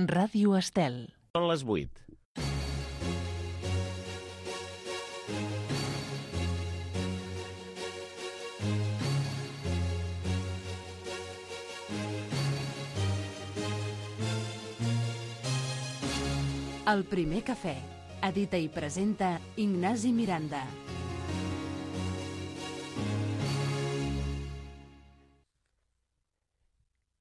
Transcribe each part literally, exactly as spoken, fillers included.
Ràdio Estel. Són les vuit. El primer cafè. Edita i presenta Ignasi Miranda.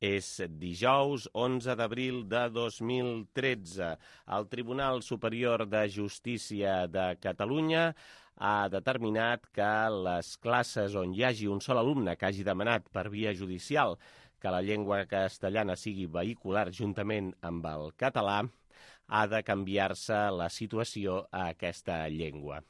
És dijous onze d'abril de dos mil tretze. El Tribunal Superior de Justícia de Catalunya ha determinat que les classes on hi hagi un sol alumne que hagi demanat per via judicial que la llengua castellana sigui vehicular juntament amb el català, ha de canviar-se la situació a aquesta llengua.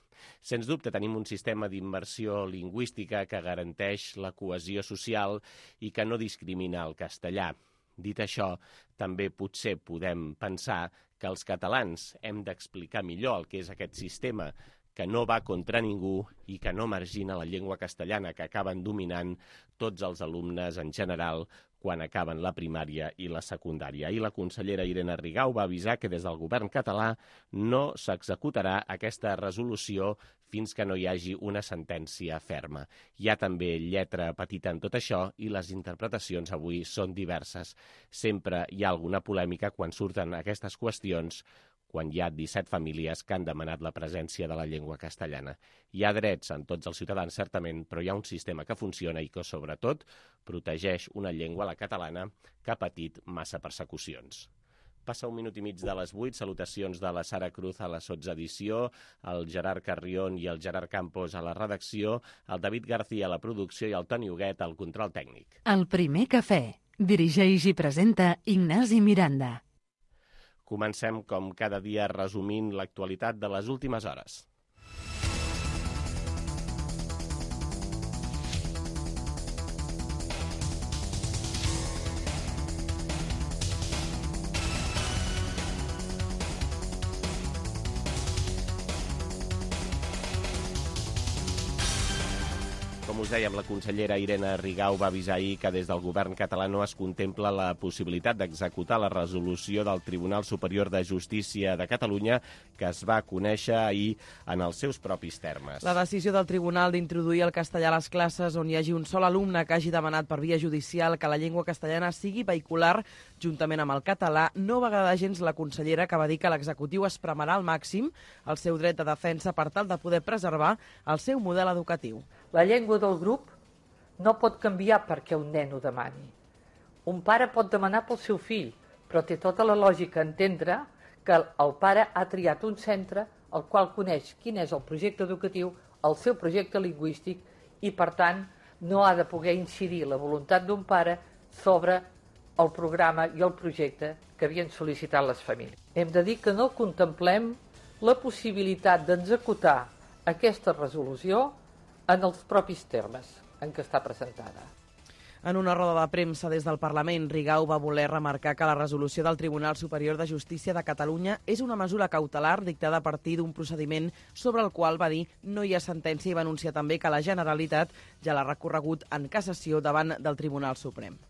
Sens dubte tenim un sistema d'immersió lingüística que garanteix la cohesió social i que no discrimina el castellà. Dit això, també potser podem pensar que els catalans hem d'explicar millor el que és aquest sistema que no va contra ningú i que no margina la llengua castellana, que acaben dominant tots els alumnes en general quan acaben la primària i la secundària. Ahir la consellera Irene Rigau va avisar que des del govern català no s'executarà aquesta resolució fins que no hi hagi una sentència ferma. Hi ha també lletra petita en tot això i les interpretacions avui són diverses. Sempre hi ha alguna polèmica quan surten aquestes qüestions, quan hi ha disset famílies que han demanat la presència de la llengua castellana. Hi ha drets en tots els ciutadans, certament, però hi ha un sistema que funciona i que, sobretot, protegeix una llengua, la catalana, que ha patit massa persecucions. Passa un minut i mig de les vuit, salutacions de la Sara Cruz a la sotsedició, el Gerard Carrión i el Gerard Campos a la redacció, el David García a la producció i el Toni Huguet al control tècnic. El primer cafè. Dirigeix i presenta Ignasi Miranda. Comencem, com cada dia, resumint l'actualitat de les últimes hores. Com us dèiem, la consellera Irene Rigau va avisar ahir que des del govern català no es contempla la possibilitat d'executar la resolució del Tribunal Superior de Justícia de Catalunya que es va conèixer ahir en els seus propis termes. La decisió del tribunal d'introduir el castellà a les classes on hi hagi un sol alumne que hagi demanat per via judicial que la llengua castellana sigui vehicular juntament amb el català no va agradar gens la consellera, que va dir que l'executiu espremarà al màxim el seu dret de defensa per tal de poder preservar el seu model educatiu. La llengua del grup no pot canviar perquè un nen ho demani. Un pare pot demanar pel seu fill, però té tota la lògica entendre que el pare ha triat un centre el qual coneix quin és el projecte educatiu, el seu projecte lingüístic i, per tant, no ha de poder incidir la voluntat d'un pare sobre el programa i el projecte que havien sol·licitat les famílies. Hem de dir que no contemplem la possibilitat d'executar aquesta resolució en els propis termes en què està presentada. En una roda de premsa des del Parlament, Rigau va voler remarcar que la resolució del Tribunal Superior de Justícia de Catalunya és una mesura cautelar dictada a partir d'un procediment sobre el qual, va dir, no hi ha sentència i va anunciar també que la Generalitat ja l'ha recorregut en cassació davant del Tribunal Suprem.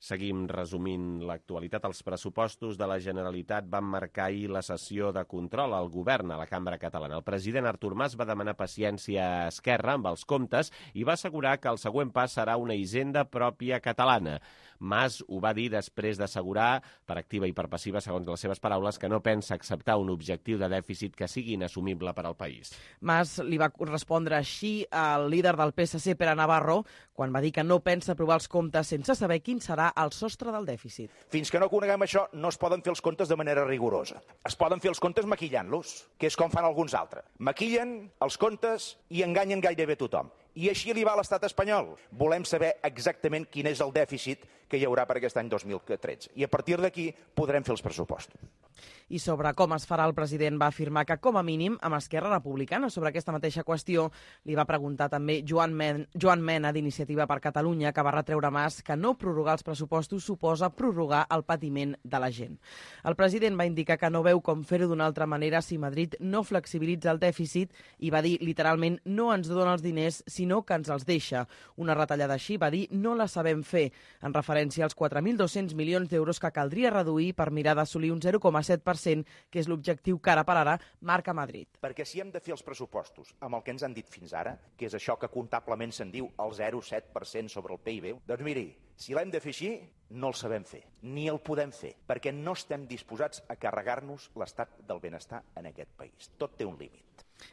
Seguim resumint l'actualitat. Els pressupostos de la Generalitat van marcar ahir la sessió de control al govern a la Cambra Catalana. El president Artur Mas va demanar paciència a Esquerra amb els comptes i va assegurar que el següent pas serà una hisenda pròpia catalana. Mas ho va dir després d'assegurar, per activa i per passiva, segons les seves paraules, que no pensa acceptar un objectiu de dèficit que sigui inassumible per al país. Mas li va respondre així al líder del P S C, Pere Navarro, quan va dir que no pensa aprovar els comptes sense saber quin serà el sostre del dèficit. Fins que no coneguem això, no es poden fer els comptes de manera rigorosa. Es poden fer els comptes maquillant-los, que és com fan alguns altres. Maquillen els comptes i enganyen gairebé tothom. I així li va a l'estat espanyol. Volem saber exactament quin és el dèficit que hi haurà per aquest any dos mil tretze. I a partir d'aquí podrem fer els pressupostos. I sobre com es farà, el president va afirmar que, com a mínim, amb Esquerra Republicana sobre aquesta mateixa qüestió li va preguntar també Joan, Men Joan Mena d'Iniciativa per Catalunya, que va retreure Mas que no prorrogar els pressupostos suposa prorrogar el patiment de la gent. El president va indicar que no veu com fer-ho d'una altra manera si Madrid no flexibilitza el dèficit i va dir literalment no ens dona els diners, sinó que ens els deixa. Una retallada així, va dir, no la sabem fer, en referència als quatre mil dos-cents milions d'euros que caldria reduir per mirar d'assolir un zero coma set per cent, que és l'objectiu que ara per ara marca Madrid. Perquè si hem de fer els pressupostos amb el que ens han dit fins ara, que és això que comptablement se'n diu el zero coma set per cent sobre el P I B, doncs miri, si l'hem de fer així, no el sabem fer, ni el podem fer, perquè no estem disposats a carregar-nos l'estat del benestar en aquest país. Tot té un límit.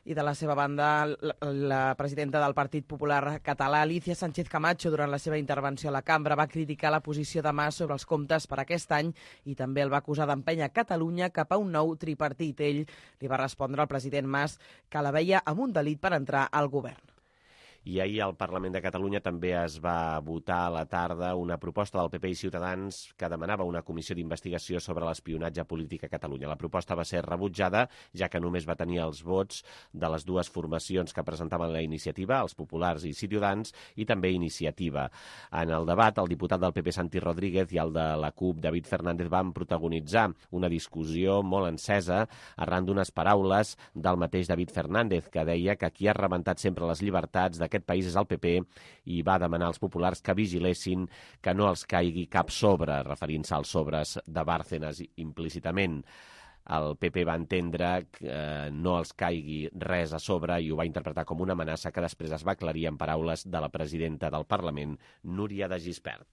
I de la seva banda, la, la presidenta del Partit Popular Català, Alicia Sánchez Camacho, durant la seva intervenció a la cambra, va criticar la posició de Mas sobre els comptes per aquest any i també el va acusar d'empènyer Catalunya cap a un nou tripartit. Ell li va respondre al president Mas que la veia amb un delit per entrar al govern. I ahir al Parlament de Catalunya també es va votar a la tarda una proposta del P P i Ciutadans que demanava una comissió d'investigació sobre l'espionatge polític a Catalunya. La proposta va ser rebutjada, ja que només va tenir els vots de les dues formacions que presentaven la iniciativa, els populars i Ciutadans, i també Iniciativa. En el debat, el diputat del P P, Santi Rodríguez, i el de la CUP, David Fernández, van protagonitzar una discussió molt encesa arran d'unes paraules del mateix David Fernández, que deia que qui ha rebentat sempre les llibertats de aquest país és el P P i va demanar als populars que vigilessin que no els caigui cap sobre, referint-se als sobres de Bárcenas implícitament. El P P va entendre que eh, no els caigui res a sobre i ho va interpretar com una amenaça que després es va aclarir en paraules de la presidenta del Parlament, Núria de Gispert.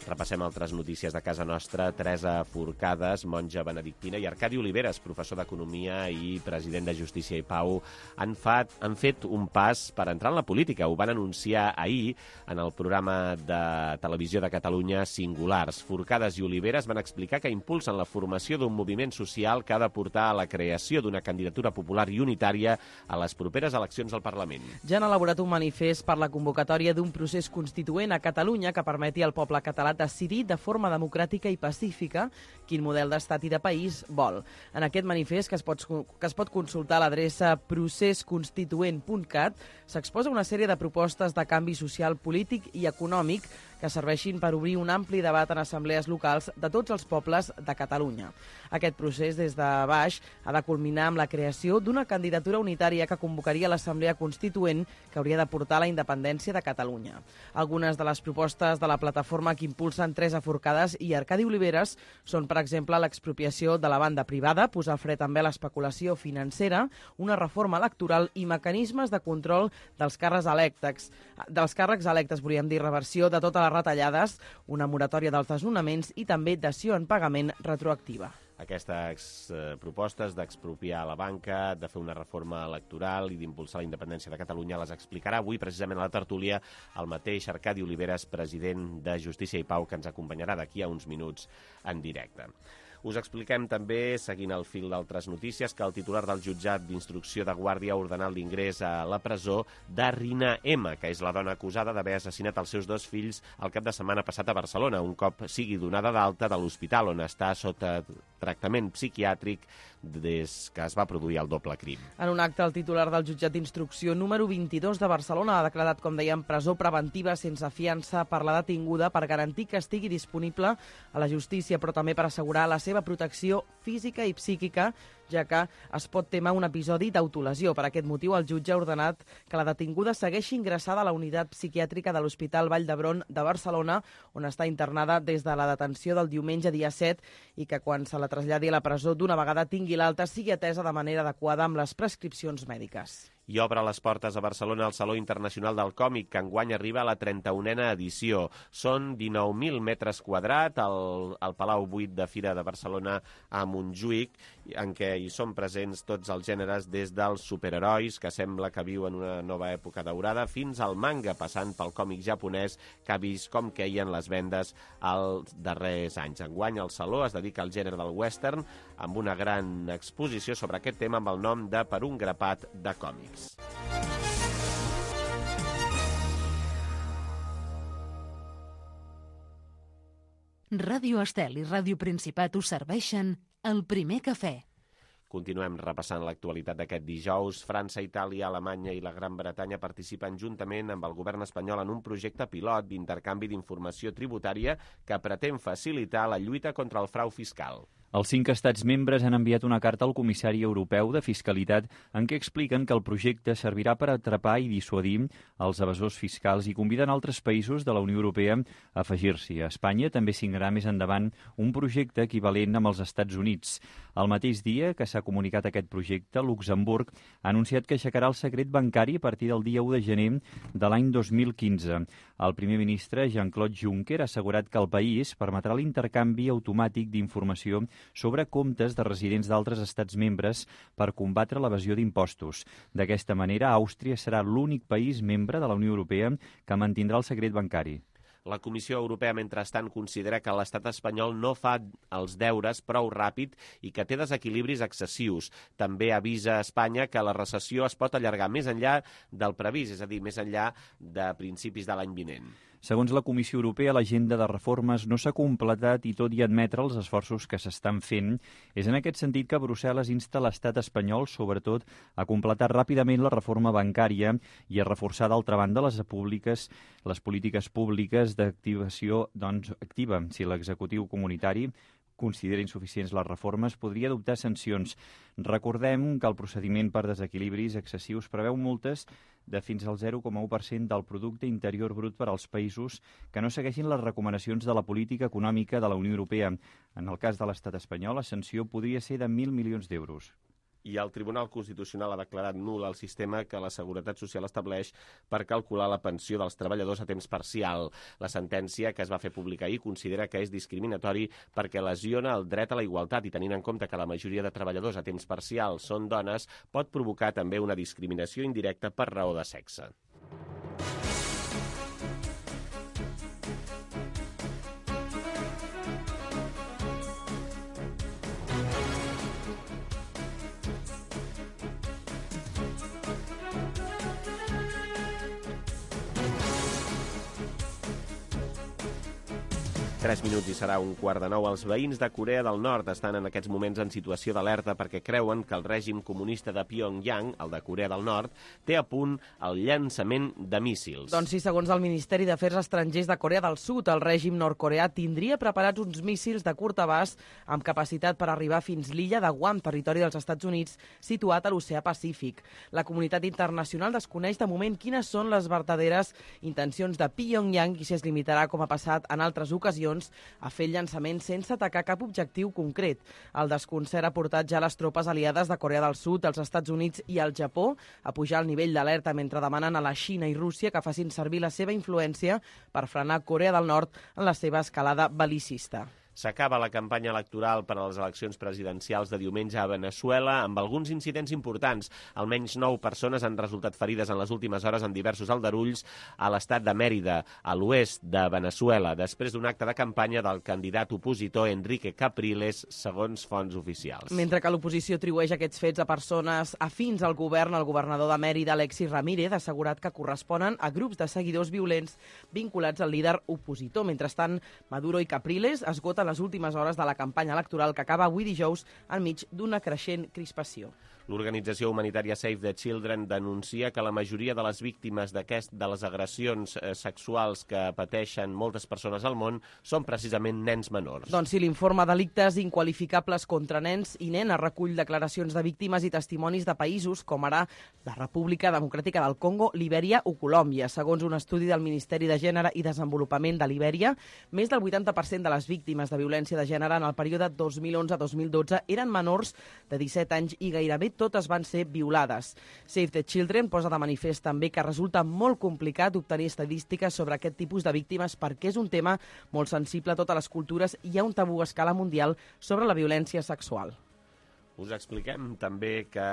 Repassem altres notícies de casa nostra. Teresa Forcades, monja benedictina, i Arcadi Oliveres, professor d'Economia i president de Justícia i Pau, han, fat, han fet un pas per entrar en la política. Ho van anunciar ahir en el programa de televisió de Catalunya Singulars. Forcades i Oliveres van explicar que impulsen la formació d'un moviment social que ha de portar a la creació d'una candidatura popular i unitària a les properes eleccions al Parlament. Ja han elaborat un manifest per la convocatòria d'un procés constituent a Catalunya que permeti al poble català decidir de forma democràtica i pacífica quin model d'estat i de país vol. En aquest manifest, que es pot, que es pot consultar a l'adreça procés constituent punt cat, s'exposa una sèrie de propostes de canvi social, polític i econòmic que serveixin per obrir un ampli debat en assemblees locals de tots els pobles de Catalunya. Aquest procés, des de baix, ha de culminar amb la creació d'una candidatura unitària que convocaria l'Assemblea Constituent que hauria de portar la independència de Catalunya. Algunes de les propostes de la plataforma que impulsen Teresa Forcades i Arcadi Oliveres són, per exemple, l'expropiació de la banda privada, posar fre també a l'especulació financera, una reforma electoral i mecanismes de control dels càrrecs electes, dels càrrecs electes, volíem dir, reversió de totes les retallades, una moratòria dels desnonaments i també dació en pagament retroactiva. Aquestes eh, propostes d'expropiar la banca, de fer una reforma electoral i d'impulsar la independència de Catalunya les explicarà avui precisament a la tertúlia el mateix Arcadi Oliveres, president de Justícia i Pau, que ens acompanyarà d'aquí a uns minuts en directe. Us expliquem també, seguint el fil d'altres notícies, que el titular del jutjat d'instrucció de Guàrdia ha ordenat l'ingrés a la presó de Rina M, que és la dona acusada d'haver assassinat els seus dos fills el cap de setmana passat a Barcelona, un cop sigui donada d'alta de l'hospital on està sota tractament psiquiàtric des que es va produir el doble crim. En un acte, el titular del jutjat d'instrucció número vint-i-dos de Barcelona ha declarat, com dèiem, presó preventiva sense fiança per la detinguda per garantir que estigui disponible a la justícia, però també per assegurar la seva protecció física i psíquica, ja que es pot temer un episodi d'autolesió. Per aquest motiu, el jutge ha ordenat que la detinguda segueixi ingressada a la unitat psiquiàtrica de l'Hospital Vall d'Hebron de Barcelona, on està internada des de la detenció del diumenge dia set, i que quan se la traslladi a la presó d'una vegada tingui l'alta sigui atesa de manera adequada amb les prescripcions mèdiques. I obre les portes a Barcelona el Saló Internacional del Còmic, que enguany arriba a la trenta-unena edició. Són dinou mil metres quadrats al, al Palau vuit de Fira de Barcelona a Montjuïc, en què hi són presents tots els gèneres, des dels superherois, que sembla que viuen una nova època daurada, fins al manga, passant pel còmic japonès, que ha vist com queien les vendes als darrers anys. Enguany el Saló es dedica al gènere del western, amb una gran exposició sobre aquest tema amb el nom de Per un grapat de còmics. Ràdio Estel i Ràdio Principat us serveixen el primer cafè. Continuem repassant l'actualitat d'aquest dijous. França, Itàlia, Alemanya i la Gran Bretanya participen juntament amb el govern espanyol en un projecte pilot d'intercanvi d'informació tributària que pretén facilitar la lluita contra el frau fiscal. Els cinc estats membres han enviat una carta al comissari europeu de fiscalitat en què expliquen que el projecte servirà per atrapar i dissuadir els evasors fiscals i conviden altres països de la Unió Europea a afegir-s'hi. A Espanya també signarà més endavant un projecte equivalent amb els Estats Units. El mateix dia que s'ha comunicat aquest projecte, Luxemburg ha anunciat que aixecarà el secret bancari a partir del dia u de gener de l'any dos mil quinze. El primer ministre, Jean-Claude Juncker, ha assegurat que el país permetrà l'intercanvi automàtic d'informació sobre comptes de residents d'altres estats membres per combatre l'evasió d'impostos. D'aquesta manera, Àustria serà l'únic país membre de la Unió Europea que mantindrà el secret bancari. La Comissió Europea, mentrestant, considera que l'estat espanyol no fa els deures prou ràpid i que té desequilibris excessius. També avisa a Espanya que la recessió es pot allargar més enllà del previst, és a dir, més enllà de principis de l'any vinent. Segons la Comissió Europea, l'agenda de reformes no s'ha completat i, tot i admetre els esforços que s'estan fent, és en aquest sentit que Brussel·les insta l'estat espanyol, sobretot, a completar ràpidament la reforma bancària i a reforçar, d'altra banda, les públiques, les polítiques públiques d'activació doncs, activa. Si l'executiu comunitari considera insuficients les reformes, podria adoptar sancions. Recordem que el procediment per desequilibris excessius preveu multes de fins al zero coma u per cent del producte interior brut per als països que no segueixin les recomanacions de la política econòmica de la Unió Europea. En el cas de l'estat espanyol, la sanció podria ser de mil milions d'euros. I el Tribunal Constitucional ha declarat nul el sistema que la Seguretat Social estableix per calcular la pensió dels treballadors a temps parcial. La sentència, que es va fer pública ahir, considera que és discriminatori perquè lesiona el dret a la igualtat i, tenint en compte que la majoria de treballadors a temps parcial són dones, pot provocar també una discriminació indirecta per raó de sexe. Tres minuts i serà un quart de nou. Els veïns de Corea del Nord estan en aquests moments en situació d'alerta perquè creuen que el règim comunista de Pyongyang, el de Corea del Nord, té a punt el llançament de míssils. Doncs sí, segons el Ministeri d'Afers Estrangers de Corea del Sud, el règim nord-coreà tindria preparats uns míssils de curt abast amb capacitat per arribar fins l'illa de Guam, territori dels Estats Units, situat a l'oceà Pacífic. La comunitat internacional desconeix de moment quines són les verdaderes intencions de Pyongyang i si es limitarà, com ha passat en altres ocasions, a fer el llançament sense atacar cap objectiu concret. El desconcert ha portat ja les tropes aliades de Corea del Sud, els Estats Units i el Japó a pujar el nivell d'alerta mentre demanen a la Xina i Rússia que facin servir la seva influència per frenar Corea del Nord en la seva escalada bel·licista. S'acaba la campanya electoral per a les eleccions presidencials de diumenge a Veneçuela amb alguns incidents importants. Almenys nou persones han resultat ferides en les últimes hores en diversos aldarulls a l'estat de Mèrida, a l'oest de Veneçuela, després d'un acte de campanya del candidat opositor Enrique Capriles, segons fonts oficials. Mentre que l'oposició atribueix aquests fets a persones afins al govern, el governador de Mèrida, Alexis Ramírez, ha assegurat que corresponen a grups de seguidors violents vinculats al líder opositor. Mentrestant, Maduro i Capriles esgoten les últimes hores de la campanya electoral que acaba avui dijous enmig d'una creixent crispació. L'organització humanitària Save the Children denuncia que la majoria de les víctimes d'aquest de les agressions eh, sexuals que pateixen moltes persones al món són precisament nens menors. Doncs sí, l'informe Delictes inqualificables contra nens i nenes recull declaracions de víctimes i testimonis de països com ara la República Democràtica del Congo, Libèria o Colòmbia. Segons un estudi del Ministeri de Gènere i Desenvolupament de Libèria, més del vuitanta per cent de les víctimes de violència de gènere en el període dos mil onze a dos mil dotze eren menors de disset anys i gairebé totes van ser violades. Save the Children posa de manifest també que resulta molt complicat obtenir estadístiques sobre aquest tipus de víctimes perquè és un tema molt sensible a totes les cultures i hi ha un tabú a escala mundial sobre la violència sexual. Us expliquem també que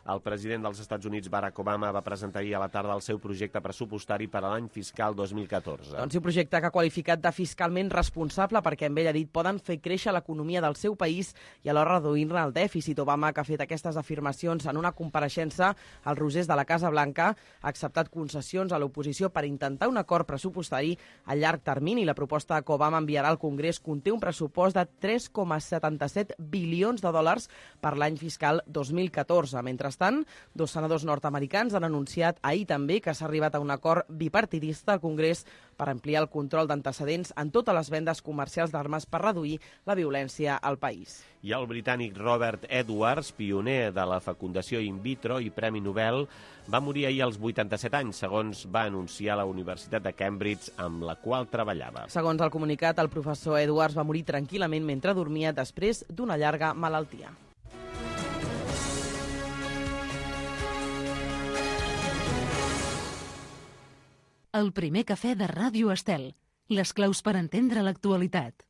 el president dels Estats Units, Barack Obama, va presentar ahir a la tarda el seu projecte pressupostari per a l'any fiscal dos mil catorze. Doncs un projecte que ha qualificat de fiscalment responsable perquè, amb ell ha dit, poden fer créixer l'economia del seu país i alhora reduir-ne el dèficit. Obama, que ha fet aquestes afirmacions en una compareixença als Rosers de la Casa Blanca, ha acceptat concessions a l'oposició per intentar un acord pressupostari a llarg termini. La proposta que Obama enviarà al Congrés conté un pressupost de tres coma setanta-set bilions de dòlars per per l'any fiscal dos mil catorze. Mentrestant, dos senadors nord-americans han anunciat ahir també que s'ha arribat a un acord bipartidista al Congrés per ampliar el control d'antecedents en totes les vendes comercials d'armes per reduir la violència al país. I el britànic Robert Edwards, pioner de la fecundació in vitro i Premi Nobel, va morir ahir als vuitanta-set anys, segons va anunciar la Universitat de Cambridge, amb la qual treballava. Segons el comunicat, el professor Edwards va morir tranquil·lament mentre dormia després d'una llarga malaltia. El primer cafè de Ràdio Estel. Les claus per entendre l'actualitat.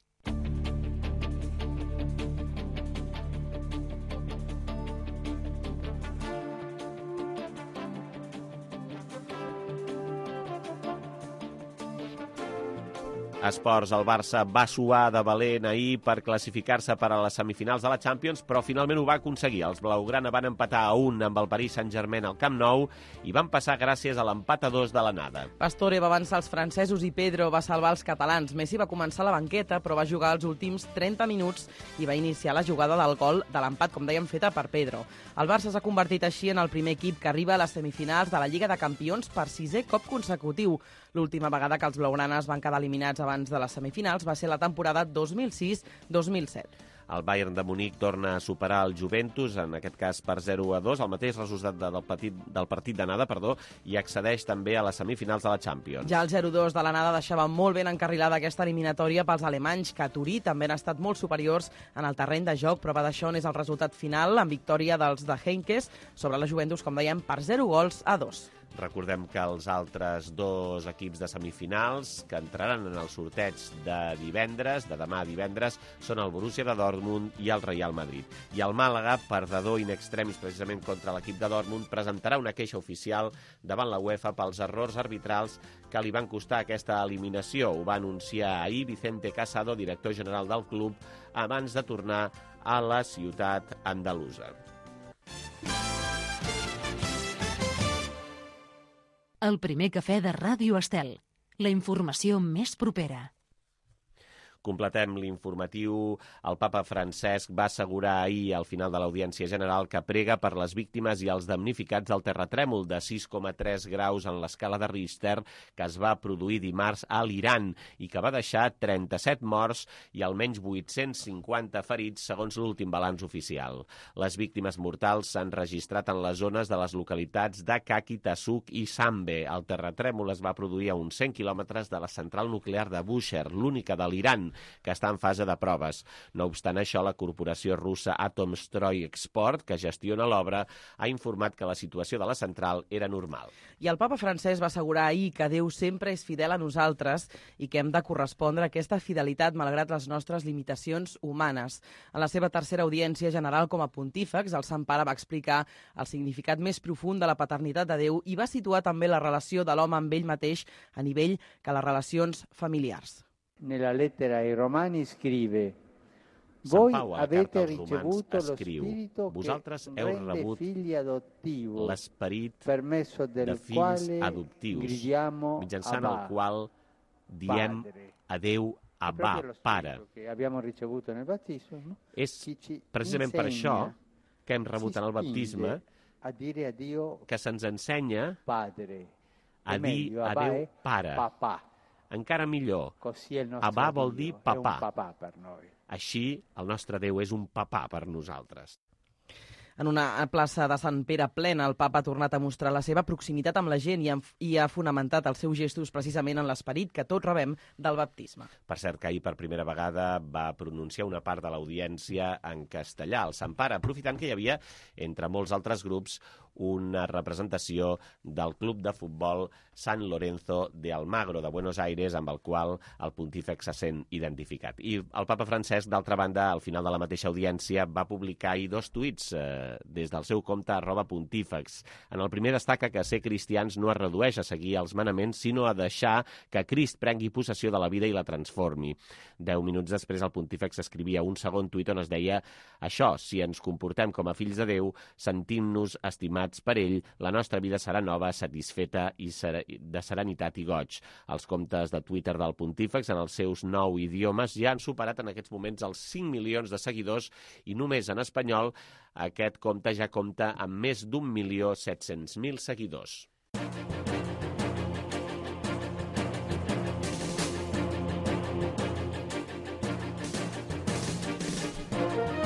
Esports, el Barça va suar de valent ahir per classificar-se per a les semifinals de la Champions, però finalment ho va aconseguir. Els blaugrana van empatar a un amb el Paris Saint-Germain al Camp Nou i van passar gràcies a l'empat a dos de l'anada. Pastore va avançar els francesos i Pedro va salvar els catalans. Messi va començar a la banqueta, però va jugar els últims trenta minuts i va iniciar la jugada del gol de l'empat, com dèiem, feta per Pedro. El Barça s'ha convertit així en el primer equip que arriba a les semifinals de la Lliga de Campions per sisè cop consecutiu. L'última vegada que els blaugranes van quedar eliminats abans de les semifinals va ser la temporada dos mil sis dos mil set. El Bayern de Munic torna a superar el Juventus, en aquest cas per zero a dos, el mateix resultat del partit, del partit d'anada, perdó, i accedeix també a les semifinals de la Champions. Ja el zero a dos de l'anada deixava molt ben encarrilada aquesta eliminatòria pels alemanys, que a Turí també han estat molt superiors en el terreny de joc. Prova d'això és el resultat final, amb victòria dels de Heinkes sobre la Juventus, com dèiem, per zero gols a dos. Recordem que els altres dos equips de semifinals que entraran en el sorteig de divendres, de demà divendres, són el Borussia de Dortmund i el Real Madrid. I el Màlaga, perdedor in extremis precisament contra l'equip de Dortmund, presentarà una queixa oficial davant la UEFA pels errors arbitrals que li van costar aquesta eliminació. Ho va anunciar ahir Vicente Casado, director general del club, abans de tornar a la ciutat andalusa. El primer cafè de Ràdio Estel. La informació més propera. Completem l'informatiu. El papa Francesc va assegurar ahir, al final de l'Audiència General, que prega per les víctimes i els damnificats del terratrèmol de sis coma tres graus en l'escala de Richter que es va produir dimarts a l'Iran i que va deixar trenta-set morts i almenys vuit-cents cinquanta ferits, segons l'últim balanç oficial. Les víctimes mortals s'han registrat en les zones de les localitats d'Akaki, Tassuk i Sambe. El terratrèmol es va produir a uns cent quilòmetres de la central nuclear de Bushehr, l'única de l'Iran, que està en fase de proves. No obstant això, la corporació russa Atomstroy Export, que gestiona l'obra, ha informat que la situació de la central era normal. I el papa Francesc va assegurar ahir que Déu sempre és fidel a nosaltres i que hem de correspondre a aquesta fidelitat malgrat les nostres limitacions humanes. En la seva tercera audiència general com a pontífex, el Sant Pare va explicar el significat més profund de la paternitat de Déu i va situar també la relació de l'home amb ell mateix a nivell que les relacions familiars. Nella lettera ai Romani scrive: Voi avete ricevuto lo Spirito Vosaltres che heu rende rebut figli adottivo, l'esperit per mezzo de del fills quale adoptius, gridiamo mitjançant Abba, el qual diem Padre. a Déu Abba, Proprio lo Pare. Spirito che abbiamo ricevuto nel battesimo, És che ci precisament per això insegna, que hem rebut ci en el baptisme spinge a dire a Dio que se'ns ensenya Padre, a o dir meglio, a Abba Déu è Pare. papà. Encara millor, Così è il nostro Abba vol dir Dio, è un papà. papà per noi. Així el nostre Déu és un papà per nosaltres. En una plaça de Sant Pere plena, el papa ha tornat a mostrar la seva proximitat amb la gent i, i ha fonamentat els seus gestos precisament en l'esperit que tots rebem del baptisme. Per cert, que ahir per primera vegada va pronunciar una part de l'audiència en castellà. El Sant Pare, aprofitant que hi havia, entre molts altres grups, una representació del club de futbol San Lorenzo de Almagro de Buenos Aires, amb el qual el pontífex se sent identificat. I el papa Francesc, d'altra banda, al final de la mateixa audiència, va publicar ahir dos tuits eh, des del seu compte arroba pontífex. En el primer destaca que ser cristians no es redueix a seguir els manaments, sinó a deixar que Crist prengui possessió de la vida i la transformi. Deu minuts després, el pontífex escrivia un segon tuit on es deia això: si ens comportem com a fills de Déu, sentim-nos estimats per ell, la nostra vida serà nova, satisfeta i ser de serenitat i goig. Els comptes de Twitter del pontífex en els seus nou idiomes ja han superat en aquests moments els cinc milions de seguidors i només en espanyol aquest compte ja compta amb més d'un milió set-cents mil seguidors.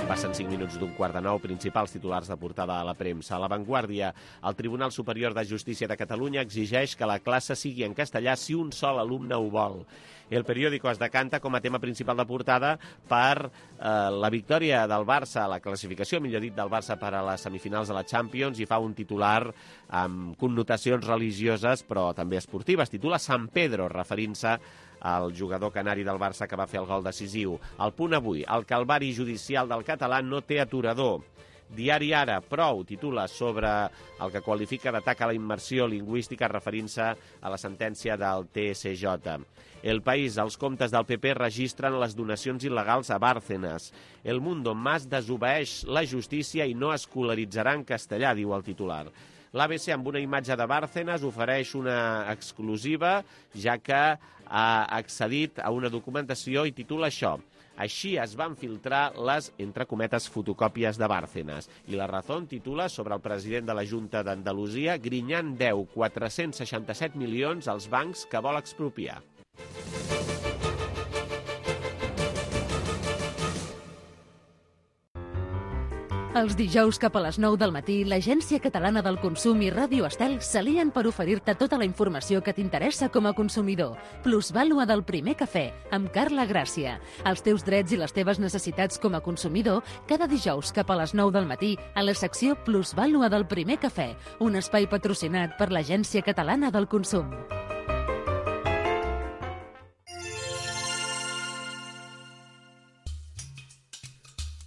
Passen cinc minuts d'un quart de nou, principals titulars de portada a la premsa. A La Vanguardia, el Tribunal Superior de Justícia de Catalunya exigeix que la classe sigui en castellà si un sol alumne ho vol. El periòdico es decanta com a tema principal de portada per eh, la victòria del Barça, la classificació, millor dit, del Barça per a les semifinals de la Champions, i fa un titular amb connotacions religioses però també esportives. Titula San Pedro, referint-se al jugador canari del Barça que va fer el gol decisiu. El Punt avui, el calvari judicial del català no té aturador. Diari Ara, prou, titula sobre el que qualifica d'atac a la immersió lingüística referint-se a la sentència del T S J. El País, els comptes del P P registren les donacions il·legals a Bárcenas. El Mundo, Mas desobeeix la justícia i no escolaritzarà en castellà, diu el titular. L'A B C, amb una imatge de Bárcenas, ofereix una exclusiva, ja que ha accedit a una documentació i titula això: així es van filtrar les, entre cometes, fotocòpies de Bárcenas. I La Razón titula sobre el president de la Junta d'Andalusia: Griñán deu quatre-cents seixanta-set milions als bancs que vol expropiar. Els dijous cap a les nou del matí, l'Agència Catalana del Consum i Ràdio Estel s'alien per oferir-te tota la informació que t'interessa com a consumidor. Plusvàlua del primer cafè, amb Carla Gràcia. Els teus drets i les teves necessitats com a consumidor, cada dijous cap a les nou del matí, a la secció Plusvàlua del primer cafè, un espai patrocinat per l'Agència Catalana del Consum.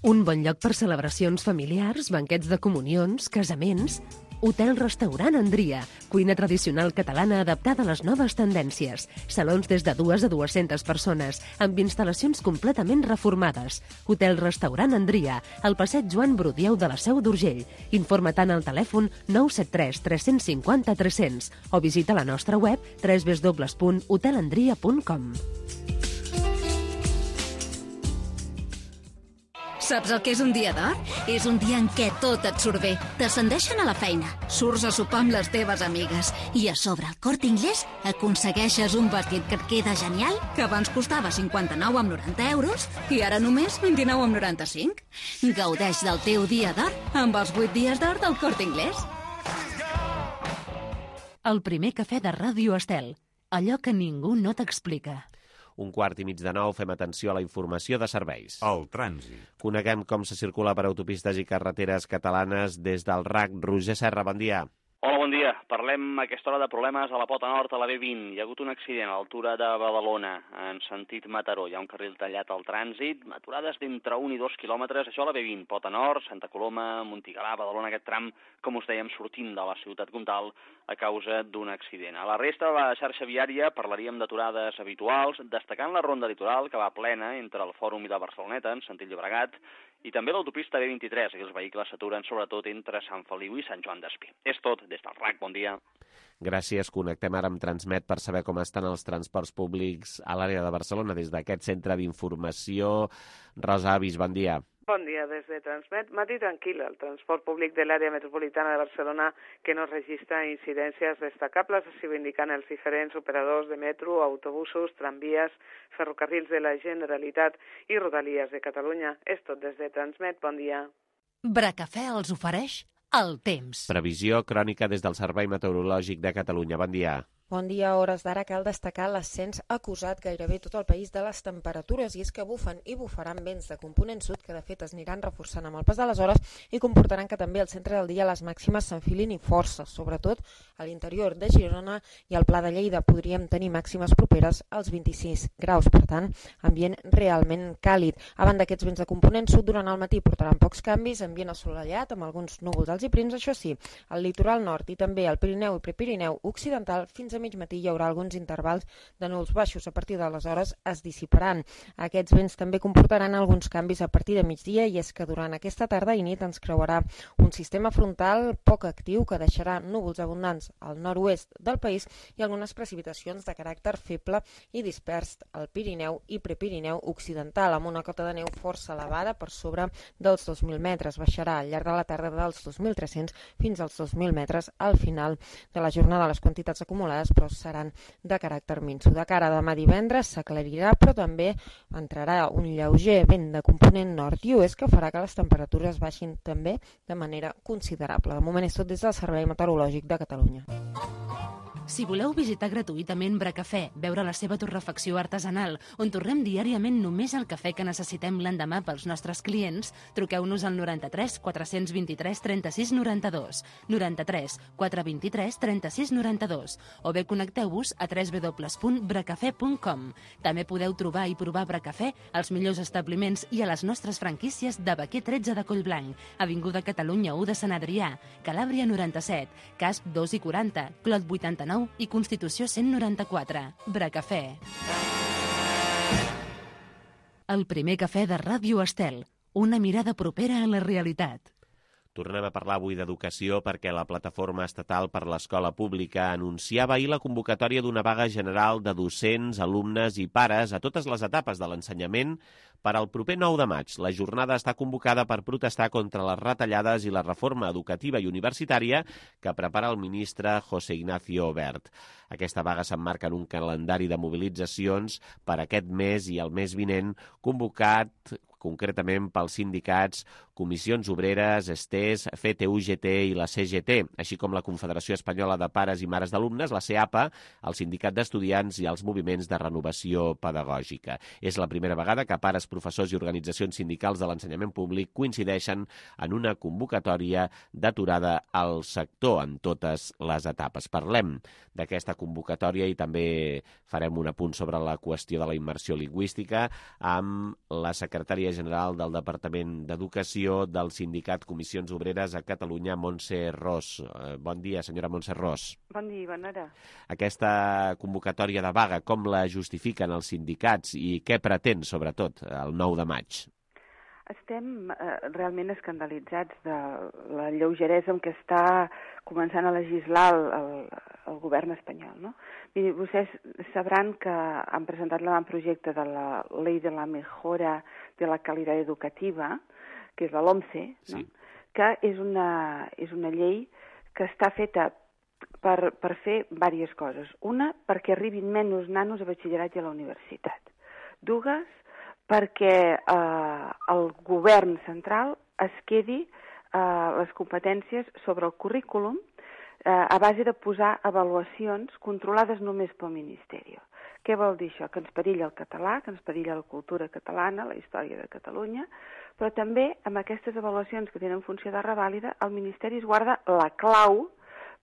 Un bon lloc per celebracions familiars, banquets de comunions, casaments... Hotel-restaurant Andria, cuina tradicional catalana adaptada a les noves tendències. Salons des de dues a dues-centes persones, amb instal·lacions completament reformades. Hotel-restaurant Andria, al passeig Joan Brudieu de la Seu d'Urgell. Informa-te'n al telèfon nou set tres tres cinc zero tres zero zero o visita la nostra web w w w punt hotel andria punt com. Saps el que és un dia d'or? És un dia en què tot et surt bé. T'ascendeixen a la feina, surts a sopar amb les teves amigues i a sobre al Corte Inglés aconsegueixes un vestit que et queda genial, que abans costava cinquanta-nou coma noranta euros i ara només vint-i-nou coma noranta-cinc. Gaudeix del teu dia d'or amb els vuit dies d'or del Corte Inglés. El primer cafè de Ràdio Estel. Allò que ningú no t'explica. Un quart i mig de nou, fem atenció a la informació de serveis. El trànsit. Coneguem com se circula per autopistes i carreteres catalanes des del R A C. Roger Serra, bon dia. Hola, bon dia. Parlem a aquesta hora de problemes a la pota nord, a la B vint. Hi ha hagut un accident a l'altura de Badalona, en sentit Mataró. Hi ha un carril tallat al trànsit, aturades d'entre un i dos quilòmetres. Això a la B vint, pota nord, Santa Coloma, Montigalà, Badalona, aquest tram, com us dèiem, sortint de la ciutat comtal a causa d'un accident. A la resta de la xarxa viària parlaríem d'aturades habituals, destacant la ronda litoral, que va plena entre el Fòrum i la Barceloneta, en sentit Llobregat, i també l'autopista B vint-i-tres, i els vehicles s'aturen sobretot entre Sant Feliu i Sant Joan d'Espí. És tot, des del R A C, bon dia. Gràcies, connectem ara amb Transmet per saber com estan els transports públics a l'àrea de Barcelona des d'aquest centre d'informació. Rosa Avis, bon dia. Bon dia, des de Transmet. Matí tranquil, el transport públic de l'àrea metropolitana de Barcelona que no registra incidències destacables, així ho indiquen els diferents operadors de metro, autobusos, tramvies, ferrocarrils de la Generalitat i Rodalies de Catalunya. És tot des de Transmet, bon dia. Bracafè els ofereix el temps. Previsió crònica des del Servei Meteorològic de Catalunya, bon dia. Bon dia. A hores d'ara cal destacar l'ascens acusat gairebé tot el país de les temperatures, i és que bufen i bufaran vents de component sud que de fet es aniran reforçant amb el pas de les hores i comportaran que també al centre del dia les màximes s'enfilin i força, sobretot a l'interior de Girona i al Pla de Lleida. Podríem tenir màximes properes als vint-i-sis graus, per tant, ambient realment càlid. A banda d'aquests vents de component sud, durant el matí portaran pocs canvis, ambient assolellat amb alguns núvols alts i prims, això sí, al litoral nord i també al Pirineu i Prepirineu occidental fins a mig matí hi haurà alguns intervals de núvols baixos. A partir d'aleshores es dissiparan. Aquests vents també comportaran alguns canvis a partir de migdia, i és que durant aquesta tarda i nit ens creuarà un sistema frontal poc actiu que deixarà núvols abundants al nord-oest del país i algunes precipitacions de caràcter feble i dispers al Pirineu i Prepirineu occidental, amb una cota de neu força elevada per sobre dels dos mil metres. Baixarà al llarg de la tarda dels dos mil tres-cents fins als dos mil metres al final de la jornada. Les quantitats acumulades però seran de caràcter minso. De cara a demà divendres s'aclarirà, però també entrarà un lleuger vent de component nord i oest que farà que les temperatures baixin també de manera considerable. De moment és tot des del Servei Meteorològic de Catalunya. Si voleu visitar gratuïtament Bracafè, veure la seva torrefacció artesanal, on torrem diàriament només el cafè que necessitem l'endemà pels nostres clients, truqueu-nos al noranta-tres quatre vint-i-tres trenta-sis noranta-dos, noranta-tres quatre vint-i-tres trenta-sis noranta-dos, o bé connecteu-vos a w w w punt bracafè punt com. També podeu trobar i provar Bracafè als millors establiments i a les nostres franquícies de Baquer tretze de Collblanc, Avinguda Catalunya u de Sant Adrià, Calàbria noranta-set, Casp dos i quaranta, Clot vuitanta-nou i Constitució cent noranta-quatre. Bracafè. El primer cafè de Ràdio Estel. Una mirada propera a la realitat. Tornem a parlar avui d'educació perquè la Plataforma Estatal per l'Escola Pública anunciava ahir la convocatòria d'una vaga general de docents, alumnes i pares a totes les etapes de l'ensenyament per al proper nou de maig. La jornada està convocada per protestar contra les retallades i la reforma educativa i universitària que prepara el ministre José Ignacio Wert. Aquesta vaga s'emmarca en un calendari de mobilitzacions per aquest mes i el mes vinent, convocat concretament pels sindicats Comissions Obreres, S T E S, F T U G T i la C G T, així com la Confederació Espanyola de Pares i Mares d'Alumnes, la C E A P A, el Sindicat d'Estudiants i els moviments de renovació pedagògica. És la primera vegada que pares, professors i organitzacions sindicals de l'ensenyament públic coincideixen en una convocatòria d'aturada al sector en totes les etapes. Parlem d'aquesta convocatòria i també farem un apunt sobre la qüestió de la immersió lingüística amb la secretària general del Departament d'Educació del Sindicat Comissions Obreres a Catalunya, Montse Ros. Bon dia, senyora Montse Ros. Bon dia, bona hora. Aquesta convocatòria de vaga, com la justifiquen els sindicats i què pretén, sobretot, el nou de maig? Estem eh, realment escandalitzats de la lleugeresa amb què està començant a legislar el, el, el govern espanyol, no? Miri, vostès sabran que han presentat l'avantprojecte de la Ley de la Mejora de la Calidad Educativa, que és la LOMCE, no? Sí. Que és una, és una llei que està feta per, per fer diverses coses. Una, perquè arribin menys nanos a batxillerat i a la universitat. Dues, perquè eh, el govern central es quedi eh, les competències sobre el currículum eh, a base de posar avaluacions controlades només pel Ministeri. Què vol dir això? Que ens perilla el català, que ens perilla la cultura catalana, la història de Catalunya, però també amb aquestes avaluacions que tenen funció de revàlida, el Ministeri es guarda la clau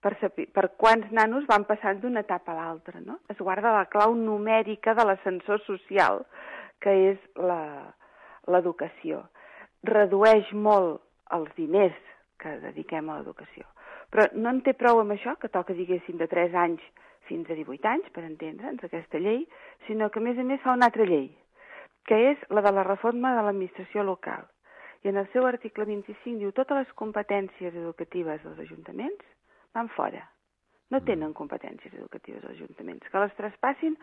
per, saber, per quants nanos van passant d'una etapa a l'altra, no? Es guarda la clau numèrica de l'ascensor social, que és l'educació. Redueix molt els diners que dediquem a l'educació. Però no en té prou amb això, que toca, diguéssim, de tres anys fins a divuit anys, per entendre'ns, aquesta llei, sinó que, a més a més, fa una altra llei, que és la de la reforma de l'administració local. I en el seu article vint-i-cinc diu totes les competències educatives dels ajuntaments van fora. No tenen competències educatives als ajuntaments, que les traspassin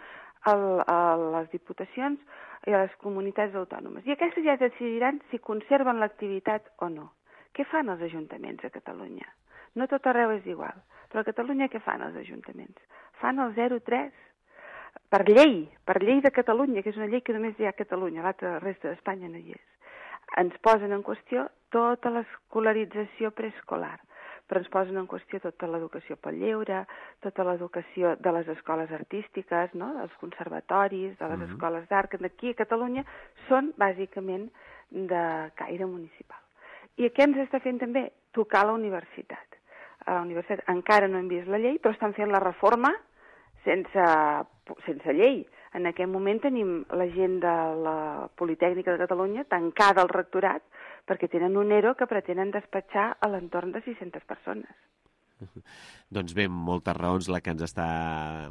al, a les diputacions i a les comunitats autònomes. I aquestes ja decidiran si conserven l'activitat o no. Què fan els ajuntaments a Catalunya? No tot arreu és igual, però a Catalunya què fan els ajuntaments? Fan el zero coma tres. Per llei, per llei de Catalunya, que és una llei que només hi ha a Catalunya, l'altra resta d'Espanya no hi és. Ens posen en qüestió tota l'escolarització preescolar. però ens posen en qüestió tota l'educació pel lleure, tota l'educació de les escoles artístiques, no? dels conservatoris, de les mm-hmm. escoles d'art, que aquí a Catalunya són bàsicament de caire municipal. I què ens està fent també? Tocar la universitat. A la universitat encara no hem vist la llei, però estan fent la reforma sense, sense llei. En aquest moment tenim la gent de la Politècnica de Catalunya tancada al rectorat perquè tenen un ERO que pretenen despatxar a l'entorn de sis-centes persones. Doncs bé, moltes raons les que ens està,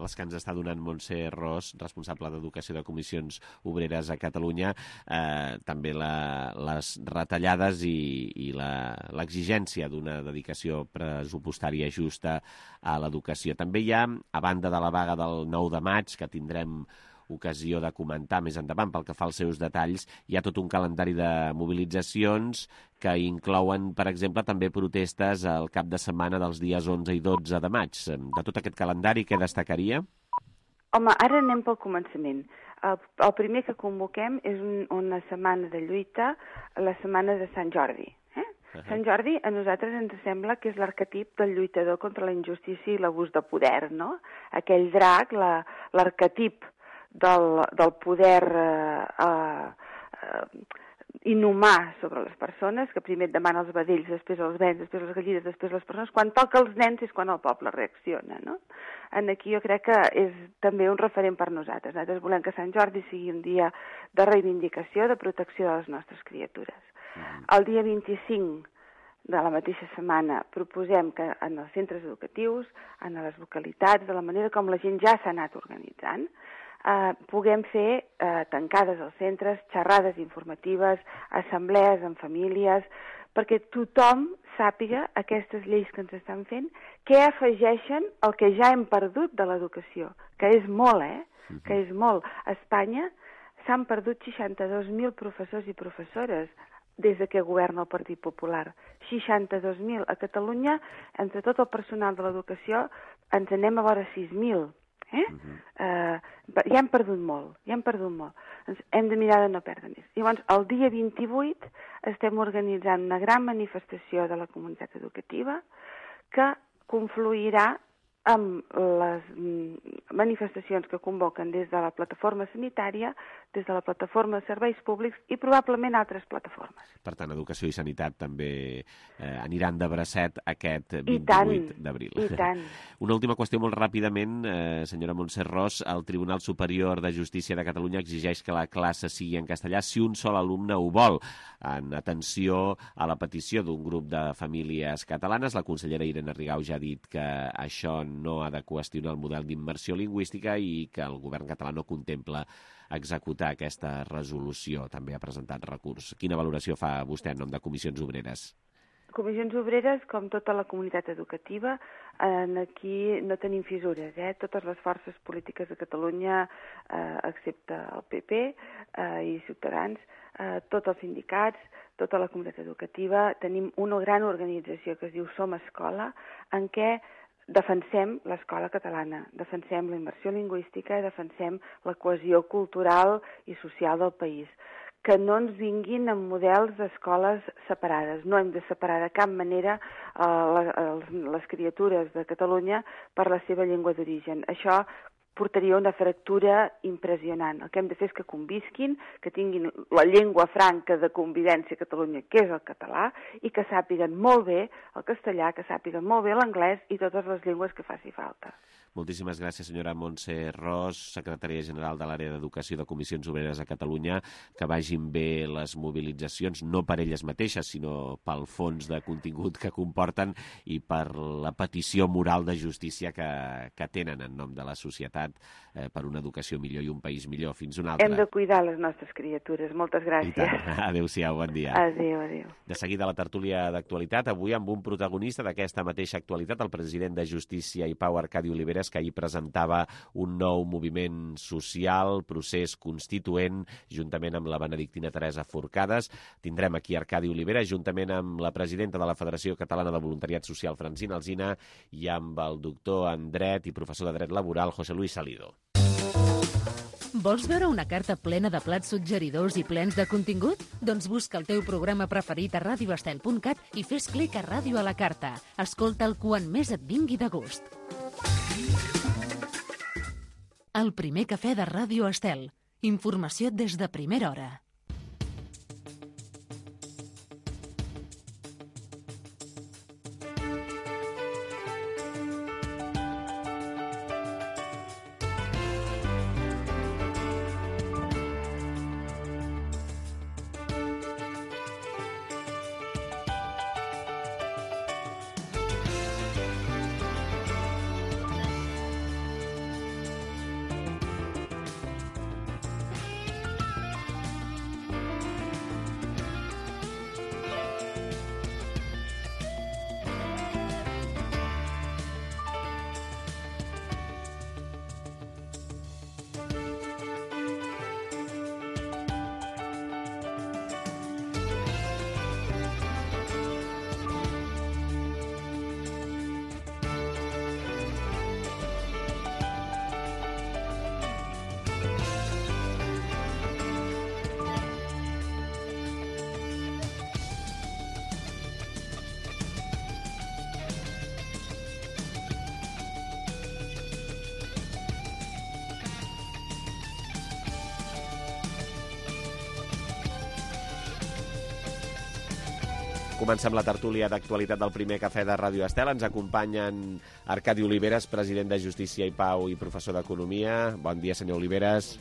les que ens està donant Montse Ros, responsable d'Educació de Comissions Obreres a Catalunya, eh, també la, les retallades i, i l'exigència d'una dedicació pressupostària justa a l'educació. També hi ha, a banda de la vaga del nou de maig, que tindrem ocasió de comentar més endavant pel que fa als seus detalls, hi ha tot un calendari de mobilitzacions que inclouen, per exemple, també protestes al cap de setmana dels dies onze i dotze de maig. De tot aquest calendari, què destacaria? Home, ara anem pel començament. El, el primer que convoquem és un, una setmana de lluita, la setmana de Sant Jordi. Eh? Uh-huh. Sant Jordi a nosaltres ens sembla que és l'arquetip del lluitador contra la injustícia i l'abús de poder, no? Aquell drac, la, l'arquetip Del, del poder eh, eh, inhumà sobre les persones, que primer et demana els vedells, després els vents, després les gallines, després les persones. Quan toca els nens és quan el poble reacciona, no? En aquí jo crec que és també un referent per nosaltres. Nosaltres volem que Sant Jordi sigui un dia de reivindicació, de protecció de les nostres criatures. Mm. El dia vint-i-cinc de la mateixa setmana proposem que en els centres educatius, en les localitats, de la manera com la gent ja s'ha anat organitzant, Uh, puguem fer uh, tancades als centres, xerrades informatives, assemblees amb famílies, perquè tothom sàpiga aquestes lleis que ens estan fent, què afegeixen el que ja hem perdut de l'educació, que és molt, eh? Uh-huh. Que és molt. A Espanya s'han perdut seixanta-dos mil professors i professores des de que governa el Partit Popular. seixanta-dos mil. A Catalunya, entre tot el personal de l'educació, ens anem a vora sis mil. Eh? Uh-huh. uh, ja hem perdut molt, ja hem perdut molt. Ens hem de mirar de no perdre més. Llavors, el dia vint-i-vuit estem organitzant una gran manifestació de la comunitat educativa que confluirà amb les manifestacions que convoquen des de la plataforma sanitària, des de la plataforma de serveis públics i probablement altres plataformes. Per tant, educació i sanitat també eh, aniran de bracet aquest vint-i-vuit d'abril. I tant. Una última qüestió molt ràpidament, eh, senyora Montse Ros. El Tribunal Superior de Justícia de Catalunya exigeix que la classe sigui en castellà si un sol alumne ho vol. En atenció a la petició d'un grup de famílies catalanes, la consellera Irene Rigau ja ha dit que això no ha de qüestionar el model d'immersió lingüística i que el govern català no contempla executar aquesta resolució. També ha presentat recurs. Quina valoració fa vostè en nom de Comissions Obreres? Comissions Obreres, com tota la comunitat educativa, aquí no tenim fissures. Eh? Totes les forces polítiques de Catalunya, eh, excepte el P P eh, i Ciutadans, eh, tots els sindicats, tota la comunitat educativa, tenim una gran organització que es diu Som Escola, en què defensem l'escola catalana, defensem la immersió lingüística i defensem la cohesió cultural i social del país. Que no ens vinguin amb models d'escoles separades. No hem de separar de cap manera eh, les, les criatures de Catalunya per la seva llengua d'origen. Això portaria una fractura impressionant. El que hem de fer és que convisquin, que tinguin la llengua franca de convivència a Catalunya, que és el català, i que sàpiguen molt bé el castellà, que sàpiguen molt bé l'anglès i totes les llengües que faci falta. Moltíssimes gràcies, senyora Montse Ros, secretària general de l'àrea d'Educació de Comissions Obreres a Catalunya. Que vagin bé les mobilitzacions, no per elles mateixes, sinó pel fons de contingut que comporten i per la petició moral de justícia que, que tenen en nom de la societat eh, per una educació millor i un país millor. Fins una altra. Hem de cuidar les nostres criatures. Moltes gràcies. Adéu-siau, bon dia. Adéu, adéu. De seguida la tertúlia d'actualitat, avui amb un protagonista d'aquesta mateixa actualitat, el president de Justícia i Pau, Arcadi Oliveres, que ahir presentava un nou moviment social, procés constituent, juntament amb la benedictina Teresa Forcades. Tindrem aquí Arcadi Oliveres, juntament amb la presidenta de la Federació Catalana de Voluntariat Social, Francina Alsina, i amb el doctor en dret i professor de dret laboral, José Luis Salido. Vols veure una carta plena de plats suggeridors i plens de contingut? Doncs busca el teu programa preferit a radio estel punt cat i fes clic a Ràdio a la carta. Escolta'l quan més et vingui de gust. El primer cafè de Ràdio Estel. Informació des de primera hora. Comencem la tertúlia d'actualitat del primer cafè de Ràdio Estel. Ens acompanyen Arcadi Oliveres, president de Justícia i Pau i professor d'Economia. Bon dia, senyor Oliveres.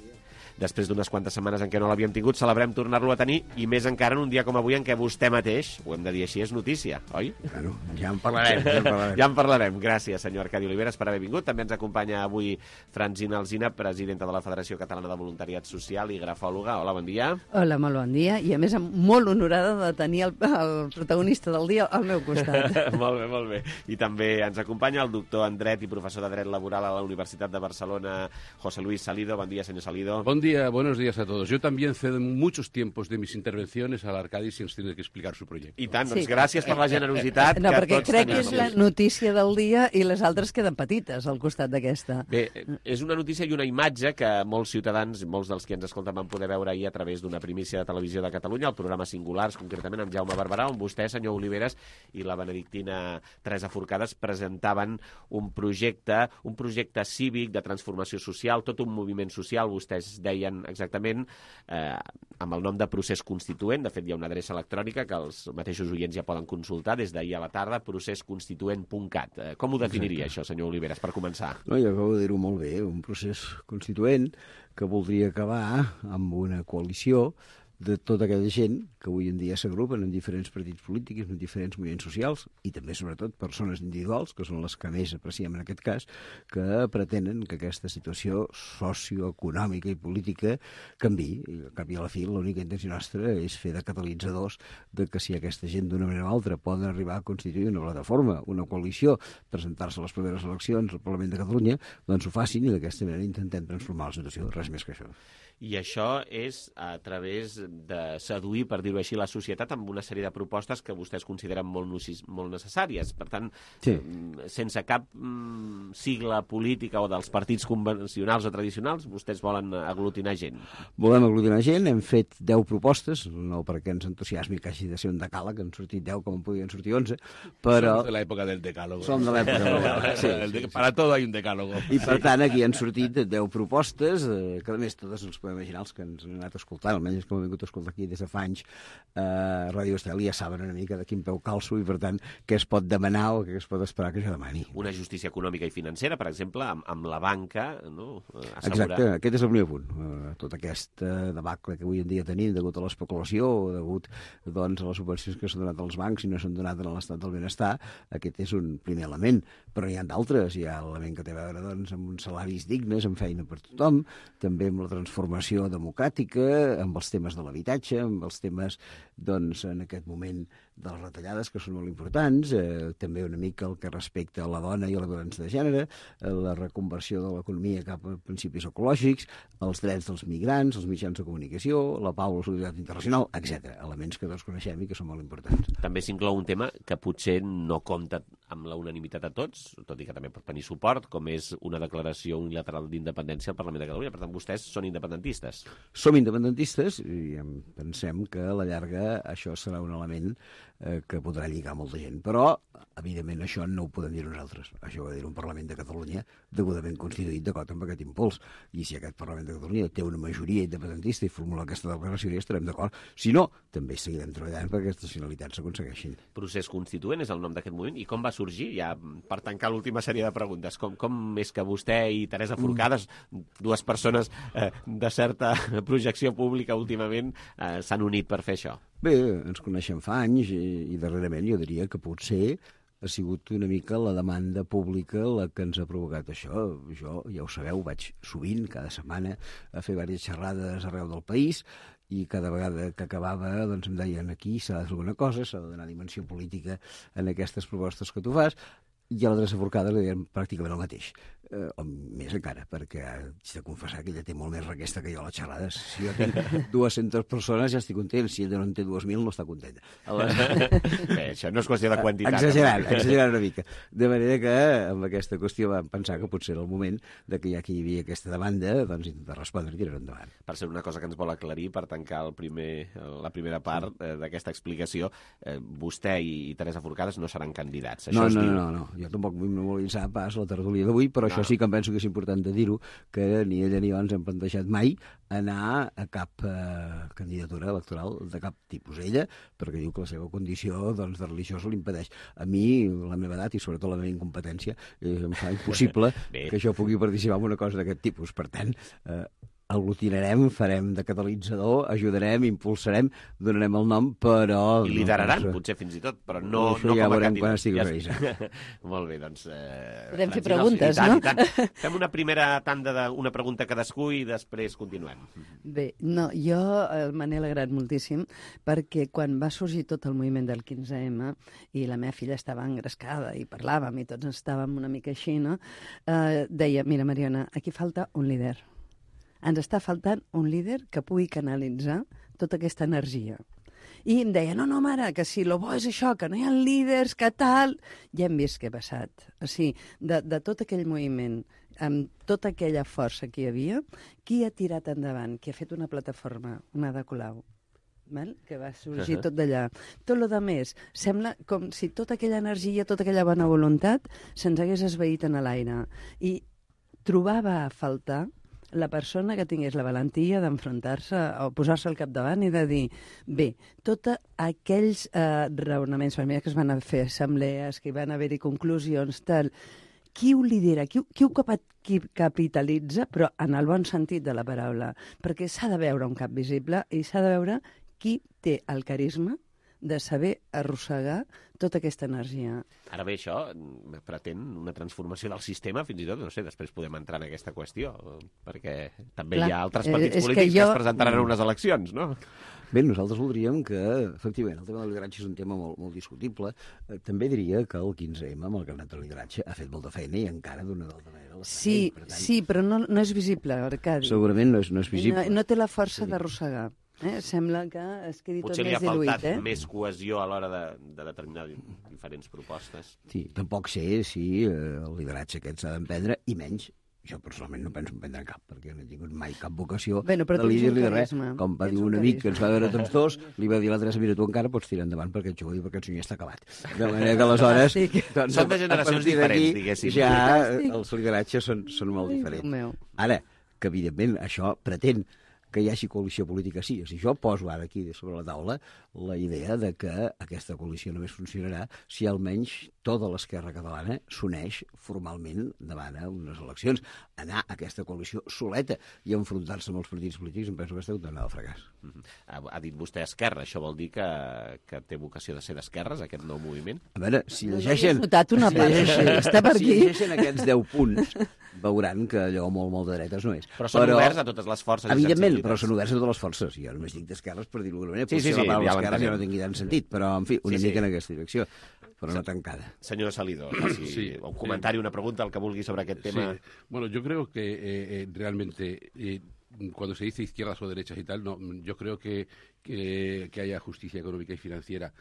Després d'unes quantes setmanes en què no l'havíem tingut, celebrem tornar-lo a tenir, i més encara en un dia com avui en què vostè mateix, ho hem de dir així, és notícia, oi? Bueno, ja en parlarem. Ja en parlarem, ja en parlarem. Gràcies, senyor Arcadi Oliveres, per haver vingut. També ens acompanya avui Francina Alsina, presidenta de la Federació Catalana de Voluntariat Social i grafòloga. Hola, bon dia. Hola, molt bon dia, i a més molt honorada de tenir el, el protagonista del dia al meu costat. Molt bé, molt bé. I també ens acompanya el doctor en Dret i professor de Dret Laboral a la Universitat de Barcelona, José Luis Salido. Bon dia, senyor Salido. Bon dia. Buenos días a todos. Yo también cedo muchos tiempos de mis intervenciones al Arcadi si ens tiene que explicar su proyecto. I tant, doncs sí. Gràcies per la generositat. No, perquè crec que és la notícia del dia i les altres queden petites al costat d'aquesta. Bé, és una notícia i una imatge que molts ciutadans, molts dels que ens escolten van poder veure ahir a través d'una primícia de Televisió de Catalunya, el programa Singulars, concretament amb Jaume Barberà, on vostè, senyor Oliveres, i la benedictina Teresa Forcades presentaven un projecte, un projecte cívic de transformació social, tot un moviment social, vostès deien exactament, eh, amb el nom de procés constituent. De fet, hi ha una adreça electrònica que els mateixos oients ja poden consultar des d'ahir a la tarda, procés constituent punt cat. Eh, com ho definiria, Exacte. Això, senyor Oliveres, per començar? No, jo acabo de dir-ho molt bé, un procés constituent que voldria acabar amb una coalició de tota aquella gent que avui en dia s'agrupen en diferents partits polítics, en diferents moviments socials, i també, sobretot, persones individuals, que són les que més apreciem en aquest cas, que pretenen que aquesta situació socioeconòmica i política canviï. I, al cap i a la fi, l'única intenció nostra és fer de catalitzadors de que si aquesta gent d'una manera o altra poden arribar a constituir una plataforma, una coalició, presentar-se a les properes eleccions al Parlament de Catalunya, doncs ho facin i d'aquesta manera intentem transformar la situació, res més que això. I això és a través de seduir, per dir-ho així, la societat amb una sèrie de propostes que vostès consideren molt, molt necessàries. Per tant, sí. sense cap mm, sigla política o dels partits convencionals o tradicionals, vostès volen aglutinar gent. Volem aglutinar gent, hem fet deu propostes, no perquè ens entusiasmi que hagi de ser un decàleg, han sortit deu com en podien sortir onze, però... Som de l'època del decàlogo. Som de l'època del decàlogo, sí, sí, sí. Para todo hay un decàlogo. I per tant, aquí han sortit deu propostes, eh, que a més totes ens podem imaginar els que ens han anat escoltant, almenys que hem vingut a escoltar aquí des de fa anys, eh, Ràdio Estel, ja saben una mica de quin peu calço i, per tant, què es pot demanar o què es pot esperar que jo demani. Una justícia econòmica i financera, per exemple, amb, amb la banca, no? Assegurar... Exacte, aquest és el primer punt. Uh, tot aquest uh, debacle que avui en dia tenim degut a l'especulació o degut doncs, a les subvencions que s'han donat als bancs i no s'han donat a l'estat del benestar, aquest és un primer element. Però hi ha d'altres. Hi ha l'element que té a veure doncs, amb uns salaris dignes, amb feina per tothom, també amb la transformació democràtica, amb els temes de l'habitatge, amb els temes, doncs, en aquest moment de les retallades, que són molt importants, eh, també una mica el que respecta a la dona i a la violència de gènere, eh, la reconversió de l'economia cap a principis ecològics, els drets dels migrants, els mitjans de comunicació, la pau, la solidaritat internacional, etcètera. Elements que tots coneixem i que són molt importants. També s'inclou un tema que potser no compta amb la unanimitat a tots, tot i que també pot tenir suport, com és una declaració unilateral d'independència al Parlament de Catalunya. Per tant, vostès són independentistes. Som independentistes i pensem que a la llarga això serà un element eh, que podrà lligar molta gent. Però, evidentment, això no ho podem dir nosaltres. Això ho ha de dir un Parlament de Catalunya degudament constituït d'acord amb aquest impuls. I si aquest Parlament de Catalunya té una majoria independentista i formula aquesta declaració, ja estarem d'acord. Si no, també seguirem treballant perquè aquestes finalitats s'aconsegueixin. Procés Constituent és el nom d'aquest moviment. I com va sorgir? Ja per tancar l'última sèrie de preguntes. Com, com és que vostè i Teresa Forcades, mm. dues persones eh, de certa projecció pública últimament, eh, s'han unit per fer això? Bé, ens coneixem fa anys i, i darrerament jo diria que potser ha sigut una mica la demanda pública la que ens ha provocat això. Jo, ja ho sabeu, vaig sovint, cada setmana, a fer diverses xerrades arreu del país i cada vegada que acabava doncs em deien aquí s'ha de fer alguna cosa, s'ha de donar dimensió política en aquestes propostes que tu fas, i a la Teresa Forcades li deien pràcticament el mateix, eh, o més encara, perquè haig de confessar que ella té molt més requesta que jo a les xerrades. Si jo tinc dues-centes persones ja estic content, si ella no en té dues mil no està contenta. Bé, això no és qüestió de quantitat. Exagerant, exagerant una mica. De manera que amb aquesta qüestió vam pensar que potser era el moment de que ja que hi havia aquesta demanda, doncs intentar respondre i tirar endavant. Per ser una cosa que ens vol aclarir, per tancar el primer, la primera part eh, d'aquesta explicació, eh, vostè i Teresa Forcades no seran candidats. Això no, es no, diu. no, no. Jo tampoc vull memoritzar pas la tertúlia d'avui, però no. Això sí que em penso que és important de dir-ho, que ni ella ni jo ens hem plantejat mai anar a cap eh, candidatura electoral de cap tipus. Ella, perquè diu que la seva condició doncs, de religiosa l'impedeix. A mi, la meva edat i sobretot la meva incompetència, eh, em fa impossible que jo pugui participar en una cosa d'aquest tipus. Per tant, eh, aglutinarem, farem de catalitzador, ajudarem, impulsarem, donarem el nom, però... I lideraran, no, potser fins i tot, però no, no ja com a candidat. Quan estigui ja... Molt bé, doncs... Eh, Podem fer Francina, preguntes, i tant, no? I tant. Fem una primera tanda d'una pregunta cadascú i després continuem. Bé, no, jo me n'he alegrat moltíssim perquè quan va sorgir tot el moviment del quinze ema i la meva filla estava engrescada i parlàvem i tots estàvem una mica així, no? Eh, deia, mira, Mariona, aquí falta un líder. Ens està faltant un líder que pugui canalitzar tota aquesta energia. I em deia, no, no, mare, que si lo bo és això, que no hi ha líders, que tal... Ja hem vist què ha passat. O sigui, de, de tot aquell moviment, amb tota aquella força que hi havia, qui ha tirat endavant, qui ha fet una plataforma, una de Colau, val? Que va sorgir tot d'allà. Tot el que més, sembla com si tota aquella energia, tota aquella bona voluntat se'ns hagués esvaït en l'aire. I trobava a faltar la persona que tingués la valentia d'enfrontar-se o posar-se al capdavant i de dir, bé, tots aquells eh, raonaments familiars que es van fer assemblees, que hi van haver-hi conclusions, tal, qui ho lidera, qui, qui ho qui capitalitza, però en el bon sentit de la paraula, perquè s'ha de veure un cap visible i s'ha de veure qui té el carisma de saber arrossegar tota aquesta energia. Ara bé, això pretén una transformació del sistema, fins i tot, no sé, després podem entrar en aquesta qüestió, perquè també Clar, hi ha altres partits eh, polítics que, jo... que es presentaran a unes eleccions, no? Bé, nosaltres voldríem que, efectivament, el tema del lideratge és un tema molt, molt discutible. Eh, també diria que el quinze ema, amb el carnet de lideratge, ha fet molta feina i encara d'una d'altra manera. Sí, ell, per tant... sí, però no, no és visible, Arcadi. Segurament no és, no és visible. No, no té la força sí. d'arrossegar. Eh? Sembla que es quedi Potser tot més diluït. Potser li ha faltat eh? més cohesió a l'hora de, de determinar diferents propostes. Sí, tampoc sé si eh, el lideratge aquest s'ha d'emprendre, i menys, jo personalment no penso emprendre cap, perquè no he tingut mai cap vocació bueno, de líder-li de res. Com va dir un amic que ens va veure tots dos, li va dir a la Teresa, mira, tu encara pots tirar endavant perquè ets jove i perquè el senyor està acabat. De manera que aleshores... Doncs, són de generacions diferents, diguéssim. Ja els lideratges són, són molt diferents. Ara, que evidentment això pretén que hi hagi coalició política, sí. Si jo poso ara aquí sobre la taula la idea de que aquesta coalició només funcionarà si almenys tota l'esquerra catalana s'uneix formalment davant a unes eleccions. Anar a aquesta coalició soleta i enfrontar-se amb els partits polítics em penso que està condemnada al fracàs. Mm-hmm. ha, ha dit vostè esquerra, això vol dir que, que té vocació de ser d'esquerres, aquest nou moviment? A veure, si llegeixen... notat una part, si llegeixen, està per aquí. Si llegeixen aquests deu punts, veuran que allò molt, molt de dretes no és. Però són Però, oberts a totes les forces i evidentment, possibilitats. però són oberts a totes les forces. Jo només dic d'esquerres per dir-ho d'alguna manera. Sí, sí, sí, la paraula ja esquerres ja no tingui tant sentit, però, en fi, una sí, sí. mica en aquesta direcció, però no tancada. Señor Salido, si sí, un comentario, una pregunta, el que vulgui sobre aquest tema. Sí. Bueno, yo creo que eh, eh, realmente eh, cuando se dice izquierdas o derechas y tal, no, yo creo que, que, que haya justicia económica y financiera.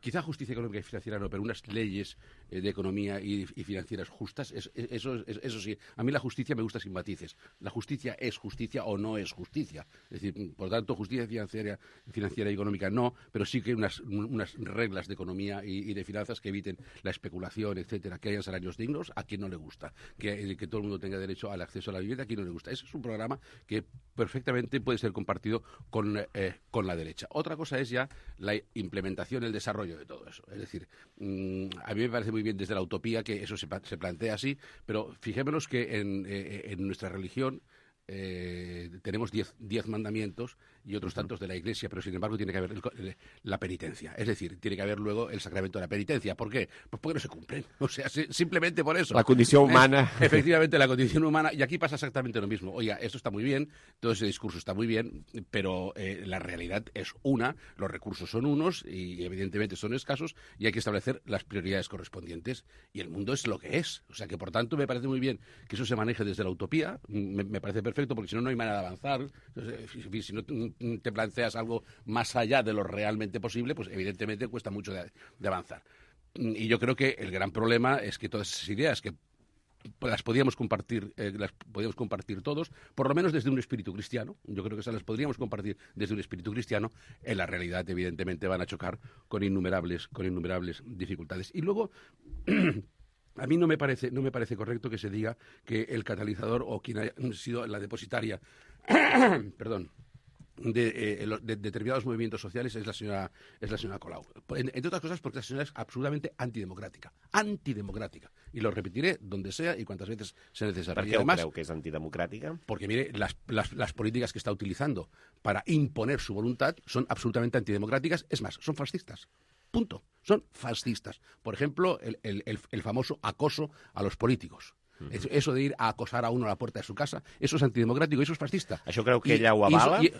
Quizá justicia económica y financiera no, pero unas leyes eh, de economía y, y financieras justas, es, es, eso, es, eso sí. A mí la justicia me gusta sin matices. La justicia es justicia o no es justicia. Es decir, por tanto, justicia financiera, financiera y económica no, pero sí que unas, unas reglas de economía y, y de finanzas que eviten la especulación, etcétera, que hayan salarios dignos, a quien no le gusta, que, que todo el mundo tenga derecho al acceso a la vivienda, a quien no le gusta. Ese es un programa que perfectamente puede ser compartido con, eh, con la derecha. Otra cosa es ya la implementación, el desarrollo de todo eso. Es decir, mmm, a mí me parece muy bien desde la utopía que eso se, se plantea así, pero fijémonos que en, eh, en nuestra religión eh, tenemos diez, diez mandamientos y otros tantos de la Iglesia, pero sin embargo tiene que haber el, la penitencia. Es decir, tiene que haber luego el sacramento de la penitencia. ¿Por qué? Pues porque no se cumplen. O sea, si, simplemente por eso. La condición humana. Es, efectivamente, la condición humana. Y aquí pasa exactamente lo mismo. Oiga, esto está muy bien, todo ese discurso está muy bien, pero eh, la realidad es una, los recursos son unos y evidentemente son escasos y hay que establecer las prioridades correspondientes. Y el mundo es lo que es. O sea que, por tanto, me parece muy bien que eso se maneje desde la utopía. Me, me parece perfecto, porque si no, no hay manera de avanzar. Si, si no te planteas algo más allá de lo realmente posible, pues evidentemente cuesta mucho de, de avanzar. Y yo creo que el gran problema es que todas esas ideas que las podíamos compartir, eh, las podíamos compartir todos, por lo menos desde un espíritu cristiano. Yo creo que esas las podríamos compartir desde un espíritu cristiano. En la realidad, evidentemente, van a chocar con innumerables, con innumerables dificultades. Y luego a mí no me parece, no me parece correcto que se diga que el catalizador o quien haya sido la depositaria, perdón, De, eh, de, de determinados movimientos sociales es la señora es la señora Colau. En, entre otras cosas porque la señora es absolutamente antidemocrática. Antidemocrática. Y lo repetiré donde sea y cuantas veces sea necesario. ¿Por qué además, creo que es antidemocrática? Porque, mire, las, las, las políticas que está utilizando para imponer su voluntad son absolutamente antidemocráticas. Es más, son fascistas. Punto. Son fascistas. Por ejemplo, el, el, el, el famoso acoso a los políticos. Uh-huh. Eso de ir a acosar a uno a la puerta de su casa, eso es antidemocrático, eso es fascista. Això creu que I, ella ho avala? Y, y,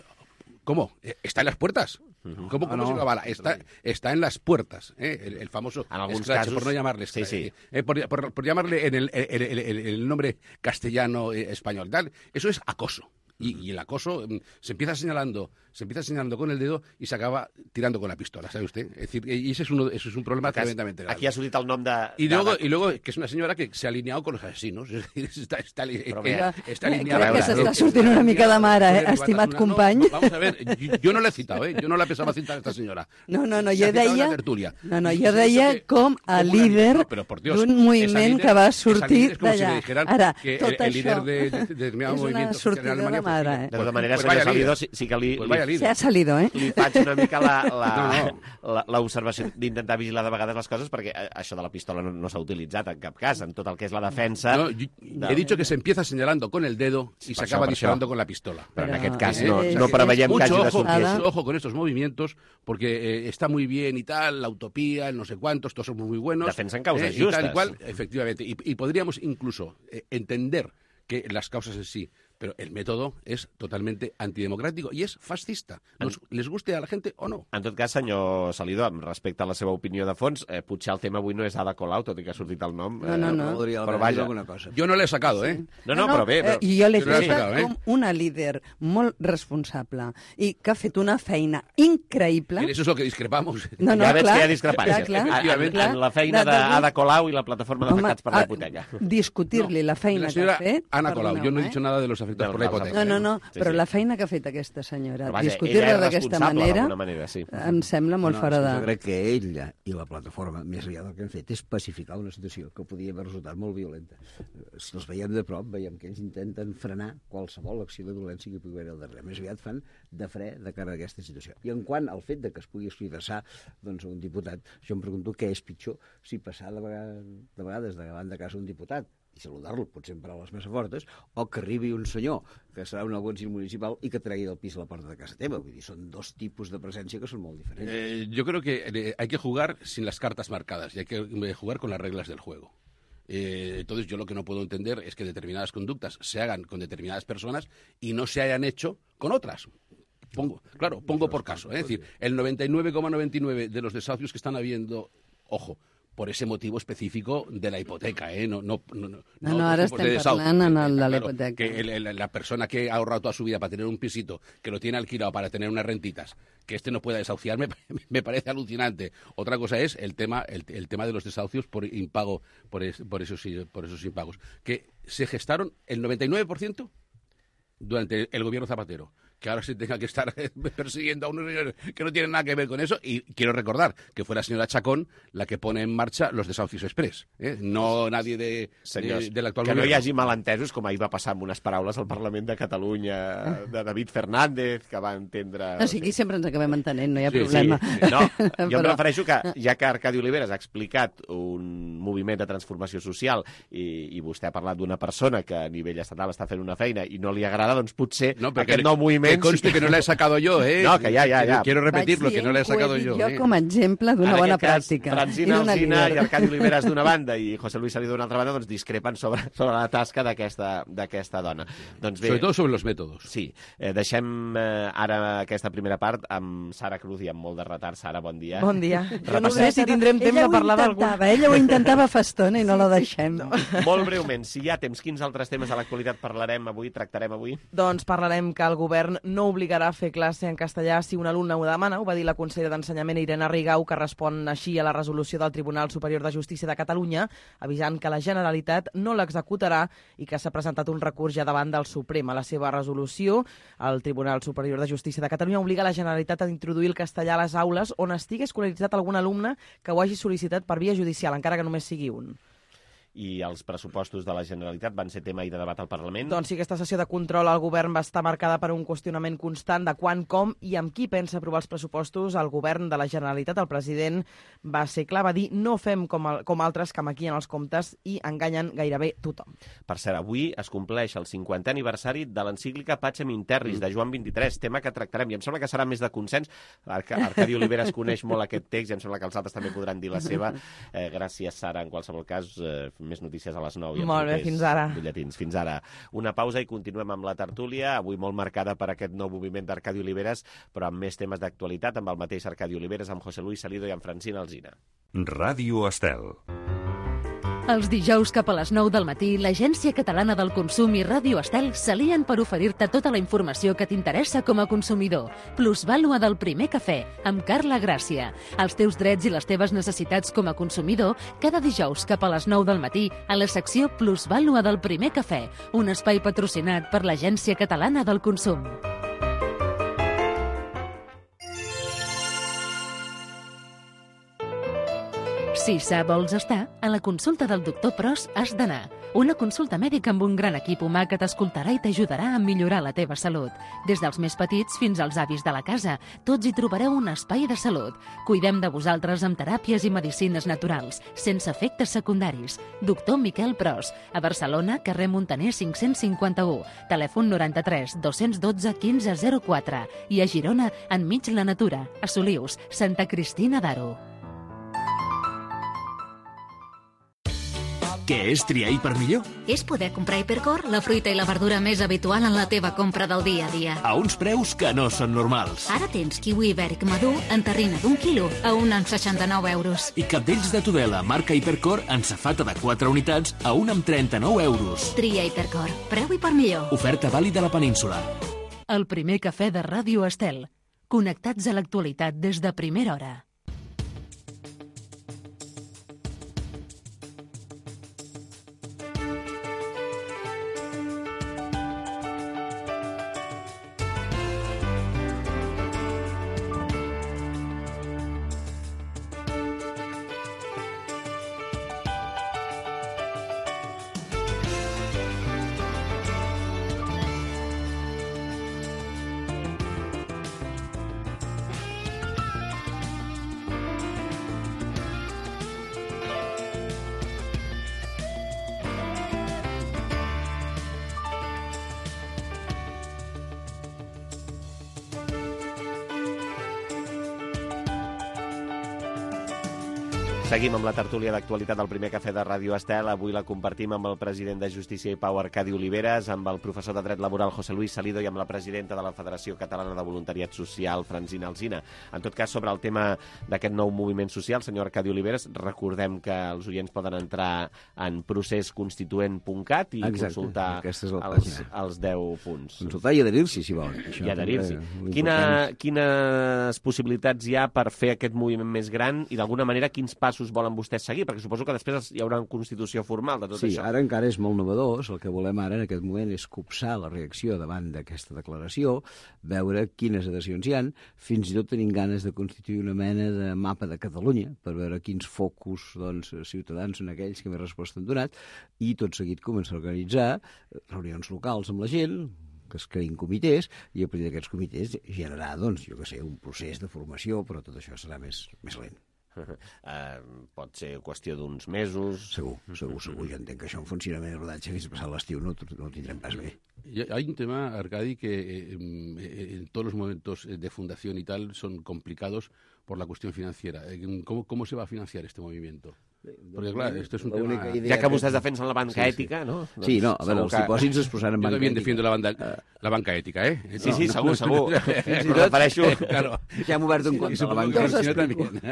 ¿Cómo? ¿Está en las puertas? Uh-huh. ¿Cómo, cómo ah, no. se lo avala? Está, está en las puertas, ¿eh? el, el famoso scratch, por no llamarle sí, sí. Eh, por, por, por llamarle en el, el, el, el, el nombre castellano eh, español. Tal. Eso es acoso. Y, y el acoso um, se empieza señalando, se empieza señalando con el dedo y se acaba tirando con la pistola, ¿sabe usted? Es decir, y ese es uno, ese es un problema Acá, tremendamente grave. Aquí ha sortit el nom de... Y luego, y luego que es una señora que se ha alineado con los asesinos, es decir, está, está, Però ella, está alineada. Crec que s'està sortint una mica de mare, eh, estimat company. No, vamos a ver, yo, yo no la he citado, ¿eh? Yo no la pensaba citar a esta señora. No, no, no, se jo deia... No, no, jo deia com a líder d'un moviment que va sortir d'allà. Ara, tot això és una sortida de mare, eh? De tota manera, senyor Salido, sí que li... Se ha salido, eh? Li faig una mica l'observació d'intentar vigilar de vegades les coses, perquè això de la pistola no, no s'ha utilitzat en cap cas, en tot el que és la defensa... No, yo, he dicho que se empieza señalando con el dedo y se acaba disparando con la pistola. Pero en aquest cas no, no preveiem que hagi de sortir. Mucho ojo con estos movimientos, porque eh, está muy bien y tal, la utopía, el no sé cuántos, todos son muy buenos. Defensan causas eh, justas. Y tal y cual, efectivamente. Y, y podríamos incluso eh, entender que las causas en sí, pero el método és totalmente antidemocràtic i és fascista, Nos, en... les guste a la gent o no. En tot cas, senyor Salido, respecte a la seva opinió de fons, eh, potser el tema avui no és Ada Colau, tot i que ha sortit el nom. No, no, no. Eh, però vaja. Alguna cosa. Jo no l'he sacado, eh? No, no, no, però bé. Però... Eh, jo l'he fet eh? com una líder molt responsable i que ha fet una feina increïble. Mira, eso es lo que discrepamos. No, no, ja veig clar, que hi ha discrepància. Clar, clar, en, en, en la feina d'Ada Colau i la plataforma d'afectats per la hipoteca. Discutir-li la feina que ha fet... Ana Colau, jo no he dit nada de los afectados por la hipoteca. No, no, no, sí, però sí. La feina que ha fet aquesta senyora, discutir-la d'aquesta manera, manera sí. Em sembla molt no, fora de... Jo crec que ella i la plataforma, més enllà del que han fet, és pacificar una situació que podia haver resultat molt violenta. Si els veiem de prop, veiem que ells intenten frenar qualsevol acció de violència que pugui haver al darrere. Més aviat fan de fre de cara a aquesta situació. I en quant al fet de que es pugui expressar doncs, un diputat, jo em pregunto què és pitjor si passar de vegades, de vegades davant de casa un diputat i saludar-lo, potser en paraules més fortes, o que arribi un senyor que serà un alguacil municipal i que tregui del pis a la porta de casa teva. Vull dir, són dos tipus de presència que són molt diferents. Eh, yo creo que eh, hay que jugar sin las cartas marcadas y hay que jugar con las reglas del juego. Eh, entonces, yo lo que no puedo entender es que determinadas conductas se hagan con determinadas personas y no se hayan hecho con otras. Pongo, claro, pongo por caso. Es decir, el noventa y nueve coma noventa y nueve de los desahucios que están habiendo, ojo, por ese motivo específico de la hipoteca, ¿eh? No, no, no, no, no, no ara estem parlant en el de la hipoteca. Que el, el, la persona que ha ahorrado toda su vida para tener un pisito, que lo tiene alquilado para tener unas rentitas, que este no pueda desahuciar, me, me parece alucinante. Otra cosa es el tema, el, el tema de los desahucios por impago, por, es, por, esos, por esos impagos, que se gestaron el noventa y nueve por ciento durante el gobierno Zapatero. Que ahora se tenga que estar persiguiendo a unos señores que no tienen nada que ver con eso. Y quiero recordar que fue la señora Chacón la que pone en marxa los desahucios express, eh? No nadie de, Senyors, de, de l'actual que govern. no hi hagi malentesos, com ahir va passar amb unes paraules al Parlament de Catalunya de David Fernández, que va entendre... O sigui, sempre ens acabem entenent, no hi ha sí, problema. Sí. No, jo Però... em refereixo que, ja que Arcadi Oliveres ha explicat un moviment de transformació social i, i vostè ha parlat d'una persona que a nivell estatal està fent una feina i no li agrada, doncs potser no, aquest nou moviment... Que conste que no l'he sacado yo, ¿eh? No, que ya, ya, ya. Quiero repetirlo, que no l'he sacado yo. Jo com a exemple d'una bona pràctica. Francina Alsina i Arcadi Oliveres d'una banda i José Luis Salido d'una altra banda, doncs discrepen sobre, sobre la tasca d'aquesta dona. Doncs bé, sobre todo sobre los métodos. Sí. Eh, deixem eh, ara aquesta primera part amb Sara Cruz i amb molt de retard. Sara, bon dia. Bon dia. Jo no sé si tindrem temps de parlar d'algun. Ella ho intentava fa estona i no la deixem. No. Molt breument, si hi ha temps, quins altres temes de l'actualitat parlarem avui, tractarem avui? Doncs parlarem que el govern no obligarà a fer classe en castellà si un alumne ho demana. Ho va dir la consellera d'Ensenyament Irene Rigau, que respon així a la resolució del Tribunal Superior de Justícia de Catalunya, avisant que la Generalitat no l'executarà i que s'ha presentat un recurs ja davant del Suprem. A la seva resolució, el Tribunal Superior de Justícia de Catalunya obliga la Generalitat a introduir el castellà a les aules on estigui escolaritzat algun alumne que ho hagi sol·licitat per via judicial, encara que només sigui un. I els pressupostos de la Generalitat van ser tema i de debat al Parlament? Doncs sí, aquesta sessió de control al govern va estar marcada per un qüestionament constant de quan, com i amb qui pensa aprovar els pressupostos al govern de la Generalitat. El president va ser clar, va dir no fem com, el, com altres que maquillen els comptes i enganyen gairebé tothom. Per cert, avui es compleix el cinquantè aniversari de l'encíclica Pacem in Terris, de Joan vint-i-tres, tema que tractarem, i em sembla que serà més de consens. Arc Arcadi Oliveres coneix molt aquest text i em sembla que els altres també podran dir la seva. Eh, gràcies, Sara, en qualsevol cas, eh, més notícies a les nou. Molt bé, fins ara. Butlletins. Fins ara. Una pausa i continuem amb la tertúlia, avui molt marcada per aquest nou moviment d'Arcadi Oliveres, però amb més temes d'actualitat, amb el mateix Arcadi Oliveres, amb José Luis Salido i amb Francina Alsina. Ràdio Estel. Els dijous cap a les nou del matí, l'Agència Catalana del Consum i Ràdio Estel s'alien per oferir-te tota la informació que t'interessa com a consumidor. Plusvàlua del primer cafè, amb Carla Gràcia. Els teus drets i les teves necessitats com a consumidor, cada dijous cap a les nou del matí, a la secció Plusvàlua del primer cafè, un espai patrocinat per l'Agència Catalana del Consum. Si sa vols estar, a la consulta del doctor Pros has d'anar. Una consulta mèdica amb un gran equip humà que t'escoltarà i t'ajudarà a millorar la teva salut. Des dels més petits fins als avis de la casa, tots hi trobareu un espai de salut. Cuidem de vosaltres amb teràpies i medicines naturals, sense efectes secundaris. Doctor Miquel Pros, a Barcelona, carrer Montaner cinc-cents cinquanta-u, telèfon noranta-tres dos-cents dotze quinze zero quatre i a Girona, enmig la natura, a Solius, Santa Cristina d'Aro. Què és triar Hipermillor? És poder comprar Hipercor, la fruita i la verdura més habitual en la teva compra del dia a dia. A uns preus que no són normals. Ara tens kiwi ibèric madur en terrina d'un quilo a un amb seixanta-nou euros. I cabdells de Tudela, marca Hipercor, en safata de quatre unitats a un amb trenta-nou euros. Tria Hipercor. Preu Hipermillor. Oferta vàlida a la península. El primer cafè de Ràdio Estel. Connectats a l'actualitat des de primera hora. Seguim amb la tertúlia d'actualitat del primer cafè de Ràdio Estel. Avui la compartim amb el president de Justícia i Pau, Arcadi Oliveres, amb el professor de Dret Laboral, José Luis Salido, i amb la presidenta de la Federació Catalana de Voluntariat Social, Francina Alsina. En tot cas, sobre el tema d'aquest nou moviment social, senyor Arcadi Oliveres, recordem que els oients poden entrar en procés constituent punt cat i Exacte, consultar els, els deu punts. Consultar i adherir-s'hi, si volen. I adherir-s'hi. Quina, quines possibilitats hi ha per fer aquest moviment més gran i, d'alguna manera, quins passos volen vostès seguir? Perquè suposo que després hi haurà una constitució formal de tot sí, això. Sí, ara encara és molt novedós. El que volem ara en aquest moment és copsar la reacció davant d'aquesta declaració, veure quines adhesions hi han, fins i tot tenim ganes de constituir una mena de mapa de Catalunya per veure quins focus doncs, ciutadans són aquells que més resposta han donat, i tot seguit començar a organitzar reunions locals amb la gent, que es creïn comitès, i a partir d'aquests comitès generar, doncs, jo què sé, un procés de formació, però tot això serà més, més lent. Uh, pot ser qüestió d'uns mesos. Segur, segur, segur. Jo entenc que això en funcionament de rodatge fins a passar l'estiu no, no ho tindrem pas bé. Hay un tema, Arcadi, que eh, en todos los momentos de fundación y tal son complicados por la cuestión financiera. ¿Cómo, cómo se va a financiar este movimiento? Porque, claro, esto es un tema... Ja que vostès defensen la banca sí, ètica, sí. no? Sí, no, a veure, els dipòsits es posaran en banca ètica. Jo també defiendo la, banda, la banca ètica, eh? Sí, sí, segur, segur. Fins i tot, claro, ja hem obert un compte a la banca ètica.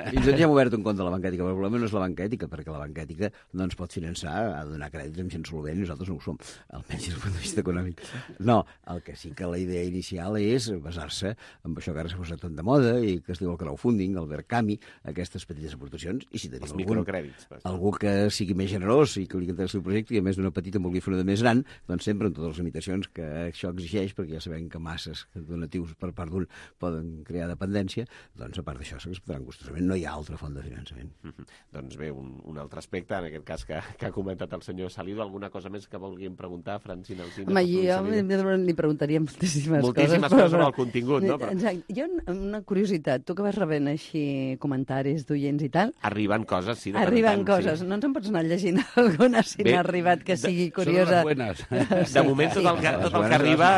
Fins i tot ja hem obert un compte a la banca ètica, però el problema no és la banca ètica, perquè la banca ètica no ens pot finançar, ha de donar crèdits amb gent solvent, i nosaltres no ho som, almenys des del punt de vista econòmic. No, el que sí que la idea inicial és basar-se en això que ara s'ha posat tot de moda i que es diu el crowdfunding, el Verkami, aquestes petites aportacions, i si tenim els algun, microcrèdits, algú que sigui més generós i que li interessi el projecte i a més d'una petita en vulgui fer una de més gran, doncs sempre amb totes les limitacions que això exigeix, perquè ja sabem que masses donatius per part d'un poden crear dependència, doncs a part d'això s'acceptaran gustosament, no hi ha altra font de finançament. Mm-hmm. Doncs bé, un, un altre aspecte, en aquest cas que, que ha comentat el senyor Salido, alguna cosa més que volguem preguntar, Francina Alsina? Home, jo li preguntaria moltíssimes, moltíssimes coses. coses sobre el contingut, no? Però... Exacte. Jo una curiositat, tu que vas rebent així comentaris d'oients i tal... Arriben coses, sí, de Arriben tant, coses, sí. no ens en pots anar llegint alguna si n'ha arribat que sigui curiosa. Són les buenas. De moment tot el que, tot el que arriba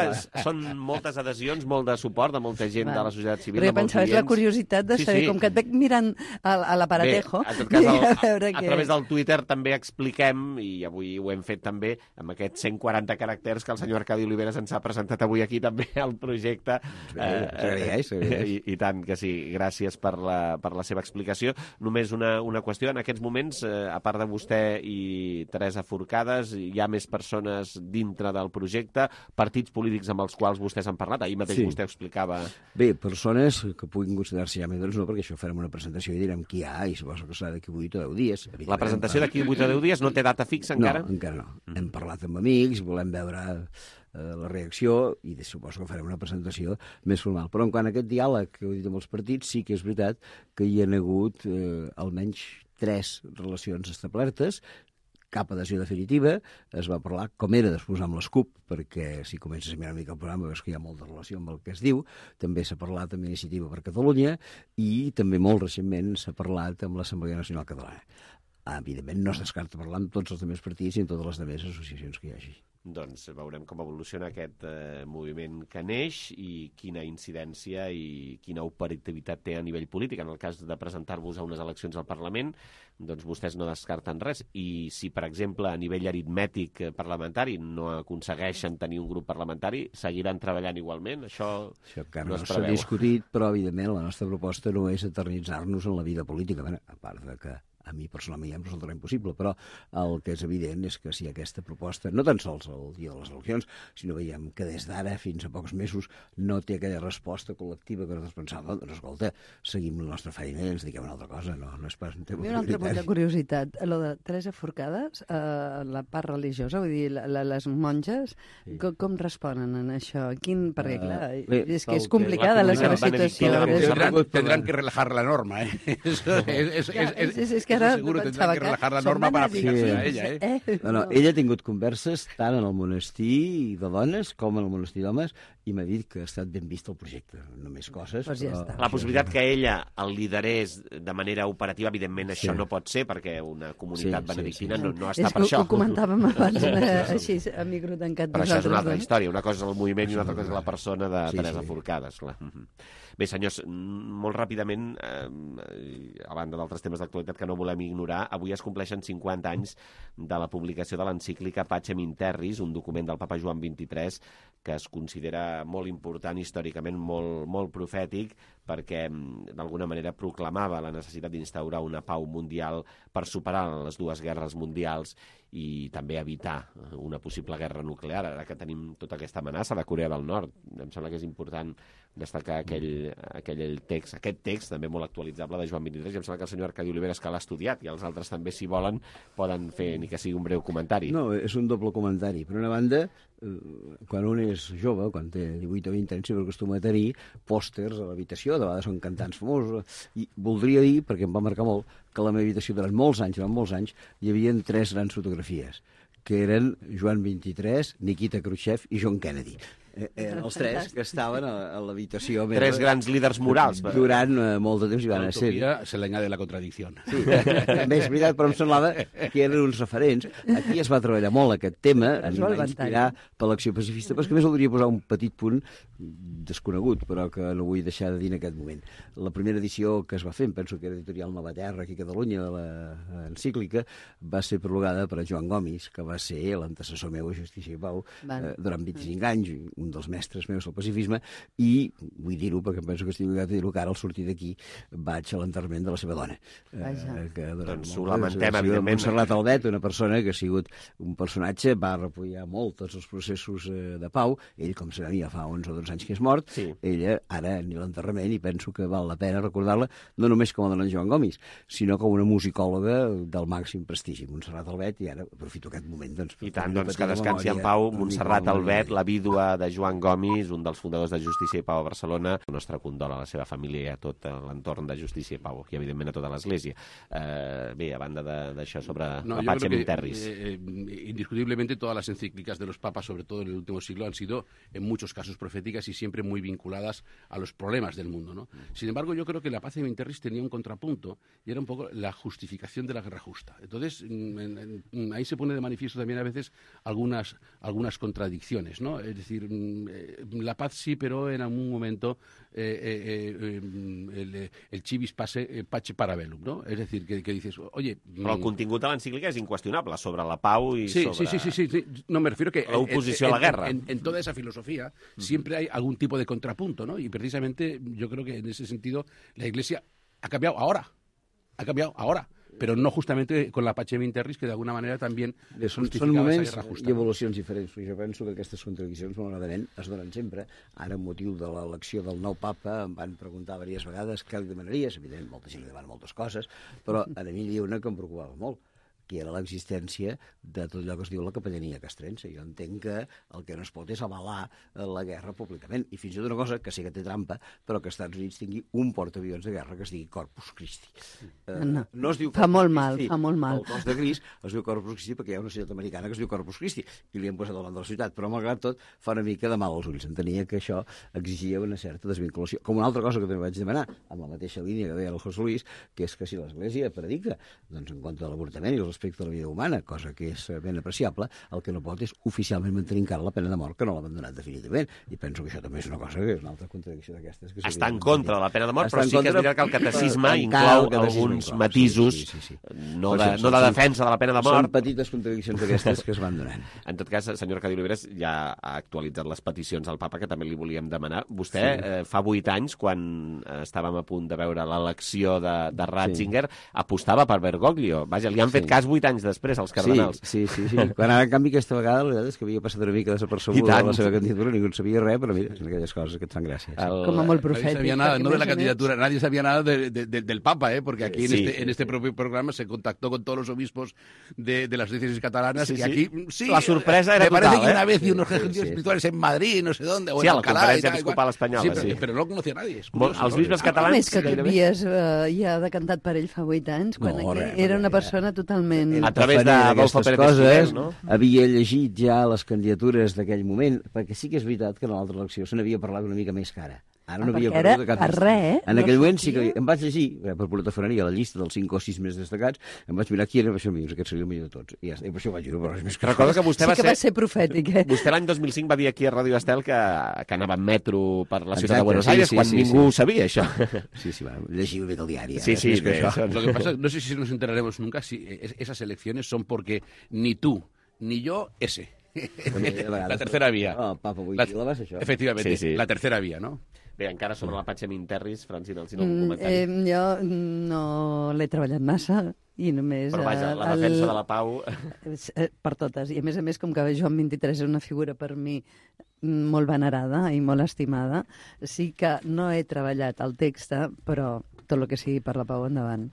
són moltes adhesions, molt de suport de molta gent de la societat civil. Però jo pensava, és la curiositat de saber, com que et veig mirant a l'aparatejo... Bé, en tot cas, el, a, a través del Twitter també expliquem, i avui ho hem fet també, amb aquests cent quaranta caràcters que el senyor Arcadi Oliveres ens ha presentat avui aquí també al projecte. S'agraeix, s'agraeix. I, I tant que sí, gràcies per la, per la seva explicació. Només una, una qüestió, en aquests moments, eh, a part de vostè i Teresa Forcades, hi ha més persones dintre del projecte, partits polítics amb els quals vostès han parlat. Ahir mateix sí. Vostè explicava... Bé, persones que puguin considerar-se ja membres, no, perquè això farem una presentació i direm qui hi ha, i suposo que serà d'aquí vuit o deu dies. La presentació d'aquí vuit o deu dies no té data fixa encara? No, encara no. Mm. Hem parlat amb amics, volem veure eh, la reacció, i suposo que farem una presentació més formal. Però en quant a aquest diàleg que heu dit amb els partits, sí que és veritat que hi ha hagut eh, almenys tres relacions establertes, cap adhesió definitiva, es va parlar com era després amb les CUP, perquè si comences a mirar una mica el programa veus que hi ha molta relació amb el que es diu, també s'ha parlat amb Iniciativa per Catalunya i també molt recentment s'ha parlat amb l'Assemblea Nacional Catalana. Evidentment no es descarta parlar amb tots els altres partits i amb totes les altres associacions que hi hagi. Doncs veurem com evoluciona aquest eh, moviment que neix i quina incidència i quina operativitat té a nivell polític. En el cas de presentar-vos a unes eleccions al Parlament, doncs vostès no descarten res. I si, per exemple, a nivell aritmètic parlamentari no aconsegueixen tenir un grup parlamentari, seguiran treballant igualment? Això, Això encara no no es s'ha preveu. discutit, però, evidentment, la nostra proposta no és eternitzar-nos en la vida política. Bé, a part de que a mi personalment ja em resultarà impossible, però el que és evident és que si aquesta proposta, no tan sols el dia de les eleccions, sinó veiem que des d'ara fins a pocs mesos no té aquella resposta col·lectiva que nosaltres pensàvem, doncs escolta, seguim la nostra feina i ens dediquem a una altra cosa, no, no és pas un tema un altre punt de curiositat, lo de Teresa Forcades, eh, la part religiosa, vull dir, la, la, les monges, sí. com, com responen en això? Quin, perquè, clar, uh, bé, és que és complicada la, la seva situació. Tendrán, tendrán que relajar la norma, eh? Eso es, es, es, es, és, és que ara seguro tendrán que relajar la norma para aplicar-se a ella, eh? No, no, ella ha tingut converses tant en el monestir de dones com en el monestir d'homes i m'ha dit que ha estat ben vist el projecte. Només coses. Pues ja però... La possibilitat que ella el liderés de manera operativa, evidentment això sí. no pot ser, perquè una comunitat sí, benedictina sí, sí. No, no està és per això. Ho comentàvem abans, així, a micro tancat. Però això és una altra història. Una cosa és el moviment i una altra cosa és la persona de sí, Teresa sí. Forcades. Clar. Bé, senyors, molt ràpidament, eh, a banda d'altres temes d'actualitat que no volem ignorar, avui es compleixen cinquanta anys de la publicació de l'encíclica Pacem in Terris, un document del papa Joan vint-i-tres que es considera molt important històricament, molt, molt profètic, perquè d'alguna manera proclamava la necessitat d'instaurar una pau mundial per superar les dues guerres mundials i també evitar una possible guerra nuclear, ara que tenim tota aquesta amenaça de Corea del Nord. Em sembla que és important destacar aquell, aquell text, aquest text també molt actualitzable de Joan vint-i-tres, i em sembla que el senyor Arcadi Oliveres, que l'ha estudiat, i els altres també, si volen, poden fer ni que sigui un breu comentari. No, és un doble comentari. Per una banda, quan un és jove, quan té divuit o vint anys, sempre acostuma a tenir pòsters a l'habitació, de vegades són cantants famosos, i voldria dir, perquè em va marcar molt, que a la meva habitació durant molts anys, durant molts anys, hi havia tres grans fotografies, que eren Joan vint-i-tres, Nikita Khrushchev i John Kennedy. Eren els tres que estaven a, a l'habitació meva. Tres grans líders morals. Durant uh, molt de temps hi van ser. Se l'añade la contradicció. Sí, també és veritat, però em semblava que eren uns referents. Aquí es va treballar molt aquest tema, a mi va inspirar per l'acció pacifista, però és que més voldria posar un petit punt desconegut, però que no vull deixar de dir en aquest moment. La primera edició que es va fer, penso que era editorial Nova Terra, aquí a Catalunya, de l'encíclica, va ser prologada per Joan Gomis, que va ser l'antecessor meu a Justícia i Pau eh, durant vint-i-cinc anys, un dels mestres meus del pacifisme, i vull dir-ho perquè penso que estic obligat a dir-ho, que ara al sortir d'aquí vaig a l'enterrament de la seva dona. Eh, que doncs ho lamentem, evidentment. Montserrat Albet, una persona que ha sigut un personatge, va repudiar molt tots els processos eh, de pau, ell, com sabia, fa onze o dotze anys que és mort, sí. Ella ara ni l'enterrament, i penso que val la pena recordar-la, no només com a dona Joan Gomis, sinó com una musicòloga del màxim prestigi, Montserrat Albet, i ara aprofito aquest moment. Doncs, I tant, doncs que descansi en pau Montserrat Albet, la vídua de Joan Gomis, un dels fundadors de Justícia i Pau a Barcelona. El nostre condol a la seva família i a tot l'entorn de Justícia i Pau, i evidentment a tota l'Església. Eh, bé, a banda d'això sobre no, la Pacem in Terris. Eh, indiscutiblemente todas las encíclicas de los papas, sobre todo en el último siglo, han sido en muchos casos proféticas y siempre muy vinculadas a los problemas del mundo, ¿no? Sin embargo, yo creo que la Pacem in Terris tenía un contrapunto y era un poco la justificación de la guerra justa. Entonces, en, en, ahí se pone de manifiesto también a veces algunas, algunas contradicciones, ¿no? Es decir, la paz sí, pero en algún momento eh, eh, el, el civis pace, pace para bellum, ¿no? Es decir, que, que dices, oye... Però el contingut de l'encíclica és inqüestionable sobre la pau i sí, sobre... Sí, sí, sí, sí, no me refiero que... La oposició a la guerra. En, en, en toda esa filosofía uh-huh. siempre hay algún tipo de contrapunto, ¿no? Y precisamente yo creo que en ese sentido la Iglesia ha cambiado ahora, ha cambiado ahora. Però no justament con la Pacem in Terris, que d'alguna manera també justificava aquesta guerra justa. Són moments i evolucions diferents. Jo penso que aquestes contradiccions, malauradament, es donen sempre. Ara, amb motiu de l'elecció del nou papa, em van preguntar diverses vegades què li demanaries. Evidentment, molta gent li demana moltes coses, però a mi hi havia una que em preocupava molt, que era l'existència de tot allò que es diu la capellania castrense. Jo entenc que el que no es pot és avalar la guerra públicament. I fins i tot una cosa que sí que té trampa, però que als Estats Units tingui un portaavions de guerra que es digui Corpus Christi. No, no es diu fa molt mal, fa molt mal. El cos de Crist es diu Corpus Christi perquè hi ha una ciutat americana que es diu Corpus Christi i li han posat davant de la ciutat, però malgrat tot fa una mica de mal als ulls. Entenia que això exigia una certa desvinculació. Com una altra cosa que també vaig demanar, amb la mateixa línia que deia el José Luis, que és que si l'Església predica doncs, en quant a l'avortament i els respecte a la vida humana, cosa que és ben apreciable, el que no pot és oficialment mantenir encara la pena de mort, que no l'ha abandonat definitivament. I penso que això també és una cosa que és una altra contradicció d'aquestes. Que està en contra de la pena de mort, però sí que és veritat que el catecisme inclou alguns matisos, no de, no de defensa de la pena de mort. Són petites contradiccions d'aquestes que es van donant. En tot cas, senyor Arcadi Oliveres ja ha actualitzat les peticions al papa, que també li volíem demanar. Vostè, sí. eh, fa vuit anys, quan estàvem a punt de veure l'elecció de, de Ratzinger, sí. apostava per Bergoglio. Vaja, li han fet sí. cas vuit anys després, als cardenals. Sí, sí, sí. sí. Quan ara, en canvi, aquesta vegada, la veritat és que havia passat una mica desapercebuda la seva candidatura, ningú en sabia res, però mira, són aquelles coses que et fan gràcia. El... Com a molt profètic. Nadie sabía nada, no de la candidatura, nadie sabía nada de, de, de, del Papa, ¿eh? Porque aquí en, sí. este, en este propio programa se contactó con todos los obispos de, de las diócesis catalanas, sí, y aquí, sí, la sorpresa era me total, parece que ¿eh? una vez y unos ejercicios sí, sí. espirituales en Madrid, no sé dónde, o sí, en Alcalá, la conferència episcopal espanyola, sí, però, sí. però no el conocía nadie. Molt, els bisbes catalans... A més que tu havies eh, ja decantat per ell fa vuit anys, quan no, res, era una persona totalment moment... A través d'Adolfo Pérez Esquivel, no? Havia llegit ja les candidatures d'aquell moment, perquè sí que és veritat que en l'altra elecció se n'havia parlat una mica més cara. Ara no havia era cap... a res, eh? En aquell moment sí que em vaig llegir, per politofoneria, la llista dels cinc o sis més destacats, em vaig mirar qui era, això, aquest seria el millor de tots. I, ja, i per això vaig dir, però és més que... Recordo que vostè sí va que ser... va ser profètic, eh? Vostè l'any dos mil cinc va dir aquí a Ràdio Estel que, que anava en metro per la ciutat Exacte, de Buenos sí, Aires sí, quan sí, ningú sí. ho sabia, això. Sí, sí, va, llegir bé del diari. Sí, sí, que això. Lo que pasa, no sé si nos enteraremos nunca si esas elecciones son porque ni tú ni yo ese. La tercera vía. Oh, Papa Wojtyla, vas això? Efectivamente, sí, sí. la tercera vía, ¿no? Bé, encara sobre la Patxa Minterris, Francina, si no un Mm, comentari. eh, jo no l'he treballat massa i només... Però vaja, la el- defensa de la pau... Eh, Per totes. I a més a més, com que Joan vint-i-tres és una figura per mi molt venerada i molt estimada, sí que no he treballat el text, però tot el que sigui per la pau endavant.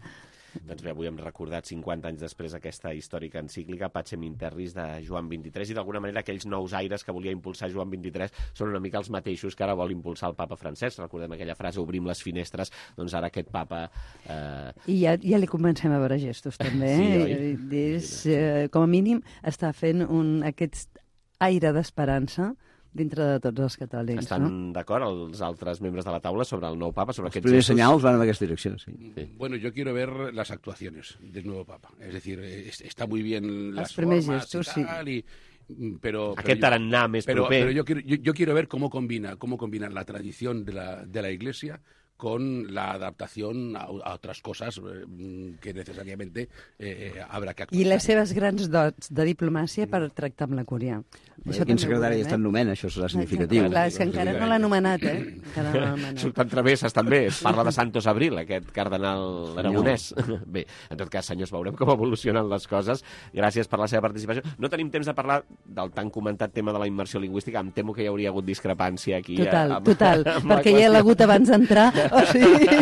Doncs bé, avui hem recordat cinquanta anys després aquesta històrica encíclica Pacem in Terris de Joan vint-i-tres i d'alguna manera aquells nous aires que volia impulsar Joan vint-i-tres són una mica els mateixos que ara vol impulsar el papa Francesc. Recordem aquella frase, obrim les finestres, doncs ara aquest papa... Eh... I ja, ja li comencem a veure gestos, també. Sí, eh? oi? És, eh, com a mínim, està fent un, aquest aire d'esperança dintre de tots els catòlics. Estan no? d'acord els altres membres de la taula sobre el nou papa, sobre Els aquests primers gestos? senyals van en aquesta direcció, sí. Sí. Bueno, yo quiero ver las actuaciones del nuevo Papa. Es decir, es- está muy bien las Els primers formas gestos, y tal, y, mm, pero, Aquest pero yo- tarannà més pero, proper. pero yo, quiero, yo, yo quiero ver cómo combina, cómo combina la tradición de la, de la Iglesia con la adaptación a, a otras cosas eh, que necesariamente eh, habrá que actuar. I les seves grans dots de diplomàcia per tractar amb la Cúria. Això quin secretari està en nomena, això serà significatiu. Clar, és que encara no l'ha anomenat, eh? Encara no l'ha anomenat. Surten travesses, també. Es parla de Santos Abril, aquest cardenal aragonès. Bé, en tot cas, senyors, veurem com evolucionen les coses. Gràcies per la seva participació. No tenim temps de parlar del tan comentat tema de la immersió lingüística. Em temo que hi hauria hagut discrepància aquí. Total, eh, amb, total, amb la perquè ja l'ha qüestió. hagut abans d'entrar, o sigui,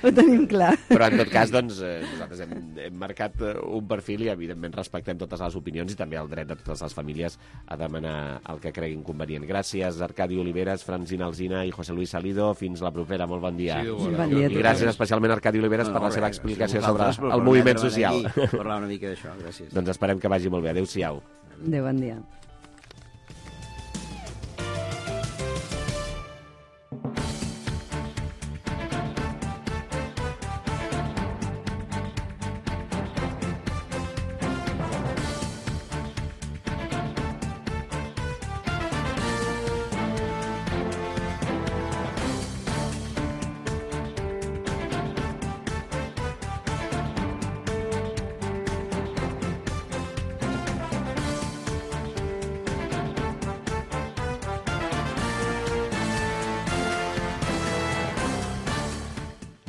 ho tenim clar. Però, en tot cas, doncs, eh, nosaltres hem, hem marcat eh, un perfil i, evidentment, respectem totes les opinions i també el dret de totes les famílies a demanar el que creguin convenient. Gràcies, Arcadi Oliveres, Francina Alsina i José Luis Salido. Fins la propera. Molt bon dia. Sí, bon Bon dia a I gràcies especialment a Arcadi Oliveres No, per la no, seva res, explicació gràcies a sobre vosaltres per el moviment permetre'm social. aquí Parlar una mica d'això, gràcies. Doncs esperem que vagi molt bé. Adéu-siau. Adéu, bon dia.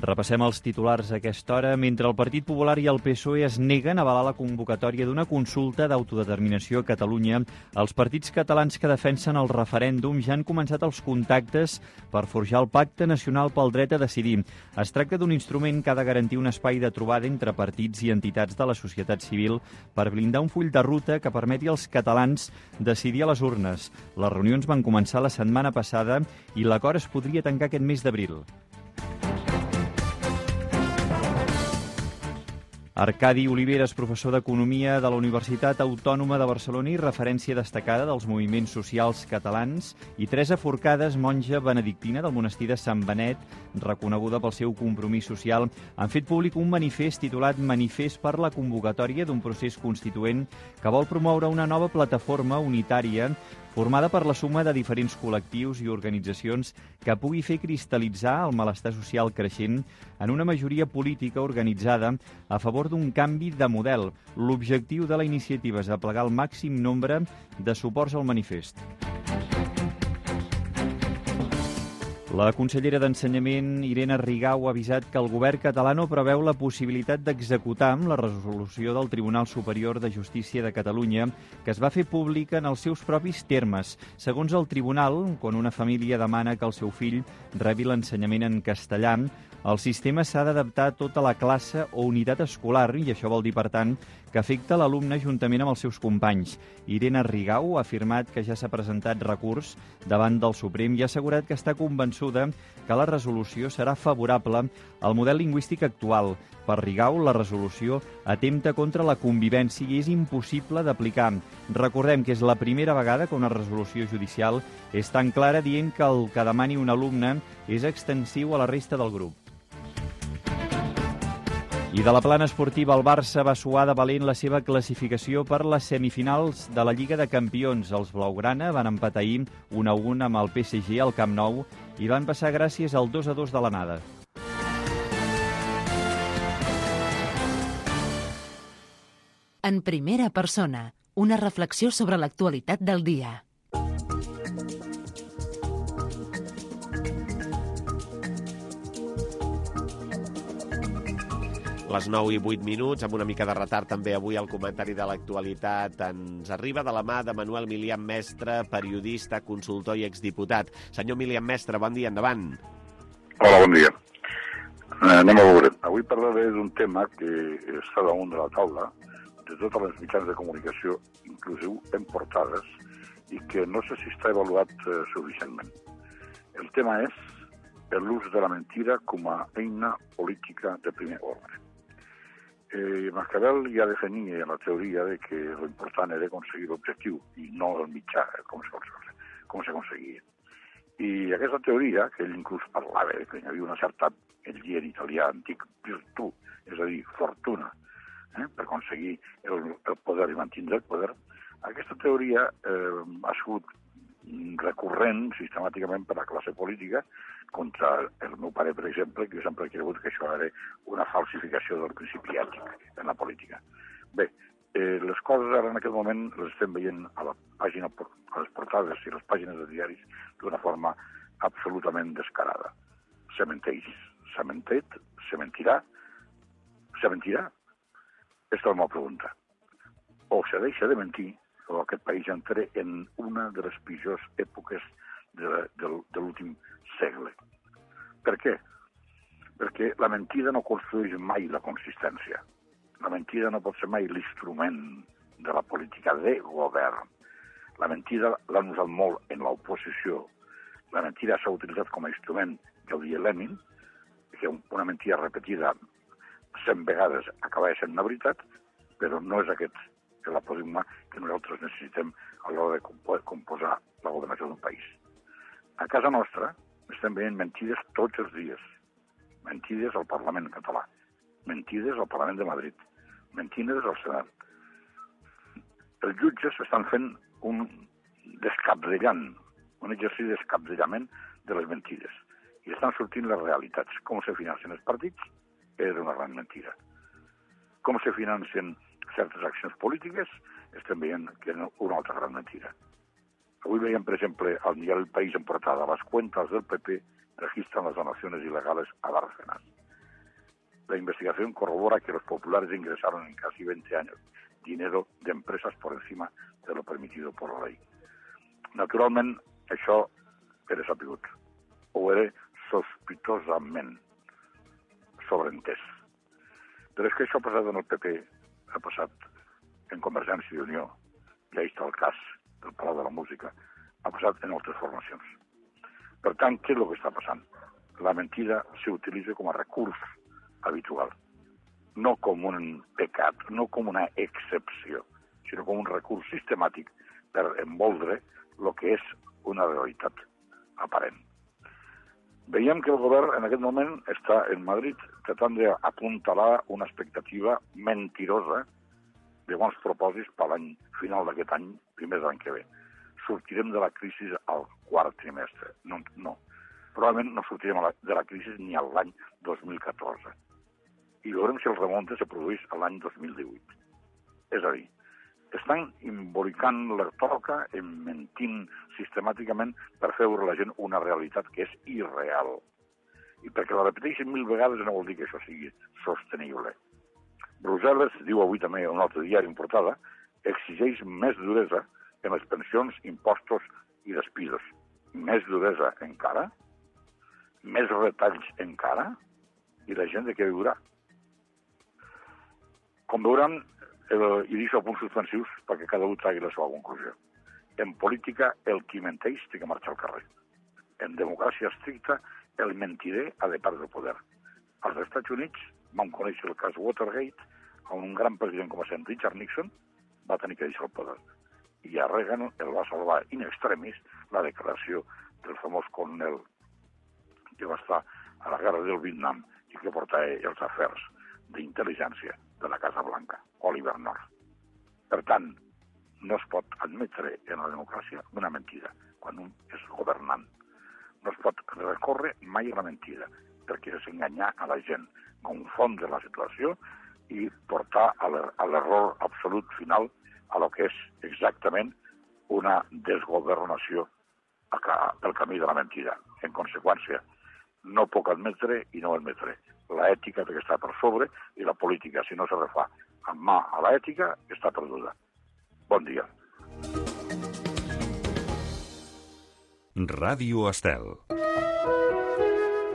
Repassem els titulars a aquesta hora. Mentre el Partit Popular i el P S O E es neguen a avalar la convocatòria d'una consulta d'autodeterminació a Catalunya, els partits catalans que defensen el referèndum ja han començat els contactes per forjar el Pacte Nacional pel Dret a Decidir. Es tracta d'un instrument que ha de garantir un espai de trobada entre partits i entitats de la societat civil per blindar un full de ruta que permeti als catalans decidir a les urnes. Les reunions van començar la setmana passada i l'acord es podria tancar aquest mes d'abril. Arcadi Oliveres, professor d'Economia de la Universitat Autònoma de Barcelona i referència destacada dels moviments socials catalans, i Teresa Forcades, monja benedictina del monestir de Sant Benet, reconeguda pel seu compromís social, han fet públic un manifest titulat Manifest per la convocatòria d'un procés constituent que vol promoure una nova plataforma unitària formada per la suma de diferents col·lectius i organitzacions que pugui fer cristal·litzar el malestar social creixent en una majoria política organitzada a favor d'un canvi de model. L'objectiu de la iniciativa és aplegar el màxim nombre de suports al manifest. La consellera d'Ensenyament, Irene Rigau, ha avisat que el govern català no preveu la possibilitat d'executar la resolució del Tribunal Superior de Justícia de Catalunya, que es va fer pública en els seus propis termes. Segons el tribunal, quan una família demana que el seu fill rebi l'ensenyament en castellà, el sistema s'ha d'adaptar a tota la classe o unitat escolar, i això vol dir, per tant, que afecta l'alumne juntament amb els seus companys. Irene Rigau ha afirmat que ja s'ha presentat recurs davant del Suprem i ha assegurat que està convençuda que la resolució serà favorable al model lingüístic actual. Per Rigau, la resolució atempta contra la convivència i és impossible d'aplicar. Recordem que és la primera vegada que una resolució judicial és tan clara dient que el que demani un alumne és extensiu a la resta del grup. I de la plana esportiva, el Barça va suar de valent la seva classificació per les semifinals de la Lliga de Campions. Els blaugrana van empatar ahir un a un amb el P S G al Camp Nou i van passar gràcies al dos a dos de l'anada. En primera persona, una reflexió sobre l'actualitat del dia. Les nou i vuit minuts, amb una mica de retard també avui el comentari de l'actualitat ens arriba de la mà de Manuel Milian Mestre, periodista, consultor i exdiputat. Senyor Milian Mestre, bon dia, endavant. Hola, bon dia. Eh, anem a veure. Avui parlaré d'un tema que està damunt de la taula de totes les mitjans de comunicació, inclusiu en portades, i que no sé si està avaluat eh, suficientment. El tema és l'ús de la mentida com a eina política de primer ordre. Eh, Maquiavel ja definia la teoria de que l'important era aconseguir l'objectiu i no el mitjà, com s'aconseguia. I aquesta teoria, que ell inclús parlava, que hi havia una certa, el llier italià antic, virtù, és a dir, fortuna, eh, per aconseguir el, el poder i mantenir el poder, aquesta teoria eh, ha sigut recurrent sistemàticament per la classe política contra el meu pare, per exemple, que sempre ha cregut que això era una falsificació del principi ètic en la política. Bé, eh, les coses ara en aquest moment les estem veient a la pàgina, a les portades i les pàgines de diaris d'una forma absolutament descarada. Se menteix, s'ha mentit, se mentirà, se mentirà? Aquesta és la meva pregunta. O se deixa de mentir, o aquest país entra en una de les pitjors èpoques de, de, de l'últim segle. Per què? Perquè la mentida no construeix mai la consistència. La mentida no pot ser mai l'instrument de la política de govern. La mentida l'han usat molt en l'oposició. La mentida s'ha utilitzat com a instrument, ja ho deia Lenin, que una mentida repetida cent vegades acaba sent una veritat, però no és aquest el apodigma que nosaltres necessitem a l'hora de composar la governació d'un país. A casa nostra estem veient mentides tots els dies. Mentides al Parlament català, mentides al Parlament de Madrid, mentides al Senat. Els jutges estan fent un descapdellant, un exercici de descapdellament de les mentides. I estan sortint les realitats. Com se financen els partits és una gran mentida. Com se financen certes accions polítiques, estem veient que és una altra gran mentida. Avui veiem, per exemple, al diari El País en portada, las cuentas del P P registran las donaciones ilegales a Bárcenas. La investigación corrobora que los populares ingresaron en casi veinte años dinero de empresas por encima de lo permitido por la ley. Naturalment, això era sabut, o era sospitosament sobreentès. Però és que això ha passat en el P P, ha passat en Convergència i Unió, i ahí està el cas del Palau de la Música, ha passat en altres formacions. Per tant, què és el que està passant? La mentida s'utilitza com a recurs habitual, no com un pecat, no com una excepció, sinó com un recurs sistemàtic per envoldre el que és una realitat aparent. Veiem que el govern en aquest moment està en Madrid tratant d'apuntalar una expectativa mentirosa de bons propòsits per l'any final d'aquest any, primer de l'any que ve. Sortirem de la crisi al quart trimestre. No, no. Probablement no sortirem de la crisi ni a l'any dos mil catorze. I veurem si el remonte se produeix a l'any dos mil divuit. És a dir, estan embolicant la toca, mentint sistemàticament per fer veure a la gent una realitat que és irreal. I perquè la repeteixen mil vegades no vol dir que això sigui sostenible. Brussel·les, diu avui també un altre diari en portada, exigeix més duresa en les pensions, impostos i despidos. Més duresa encara? Més retalls encara? I la gent de què viurà? Com veuran, El, I deixo punts suspensius perquè cada un tregui la seva conclusió. En política, el qui menteix té que marxar al carrer. En democràcia estricta, el mentider ha de perdre el poder. Als Estats Units vam conèixer el cas Watergate, on un gran president com a sent Richard Nixon va tenir que deixar el poder. I a Reagan el va salvar in extremis la declaració del famós coronel que va estar a la guerra del Vietnam i que portava els afers d'intel·ligència de la Casa Blanca, Oliver North. Per tant, no es pot admetre en la democràcia una mentida quan un és governant. No es pot recórrer mai a la mentida, perquè és enganyar a la gent, confondre la situació i portar a l'error absolut final a lo que és exactament una desgovernació pel camí de la mentida. En conseqüència, no puc admetre i no admetre. La ètica té que estar per sobre i la política, si no se refà amb mà a l'ètica, està perduda. Bon dia. Ràdio Estel.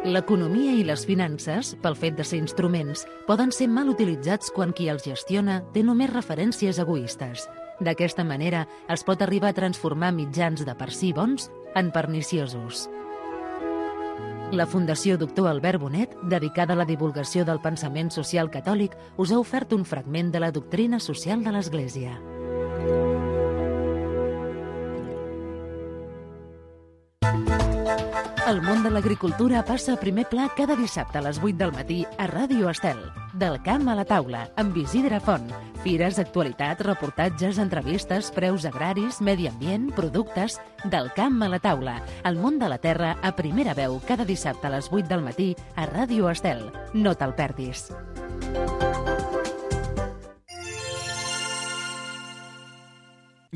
L'economia i les finances, pel fet de ser instruments, poden ser mal utilitzats quan qui els gestiona té només referències egoistes. D'aquesta manera, es pot arribar a transformar mitjans de per si bons en perniciosos. La Fundació Doctor Albert Bonet, dedicada a la divulgació del pensament social catòlic, us ha ofert un fragment de la doctrina social de l'Església. El món de l'agricultura passa a primer pla cada dissabte a les vuit del matí a Ràdio Estel. Del camp a la taula, amb Isidre Font. Fires, actualitats, reportatges, entrevistes, preus agraris, medi ambient, productes... Del camp a la taula. El món de la terra a primera veu cada dissabte a les vuit del matí a Ràdio Estel. No te'l perdis.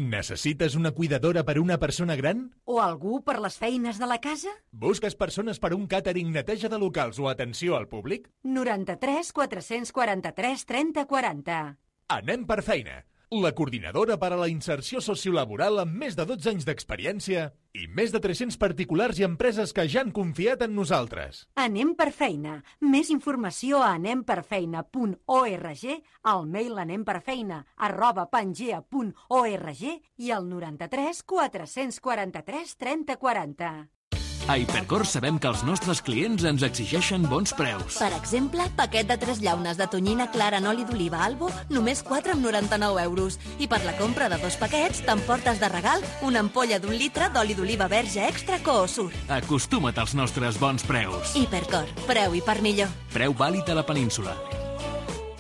Necessites una cuidadora per a una persona gran? O algú per les feines de la casa? Busques persones per a un càtering, neteja de locals o atenció al públic? noranta-tres quatre-cents quaranta-tres trenta quaranta. Anem per feina. La coordinadora per a la inserció sociolaboral amb més de dotze anys d'experiència i més de tres-cents particulars i empreses que ja han confiat en nosaltres. Anem per feina. Més informació a anem per feina punt org, al mail anemperfeina arroba pangea punt org i al noranta-tres quatre-cents quaranta-tres trenta quaranta. A Hipercor sabem que els nostres clients ens exigeixen bons preus. Per exemple, paquet de tres llaunes de tonyina clara en oli d'oliva Albo, només quatre coma noranta-nou euros. I per la compra de dos paquets, t'emportes de regal una ampolla d'un litre d'oli d'oliva verge extra Coosur. Acostuma't als nostres bons preus. Hipercor, preu i per millor. Preu vàlid a la península.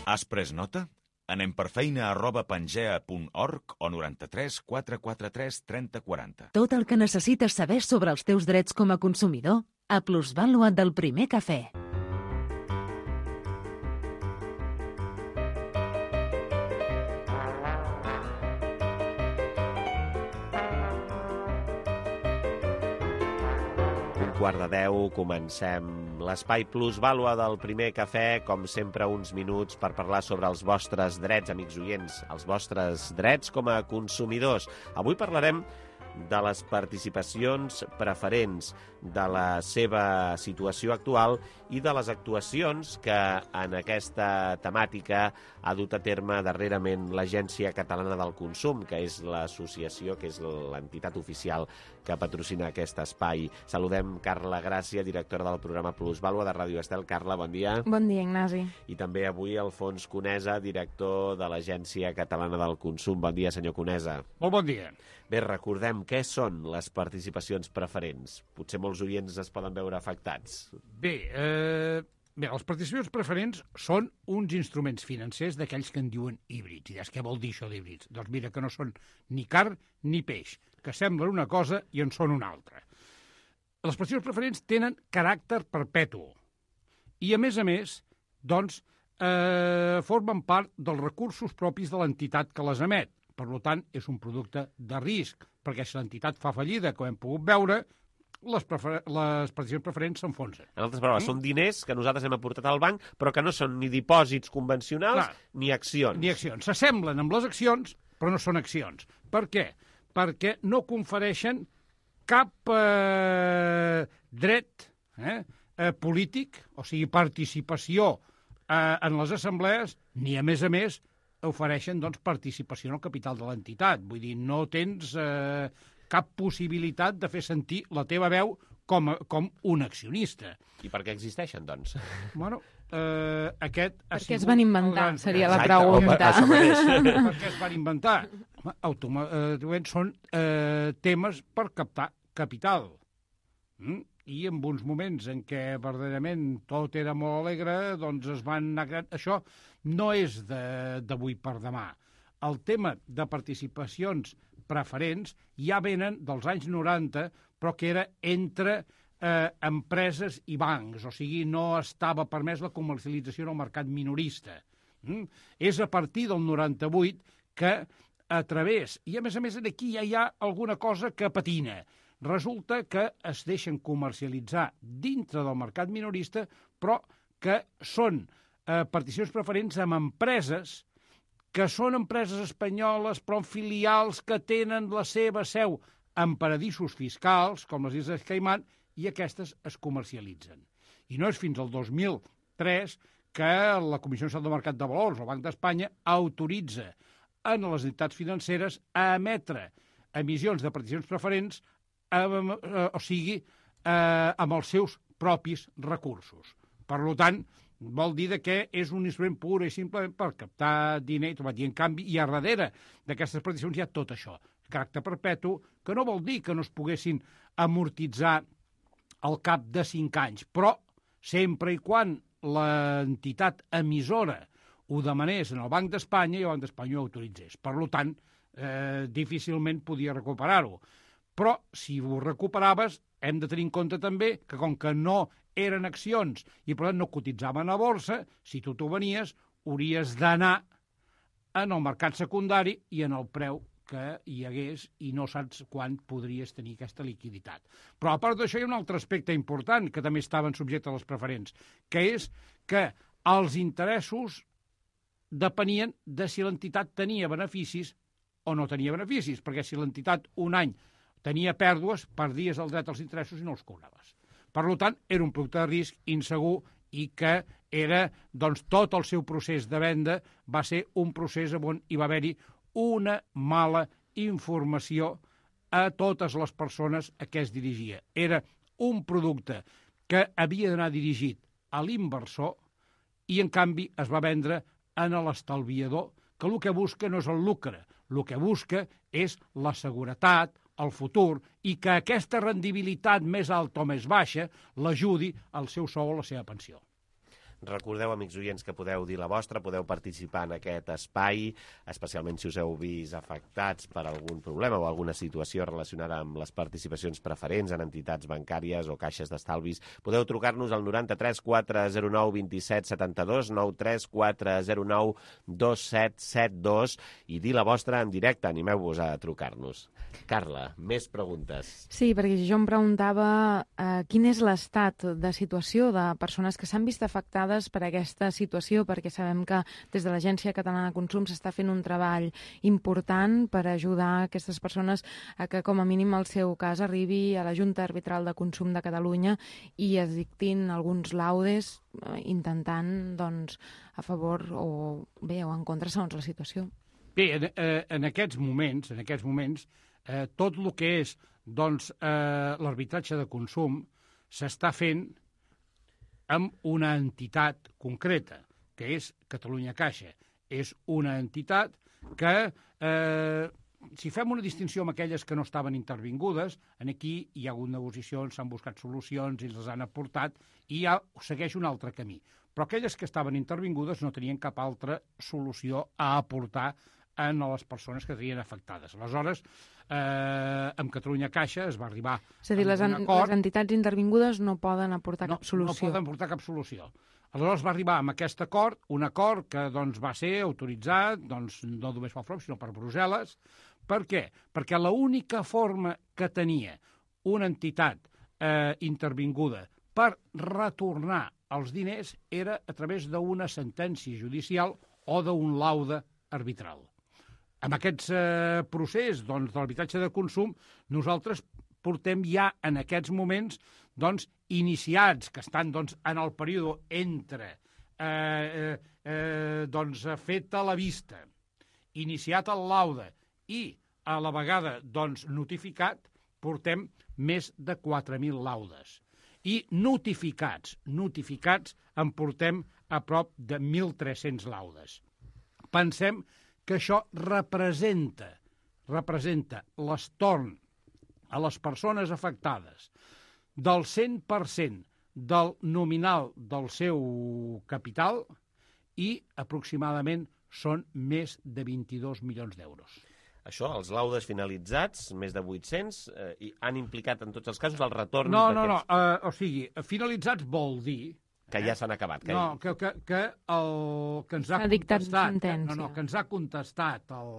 Has pres nota? Anem per feina arroba pangea punt org o noranta-tres quatre quaranta-tres trenta quaranta. Tot el que necessites saber sobre els teus drets com a consumidor a Plusvàlua del Primer Cafè. Quart de deu, comencem l'espai Plusvàlua del Primer Cafè, com sempre uns minuts per parlar sobre els vostres drets, amics oients, els vostres drets com a consumidors. Avui parlarem de les participacions preferents, de la seva situació actual i de les actuacions que en aquesta temàtica ha dut a terme darrerament l'Agència Catalana del Consum, que és l'associació, que és l'entitat oficial que patrocina aquest espai. Saludem Carla Gràcia, directora del programa Plusvàlua de Ràdio Estel. Carla, bon dia. Bon dia, Ignasi. I també avui Alfons Conesa, director de l'Agència Catalana del Consum. Bon dia, senyor Conesa. Molt bon dia. Bé, recordem què són les participacions preferents. Potser molts oients es poden veure afectats. Bé, eh, bé, les participacions preferents són uns instruments financers d'aquells que en diuen híbrids. I és què vol dir això d'híbrids? Doncs mira que no són ni carn ni peix, que semblen una cosa i en són una altra. Les participacions preferents tenen caràcter perpètu i, a més a més, doncs, eh, formen part dels recursos propis de l'entitat que les emet. Per tant, és un producte de risc, perquè si l'entitat fa fallida, com hem pogut veure, les, prefer les participacions preferents s'enfonsen. En altres paraules, mm? són diners que nosaltres hem aportat al banc, però que no són ni dipòsits convencionals Clar, ni accions. Ni accions. S'assemblen amb les accions, però no són accions. Per què? Perquè no confereixen cap eh, dret eh, eh, polític, o sigui, participació eh, en les assemblees, ni, a més a més, ofereixen doncs, participació en el capital de l'entitat. Vull dir, no tens eh, cap possibilitat de fer sentir la teva veu com, a, com un accionista. I per què existeixen, doncs? Bueno, eh, aquest ha Per què sigut... es van inventar, gran... seria la pregunta. Per què es van inventar? Home, automàticament són eh, temes per captar capital. Mm? I en uns moments en què verdaderament tot era molt alegre, doncs es van anar... Això no és d'avui per demà. El tema de participacions preferents ja venen dels anys noranta, però que era entre eh, empreses i bancs, o sigui, no estava permès la comercialització en el mercat minorista. Mm? És a partir del noranta-vuit que a través... I a més a més aquí ja hi ha alguna cosa que patina. Resulta que es deixen comercialitzar dintre del mercat minorista, però que són eh, particions preferents amb empreses que són empreses espanyoles, però amb filials que tenen la seva seu en paradisos fiscals, com les Illes Caimán, i aquestes es comercialitzen. I no és fins al dos mil tres que la Comissió Nacional del Mercat de Valors, el Banc d'Espanya, autoritza a les entitats financeres a emetre emissions de particions preferents Eh, eh, o sigui, eh, amb els seus propis recursos. Per tant, vol dir que és un instrument pur i simplement per captar diner, i en canvi, i a darrere d'aquestes particions hi ha tot això, caràcter perpetu, que no vol dir que no es poguessin amortitzar al cap de cinc anys, però sempre i quan l'entitat emissora ho demanés en el Banc d'Espanya i el Banc d'Espanya ho autoritzés. Per tant, eh, difícilment podia recuperar-ho. Però, si ho recuperaves, hem de tenir en compte també que, com que no eren accions i, per tant, no cotitzaven a borsa, si tu t'ho venies, hauries d'anar en el mercat secundari i en el preu que hi hagués i no saps quan podries tenir aquesta liquiditat. Però, a part d'això, hi ha un altre aspecte important que també estaven subjectes a les preferents, que és que els interessos depenien de si l'entitat tenia beneficis o no tenia beneficis, perquè si l'entitat un any tenia pèrdues, perdies el dret als interessos i no els cobraves. Per tant, era un producte de risc insegur i que era, doncs, tot el seu procés de venda va ser un procés on hi va haver-hi una mala informació a totes les persones a què es dirigia. Era un producte que havia d'anar dirigit a l'inversor i, en canvi, es va vendre en l'estalviador, que el que busca no és el lucre, el que busca és la seguretat, el futur, i que aquesta rendibilitat més alta o més baixa l'ajudi al seu sou o la seva pensió. Recordeu, amics oients, que podeu dir la vostra, podeu participar en aquest espai, especialment si us heu vist afectats per algun problema o alguna situació relacionada amb les participacions preferents en entitats bancàries o caixes d'estalvis. Podeu trucar-nos al noranta-tres quatre zero nou dos set set dos, nou tres quatre zero nou dos set set dos i dir la vostra en directe. Animeu-vos a trucar-nos. Carla, més preguntes. Sí, perquè jo em preguntava eh, quin és l'estat de situació de persones que s'han vist afectades per aquesta situació, perquè sabem que des de l'Agència Catalana de Consum s'està fent un treball important per ajudar aquestes persones a que, com a mínim, el seu cas arribi a la Junta Arbitral de Consum de Catalunya i es dictin alguns laudes eh, intentant, doncs, a favor o bé o en contra segons la situació. Bé, en, eh, en aquests moments, en aquests moments, eh, tot el que és, doncs, eh, l'arbitratge de consum s'està fent amb una entitat concreta, que és Catalunya Caixa. És una entitat que, eh, si fem una distinció amb aquelles que no estaven intervingudes, aquí hi ha hagut negociacions, s'han buscat solucions i les han aportat, i ja segueix un altre camí. Però aquelles que estaven intervingudes no tenien cap altra solució a aportar a les persones que tenien afectades. Aleshores, eh, amb Catalunya Caixa es va arribar És a dir, les, en, les entitats intervingudes no poden aportar no, cap solució. No poden aportar cap solució. Aleshores va arribar amb aquest acord, un acord que doncs, va ser autoritzat doncs, no només pel F R O M, sinó per Brussel·les. Per què? Perquè l'única forma que tenia una entitat eh, intervinguda per retornar els diners era a través d'una sentència judicial o d'un laude arbitral. Amb aquest eh, procés doncs, de l'arbitratge de consum, nosaltres portem ja en aquests moments doncs, iniciats, que estan doncs, en el període entre eh, eh, doncs, feta la vista iniciat el laude i a la vegada doncs, notificat, portem més de quatre mil laudes. I notificats, notificats en portem a prop de mil tres-cents laudes. Pensem que això representa, representa l'estorn a les persones afectades del cent per cent del nominal del seu capital i aproximadament són més de vint-i-dos milions d'euros. Això, els laudes finalitzats, més de vuit-cents, eh, i han implicat en tots els casos el retorn No, no, no, d'aquests... uh, o sigui, finalitzats vol dir... Que ja s'han acabat. Que... No, que, que, que el que ens ha contestat... Que, no, no, que ens ha contestat el...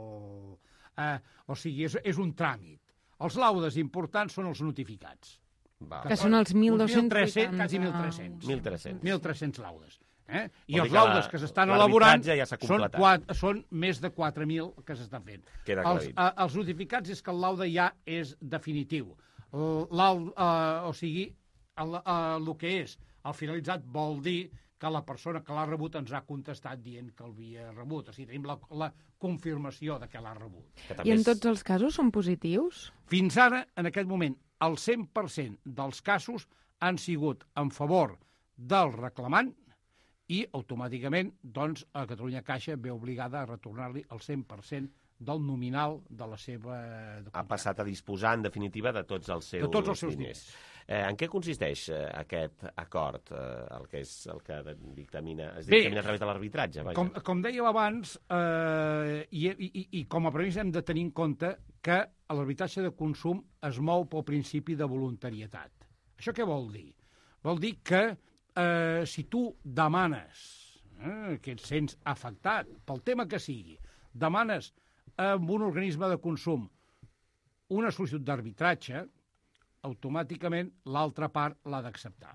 Uh, o sigui, és, és un tràmit. Els laudes importants són els notificats. Va. Que són els mil dos-cents vuitanta... Quasi mil tres-cents. mil tres-cents. mil tres-cents laudes. Eh? I Vol els laudes que s'estan elaborant ja són, quatre, són més de quatre mil que s'estan fent. Els, a, els notificats és que el laude ja és definitiu. El, uh, o sigui, el, uh, el que és el finalitzat vol dir que la persona que l'ha rebut ens ha contestat dient que l'havia rebut. O sigui, tenim la, la confirmació de que l'ha rebut. I en tots els casos són positius? Fins ara, en aquest moment, el cent per cent dels casos han sigut en favor del reclamant i automàticament doncs, a Catalunya Caixa ve obligada a retornar-li el cent per cent del nominal de la seva... Ha passat a disposar, en definitiva, de tots els seus, de tots els seus diners. Eh, en què consisteix eh, aquest acord, eh, el que és el que dictamina, es dictamina Bé, a través de l'arbitratge? Com, com dèieu abans, eh, i, i, i com a premissa hem de tenir en compte que l'arbitratge de consum es mou pel principi de voluntarietat. Això què vol dir? Vol dir que eh, si tu demanes, eh, que et sents afectat pel tema que sigui, demanes amb un organisme de consum una sol·licitud d'arbitratge, automàticament l'altra part l'ha d'acceptar.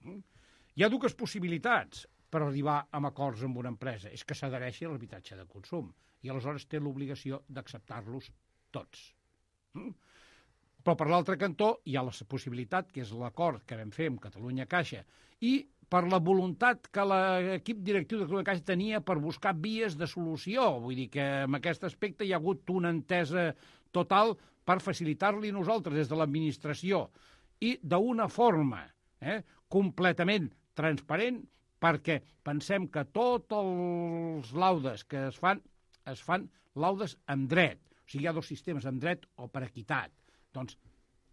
Hi ha dues possibilitats per arribar a acords amb una empresa. És que s'adhereixi a l'arbitratge de consum i aleshores té l'obligació d'acceptar-los tots. Però per l'altre cantó hi ha la possibilitat, que és l'acord que vam fer amb Catalunya Caixa, i per la voluntat que l'equip directiu de Catalunya Caixa tenia per buscar vies de solució. Vull dir que en aquest aspecte hi ha hagut una entesa total per facilitar-li nosaltres des de l'administració i d'una forma eh, completament transparent, perquè pensem que tots els laudes que es fan, es fan laudes amb dret. O sigui, hi ha dos sistemes, amb dret o per equitat. Doncs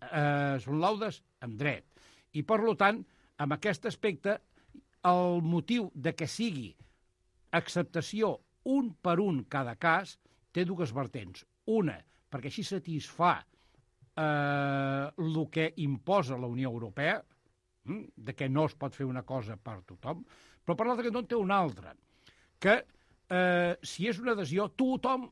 eh, són laudes amb dret. I, per tant, en aquest aspecte, el motiu de que sigui acceptació un per un cada cas té dues vertents. Una, perquè així satisfà eh, el que imposa la Unió Europea, hm, de que no es pot fer una cosa per tothom, però per l'altre cantó té una altra, que eh, si és una adhesió, tothom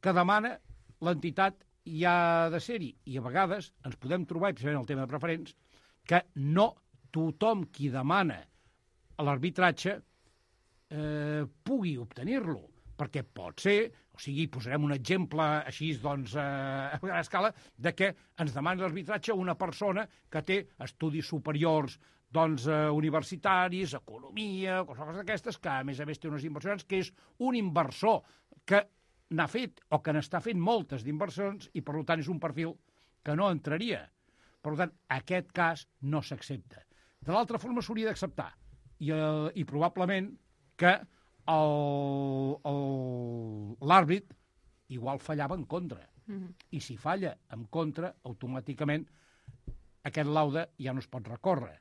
que demana l'entitat hi ha de ser-hi. I a vegades ens podem trobar, precisament el tema de preferents, que no tothom qui demana l'arbitratge eh, pugui obtenir-lo, perquè pot ser, o sigui, posarem un exemple així, doncs, eh, a gran escala, de que ens demana l'arbitratge una persona que té estudis superiors, doncs, eh, universitaris, economia, coses d'aquestes, que a més a més té unes inversions, que és un inversor que n'ha fet o que n'està fent moltes d'inversions i, per tant, és un perfil que no entraria. Per tant, aquest cas no s'accepta. De l'altra forma s'hauria d'acceptar. I, eh, I probablement que l'àrbit igual fallava en contra. Mm-hmm. I si falla en contra, automàticament aquest laude ja no es pot recórrer,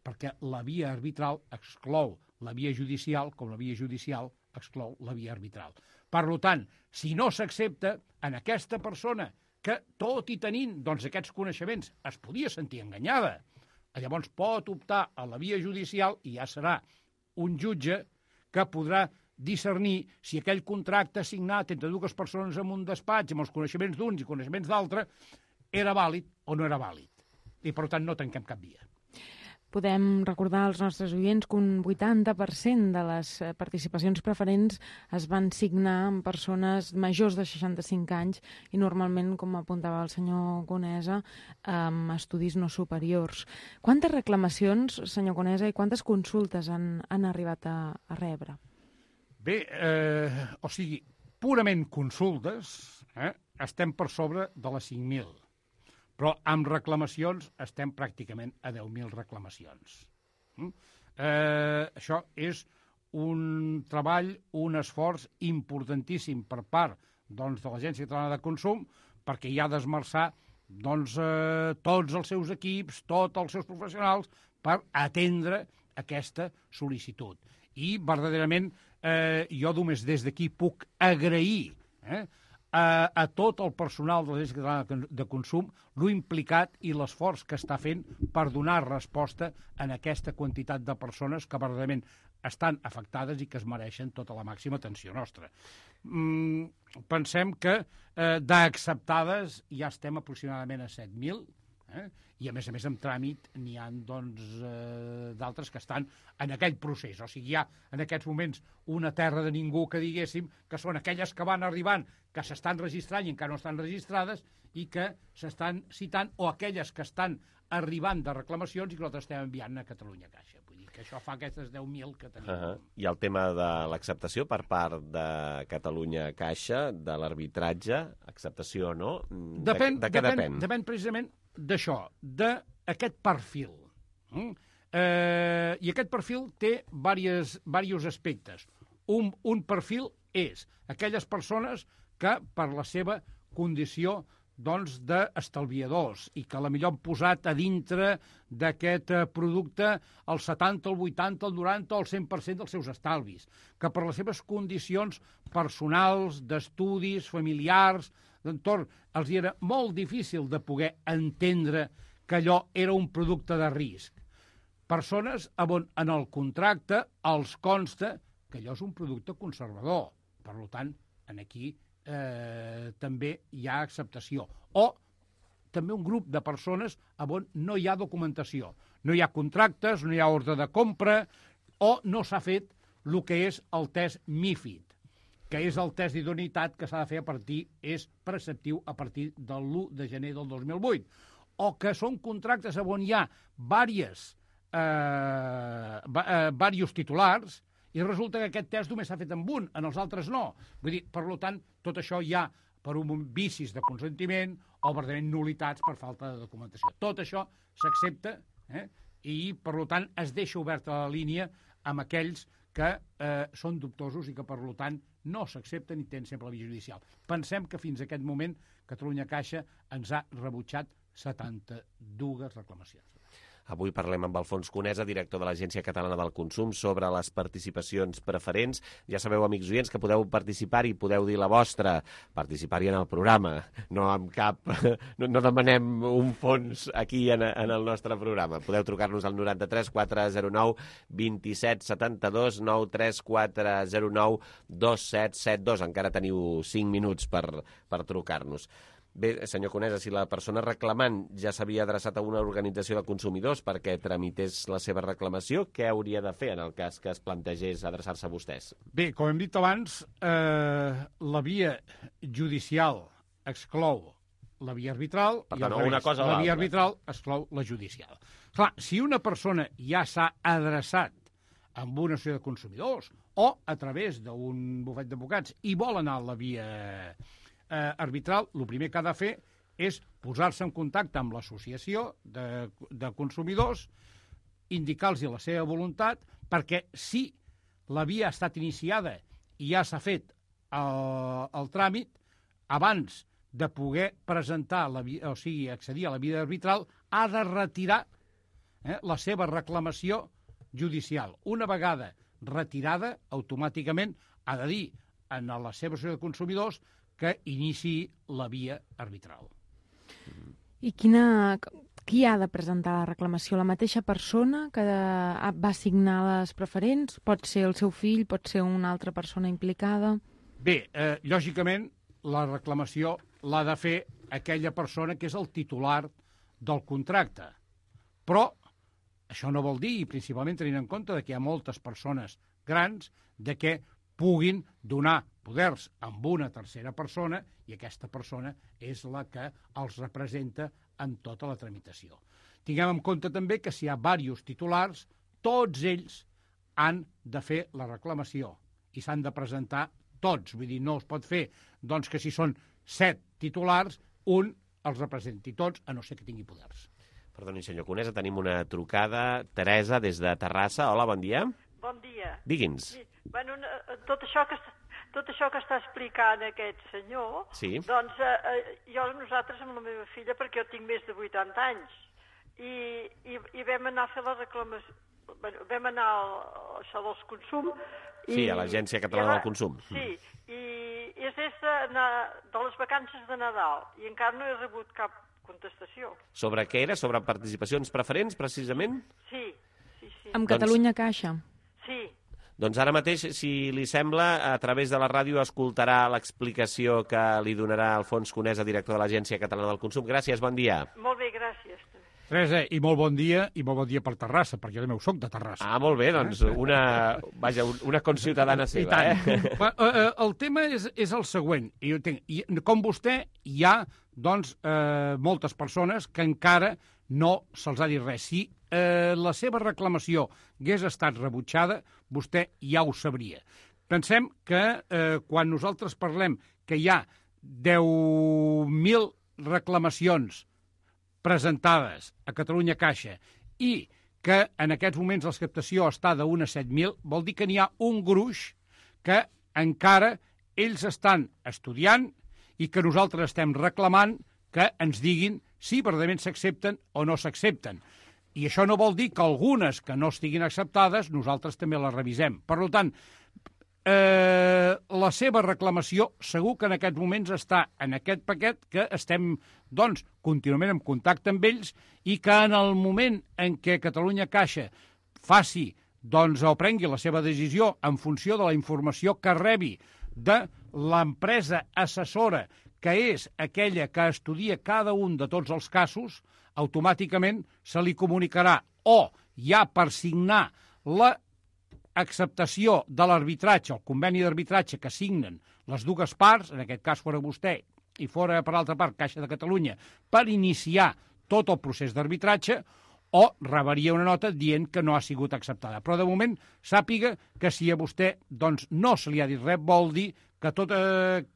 perquè la via arbitral exclou la via judicial, com la via judicial exclou la via arbitral. Per tant, si no s'accepta, en aquesta persona que, tot i tenint doncs, aquests coneixements, es podia sentir enganyada, llavors pot optar a la via judicial i ja serà un jutge que podrà discernir si aquell contracte signat entre dues persones en un despatx, amb els coneixements d'uns i coneixements d'altres, era vàlid o no era vàlid. I, per tant, no tanquem cap via. Podem recordar als nostres oients que un vuitanta per cent de les participacions preferents es van signar amb persones majors de seixanta-cinc anys i normalment, com apuntava el senyor Conesa, amb estudis no superiors. Quantes reclamacions, senyor Conesa, i quantes consultes han, han arribat a, a rebre? Bé, eh, o sigui, purament consultes, eh, estem per sobre de les cinc mil. Però amb reclamacions estem pràcticament a deu mil reclamacions. Mm? Eh, això és un treball, un esforç importantíssim per part doncs, de l'Agència Catalana de Consum, perquè hi ha d'esmerçar doncs, eh, tots els seus equips, tots els seus professionals, per atendre aquesta sol·licitud. I, verdaderament, eh, jo només des d'aquí puc agrair eh, a, a tot el personal de l'Agència Catalana de Consum lo implicat i l'esforç que està fent per donar resposta a aquesta quantitat de persones que, verdaderament, estan afectades i que es mereixen tota la màxima atenció nostra. Mm, pensem que eh, d'acceptades ja estem aproximadament a set mil, eh? I, a més a més, en tràmit n'hi ha doncs, eh, d'altres que estan en aquell procés. O sigui, hi ha en aquests moments una terra de ningú que diguéssim que són aquelles que van arribant, que s'estan registrant i encara no estan registrades i que s'estan citant, o aquelles que estan arribant de reclamacions i que nosaltres estem enviant a Catalunya Caixa. Vull dir que això fa aquestes deu mil que tenim. Uh -huh. I el tema de l'acceptació per part de Catalunya Caixa, de l'arbitratge, acceptació o no? Depèn, de, de què depèn, depèn? Depèn precisament d'això, d'aquest perfil. Mm? Eh, I aquest perfil té diversos, diversos aspectes. Un, un perfil és aquelles persones que, per la seva condició doncs, d'estalviadors i que a la millor han posat a dintre d'aquest producte el setanta, el vuitanta, el noranta o el cent per cent dels seus estalvis, que per les seves condicions personals, d'estudis, familiars, d'entorn, els era molt difícil de poder entendre que allò era un producte de risc. Persones on en el contracte els consta que allò és un producte conservador. Per tant, aquí eh, també hi ha acceptació. O també un grup de persones on no hi ha documentació. No hi ha contractes, no hi ha ordre de compra, o no s'ha fet el que és el test MiFID, que és el test d'idoneïtat que s'ha de fer a partir, és preceptiu a partir de l'u de gener del dos mil vuit. O que són contractes on hi ha diverses, eh, eh, diversos titulars, i resulta que aquest test només s'ha fet amb un, en els altres no. Vull dir, per tant, tot això hi ha per un vicis de consentiment o verdaderament nulitats per falta de documentació. Tot això s'accepta eh? i, per tant, es deixa oberta la línia amb aquells que eh, són dubtosos i que, per tant, no s'accepten i tenen sempre la via judicial. Pensem que fins a aquest moment Catalunya Caixa ens ha rebutjat setanta-dues reclamacions. Avui parlem amb Alfons Conesa, director de l'Agència Catalana del Consum, sobre les participacions preferents. Ja sabeu, amics oients, que podeu participar-hi, podeu dir la vostra, participar-hi en el programa. No amb cap... No, no demanem un fons aquí en, en el nostre programa. Podeu trucar-nos al noranta-tres quatre zero nou dos set set dos, nou tres quatre zero nou dos set set dos. Encara teniu cinc minuts per, per trucar-nos. Bé, senyor Conesa, si la persona reclamant ja s'havia adreçat a una organització de consumidors perquè tramités la seva reclamació, què hauria de fer en el cas que es plantegés adreçar-se a vostès? Bé, com hem dit abans, eh, la via judicial exclou la via arbitral per i tant, al revés, una cosa la via arbitral exclou la judicial. Clar, si una persona ja s'ha adreçat amb una associació de consumidors o a través d'un bufet d'advocats i vol anar a la via Eh, arbitral, el primer que ha de fer és posar-se en contacte amb l'associació de, de consumidors, indicar-los la seva voluntat, perquè si la via ha estat iniciada i ja s'ha fet el, el tràmit, abans de poder presentar, la via, o sigui, accedir a la via arbitral, ha de retirar eh, la seva reclamació judicial. Una vegada retirada, automàticament ha de dir en la seva associació de consumidors que iniciï la via arbitral. I quina, qui ha de presentar la reclamació? La mateixa persona que va signar les preferents? Pot ser el seu fill, pot ser una altra persona implicada? Bé, eh, lògicament, la reclamació l'ha de fer aquella persona que és el titular del contracte. Però això no vol dir, i principalment tenint en compte que hi ha moltes persones grans, de que puguin donar poders amb una tercera persona i aquesta persona és la que els representa en tota la tramitació. Tinguem en compte també que si hi ha diversos titulars, tots ells han de fer la reclamació i s'han de presentar tots. Vull dir, no es pot fer doncs, que si són set titulars, un els representi tots, a no ser que tingui poders. Perdoni, senyor Conesa, tenim una trucada. Teresa, des de Terrassa. Hola, bon dia. Bon dia. Digui'ns. Sí. Bueno, tot això que tot això que està explicant aquest senyor, sí. doncs eh, jo, nosaltres amb la meva filla, perquè jo tinc més de vuitanta anys, i, i, i vam anar a fer la reclamació, bueno, vam anar al, a això dels consum. I, sí, a l'Agència Catalana del Consum. Sí, i és des de, de les vacances de Nadal, i encara no he rebut cap contestació. Sobre què era? Sobre participacions preferents, precisament? Sí, sí, sí. Amb Catalunya Caixa. Sí. Doncs ara mateix, si li sembla, a través de la ràdio escoltarà l'explicació que li donarà Alfons Conesa, director de l'Agència Catalana del Consum. Gràcies, bon dia. Molt bé, gràcies. Teresa, i molt bon dia, i molt bon dia per Terrassa, perquè jo també soc de Terrassa. Ah, molt bé, doncs una, vaja, una conciutadana seva. I tant. Eh? El tema és, és el següent. I, i, com vostè, hi ha doncs, eh, moltes persones que encara no se'ls ha dit res. Si eh, la seva reclamació hagués estat rebutjada, vostè ja ho sabria. Pensem que eh, quan nosaltres parlem que hi ha deu mil reclamacions presentades a Catalunya Caixa i que en aquests moments l'acceptació està d'un a set mil, vol dir que n'hi ha un gruix que encara ells estan estudiant i que nosaltres estem reclamant que ens diguin si verdaderament s'accepten o no s'accepten. I això no vol dir que algunes que no estiguin acceptades nosaltres també les revisem. Per tant, eh, la seva reclamació segur que en aquests moments està en aquest paquet que estem doncs, contínuament en contacte amb ells i que en el moment en què Catalunya Caixa faci doncs, o prengui la seva decisió en funció de la informació que rebi de l'empresa assessora, que és aquella que estudia cada un de tots els casos, automàticament se li comunicarà o ja per signar l'acceptació de l'arbitratge, el conveni d'arbitratge que signen les dues parts, en aquest cas fora vostè i fora, per altra part, Caixa de Catalunya, per iniciar tot el procés d'arbitratge, o rebaria una nota dient que no ha sigut acceptada. Però, de moment, sàpiga que si a vostè doncs, no se li ha dit res, vol dir que tota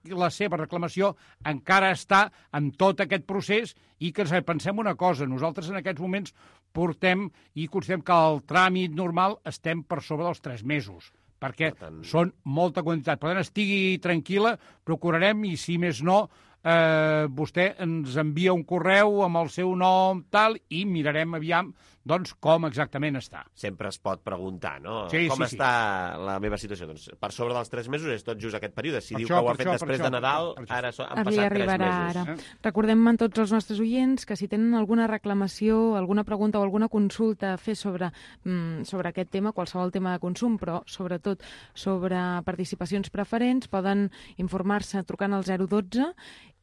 la seva reclamació encara està en tot aquest procés i que pensem una cosa, nosaltres en aquests moments portem i considerem que el tràmit normal estem per sobre dels tres mesos, perquè tant... són molta quantitat. Per tant, estigui tranquil·la, procurarem, i si més no, eh, vostè ens envia un correu amb el seu nom tal i mirarem aviam doncs com exactament està. Sempre es pot preguntar, no? Sí, com sí, està sí. la meva situació? Doncs per sobre dels tres mesos és tot just aquest període. Si per diu això, que ho ha fet això, després això, de Nadal, per això. ara so, han Li passat tres arribarà mesos. ara. Eh? Recordem a tots els nostres oients que si tenen alguna reclamació, alguna pregunta o alguna consulta a fer sobre, mm, sobre aquest tema, qualsevol tema de consum, però sobretot sobre participacions preferents, poden informar-se trucant al zero dotze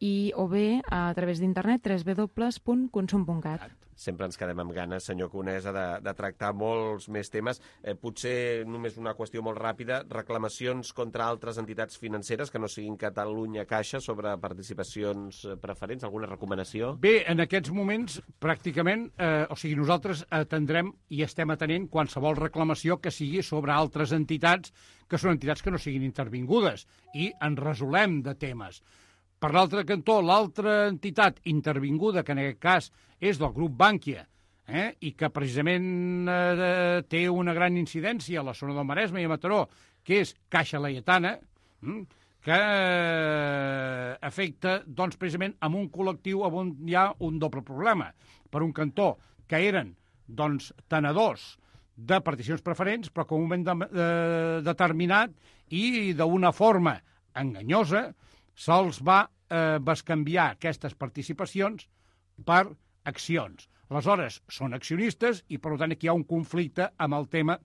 i o bé a través d'internet w w w punt consum punt cat. Sempre ens quedem amb ganes, senyor Conesa, de, de tractar molts més temes. Eh, potser només una qüestió molt ràpida, reclamacions contra altres entitats financeres que no siguin Catalunya Caixa sobre participacions preferents, alguna recomanació? Bé, en aquests moments, pràcticament, eh, o sigui, nosaltres atendrem i estem atenent qualsevol reclamació que sigui sobre altres entitats que són entitats que no siguin intervingudes i en resolem de temes. Per l'altre cantó, l'altra entitat intervinguda, que en aquest cas és del grup Bànquia, eh, i que precisament eh, té una gran incidència a la zona del Maresme i a Mataró, que és Caixa Laietana, eh, que eh, afecta doncs, precisament amb un col·lectiu on hi ha un doble problema. Per un cantó, que eren doncs, tenedors de particions preferents, però que en un moment de, de, determinat i d'una forma enganyosa se'ls va eh, bescanviar aquestes participacions per accions. Aleshores, són accionistes i, per tant, aquí hi ha un conflicte amb el tema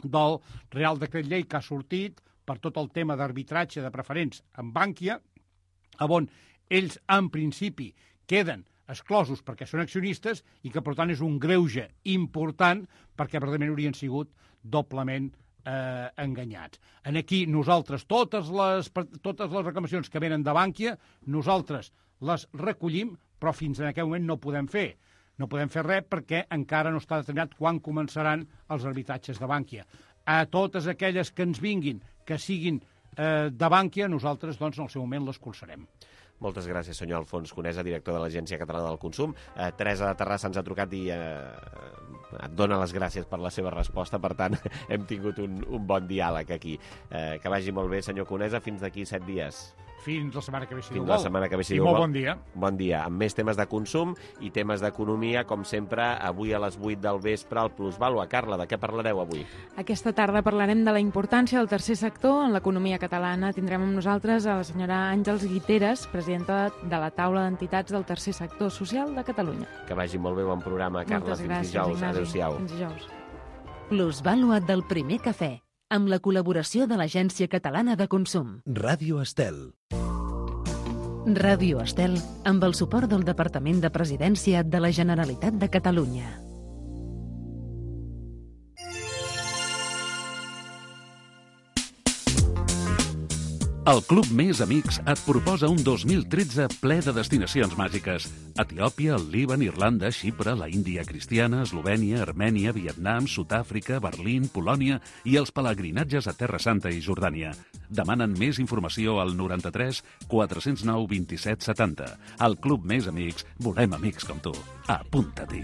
del Real Decret Llei que ha sortit per tot el tema d'arbitratge de preferents en Bànquia, on ells, en principi, queden exclosos perquè són accionistes i que, per tant, és un greuge important perquè, verdaderament, haurien sigut doblement Eh, enganyats. En aquí nosaltres, totes les, totes les reclamacions que venen de Bànquia, nosaltres les recollim, però fins en aquest moment no podem fer. No podem fer res perquè encara no està determinat quan començaran els arbitratges de Bànquia. A totes aquelles que ens vinguin, que siguin eh, de Bànquia, nosaltres, doncs, en el seu moment l'escolzarem. Moltes gràcies, senyor Alfons Conesa, director de l'Agència Catalana del Consum. Eh, Teresa de Terrassa ens ha trucat i eh, et dona les gràcies per la seva resposta. Per tant, hem tingut un, un bon diàleg aquí. Eh, que vagi molt bé, senyor Conesa, fins d'aquí set dies. Fins la setmana que ve, si Fins Déu la vol. setmana que ve, si I Déu molt vol. bon dia. Bon dia. Amb més temes de consum i temes d'economia, com sempre, avui a les vuit del vespre, al Plusvàlua. Carla, de què parlareu avui? Aquesta tarda parlarem de la importància del tercer sector en l'economia catalana. Tindrem amb nosaltres a la senyora Àngels Guiteres, presidenta de la taula d'entitats del tercer sector social de Catalunya. Que vagi molt bé, bon programa, Carla. Moltes Fins gràcies, dijous. Ignasi. Adéu-siau. Fins dijous. Plusvàlua del primer cafè, amb la col·laboració de l'Agència Catalana de Consum. Ràdio Estel. Ràdio Estel, amb el suport del Departament de Presidència de la Generalitat de Catalunya. El Club Més Amics et proposa un dos mil tretze ple de destinacions màgiques. Etiòpia, el Líban, Irlanda, Xipre, la Índia cristiana, Eslovènia, Armènia, Vietnam, Sud-àfrica, Berlín, Polònia i els pelegrinatges a Terra Santa i Jordània. Demanen més informació al noranta-tres quatre-cents nou vint-i-set setanta. Al Club Més Amics volem amics com tu. Apunta-t'hi.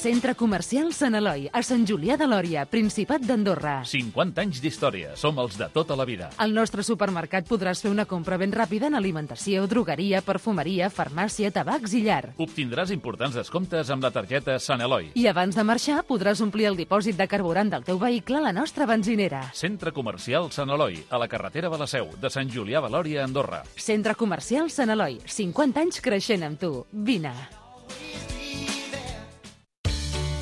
Centre Comercial Sant Eloi, a Sant Julià de Lòria, Principat d'Andorra. cinquanta anys d'història. Som els de tota la vida. Al nostre supermercat podràs fer una compra ben ràpida en alimentació, drogueria, perfumeria, farmàcia, tabacs i llar. Obtindràs importants descomptes amb la targeta Sant Eloi. I abans de marxar podràs omplir el dipòsit de carburant del teu vehicle a la nostra benzinera. Centre Comercial Sant Eloi, a la carretera de la Seu, de Sant Julià de Lòria a Andorra. Centre Comercial Sant Eloi, cinquanta anys creixent amb tu. Vine.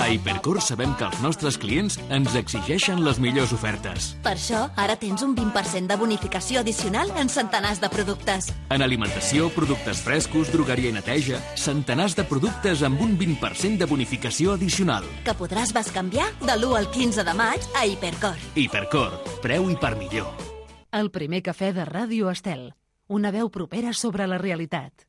A Hipercor sabem que els nostres clients ens exigeixen les millors ofertes. Per això, ara tens un vint per cent de bonificació addicional en centenars de productes. En alimentació, productes frescos, drogueria i neteja, centenars de productes amb un vint per cent de bonificació addicional. Que podràs bescanviar de l'u al quinze de maig a Hipercor. Hipercor, preu i per millor. El primer cafè de Ràdio Estel. Una veu propera sobre la realitat.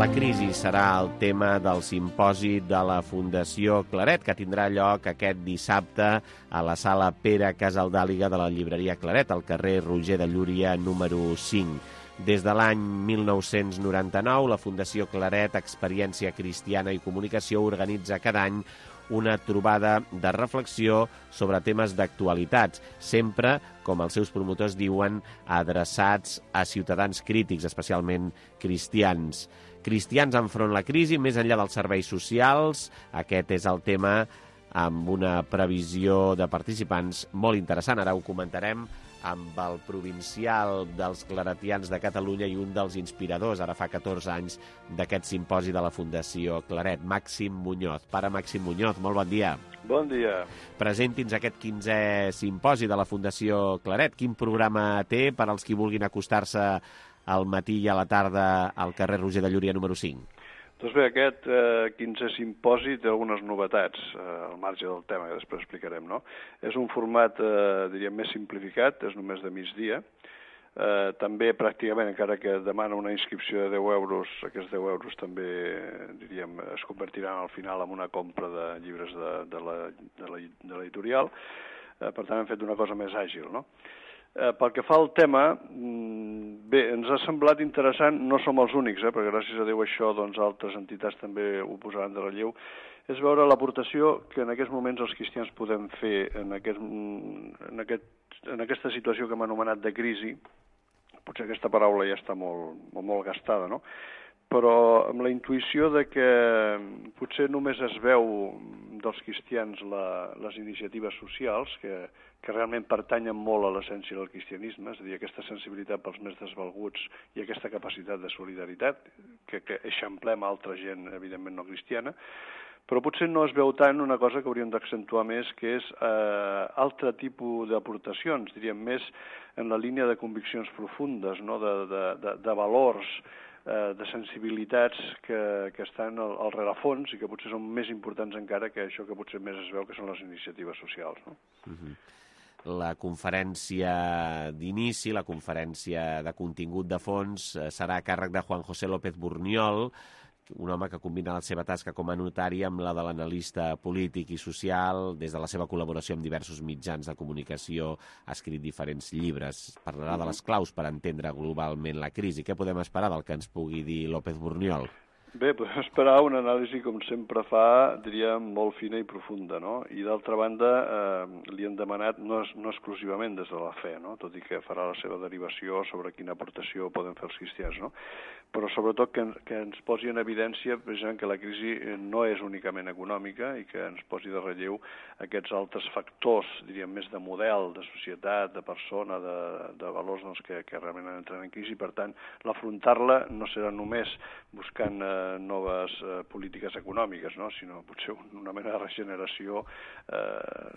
La crisi serà el tema del simposi de la Fundació Claret, que tindrà lloc aquest dissabte a la sala Pere Casaldàliga de la llibreria Claret, al carrer Roger de Llúria, número cinc. Des de l'any mil nou-cents noranta-nou, la Fundació Claret, Experiència Cristiana i Comunicació organitza cada any una trobada de reflexió sobre temes d'actualitats, sempre, com els seus promotors diuen, adreçats a ciutadans crítics, especialment cristians. Cristians enfront la crisi, més enllà dels serveis socials. Aquest és el tema amb una previsió de participants molt interessant. Ara ho comentarem amb el provincial dels claretians de Catalunya i un dels inspiradors, ara fa catorze anys, d'aquest simposi de la Fundació Claret, Màxim Muñoz. Pare Màxim Muñoz, molt bon dia. Bon dia. Presenti'ns aquest quinzè simposi de la Fundació Claret. Quin programa té per als qui vulguin acostar-se al matí i a la tarda al carrer Roger de Llúria número cinc? Doncs bé, aquest eh, quinzè simposi té algunes novetats eh, al marge del tema, que després explicarem, no? És un format, eh, diríem, més simplificat, és només de migdia. Eh, també, pràcticament, encara que demana una inscripció de deu euros, aquests deu euros també, diríem, es convertiran al final en una compra de llibres de, de la, de la, de l'editorial. Eh, per tant, hem fet una cosa més àgil, no? Eh, pel que fa al tema, bé, ens ha semblat interessant, no som els únics, eh, perquè gràcies a Déu això, doncs altres entitats també ho posaran de relleu, és veure l'aportació que en aquests moments els cristians podem fer en, aquest, en, aquest, en aquesta situació que hem anomenat de crisi. Potser aquesta paraula ja està molt, molt, molt gastada, no? Però amb la intuïció de que potser només es veu dels cristians la, les iniciatives socials, que, que realment pertanyen molt a l'essència del cristianisme, és a dir, aquesta sensibilitat pels més desvalguts i aquesta capacitat de solidaritat, que, que eixamplem a altra gent, evidentment no cristiana, però potser no es veu tant una cosa que hauríem d'accentuar més, que és eh, altre tipus d'aportacions, diríem més en la línia de conviccions profundes, no? de, de, de, de valors, eh, de sensibilitats que, que estan al, al rerefons i que potser són més importants encara que això que potser més es veu que són les iniciatives socials. No? Uh-huh. La conferència d'inici, la conferència de contingut de fons, serà a càrrec de Juan José López Burniol, un home que combina la seva tasca com a notari amb la de l'analista polític i social. Des de la seva col·laboració amb diversos mitjans de comunicació ha escrit diferents llibres. Parlarà de les claus per entendre globalment la crisi. Què podem esperar del que ens pugui dir López Burniol? Bé, podem esperar una anàlisi, com sempre fa, diríem, molt fina i profunda, no? I d'altra banda, eh, li han demanat, no, no exclusivament des de la fe, no? Tot i que farà la seva derivació sobre quina aportació poden fer els cristians, no? Però sobretot que, que ens posi en evidència precisament que la crisi no és únicament econòmica i que ens posi de relleu aquests altres factors, diríem, més de model, de societat, de persona, de, de valors doncs, que, que realment entren en crisi. Per tant, l'afrontar-la no serà només buscant eh, noves eh, polítiques econòmiques, no? Sinó potser una mena de regeneració eh,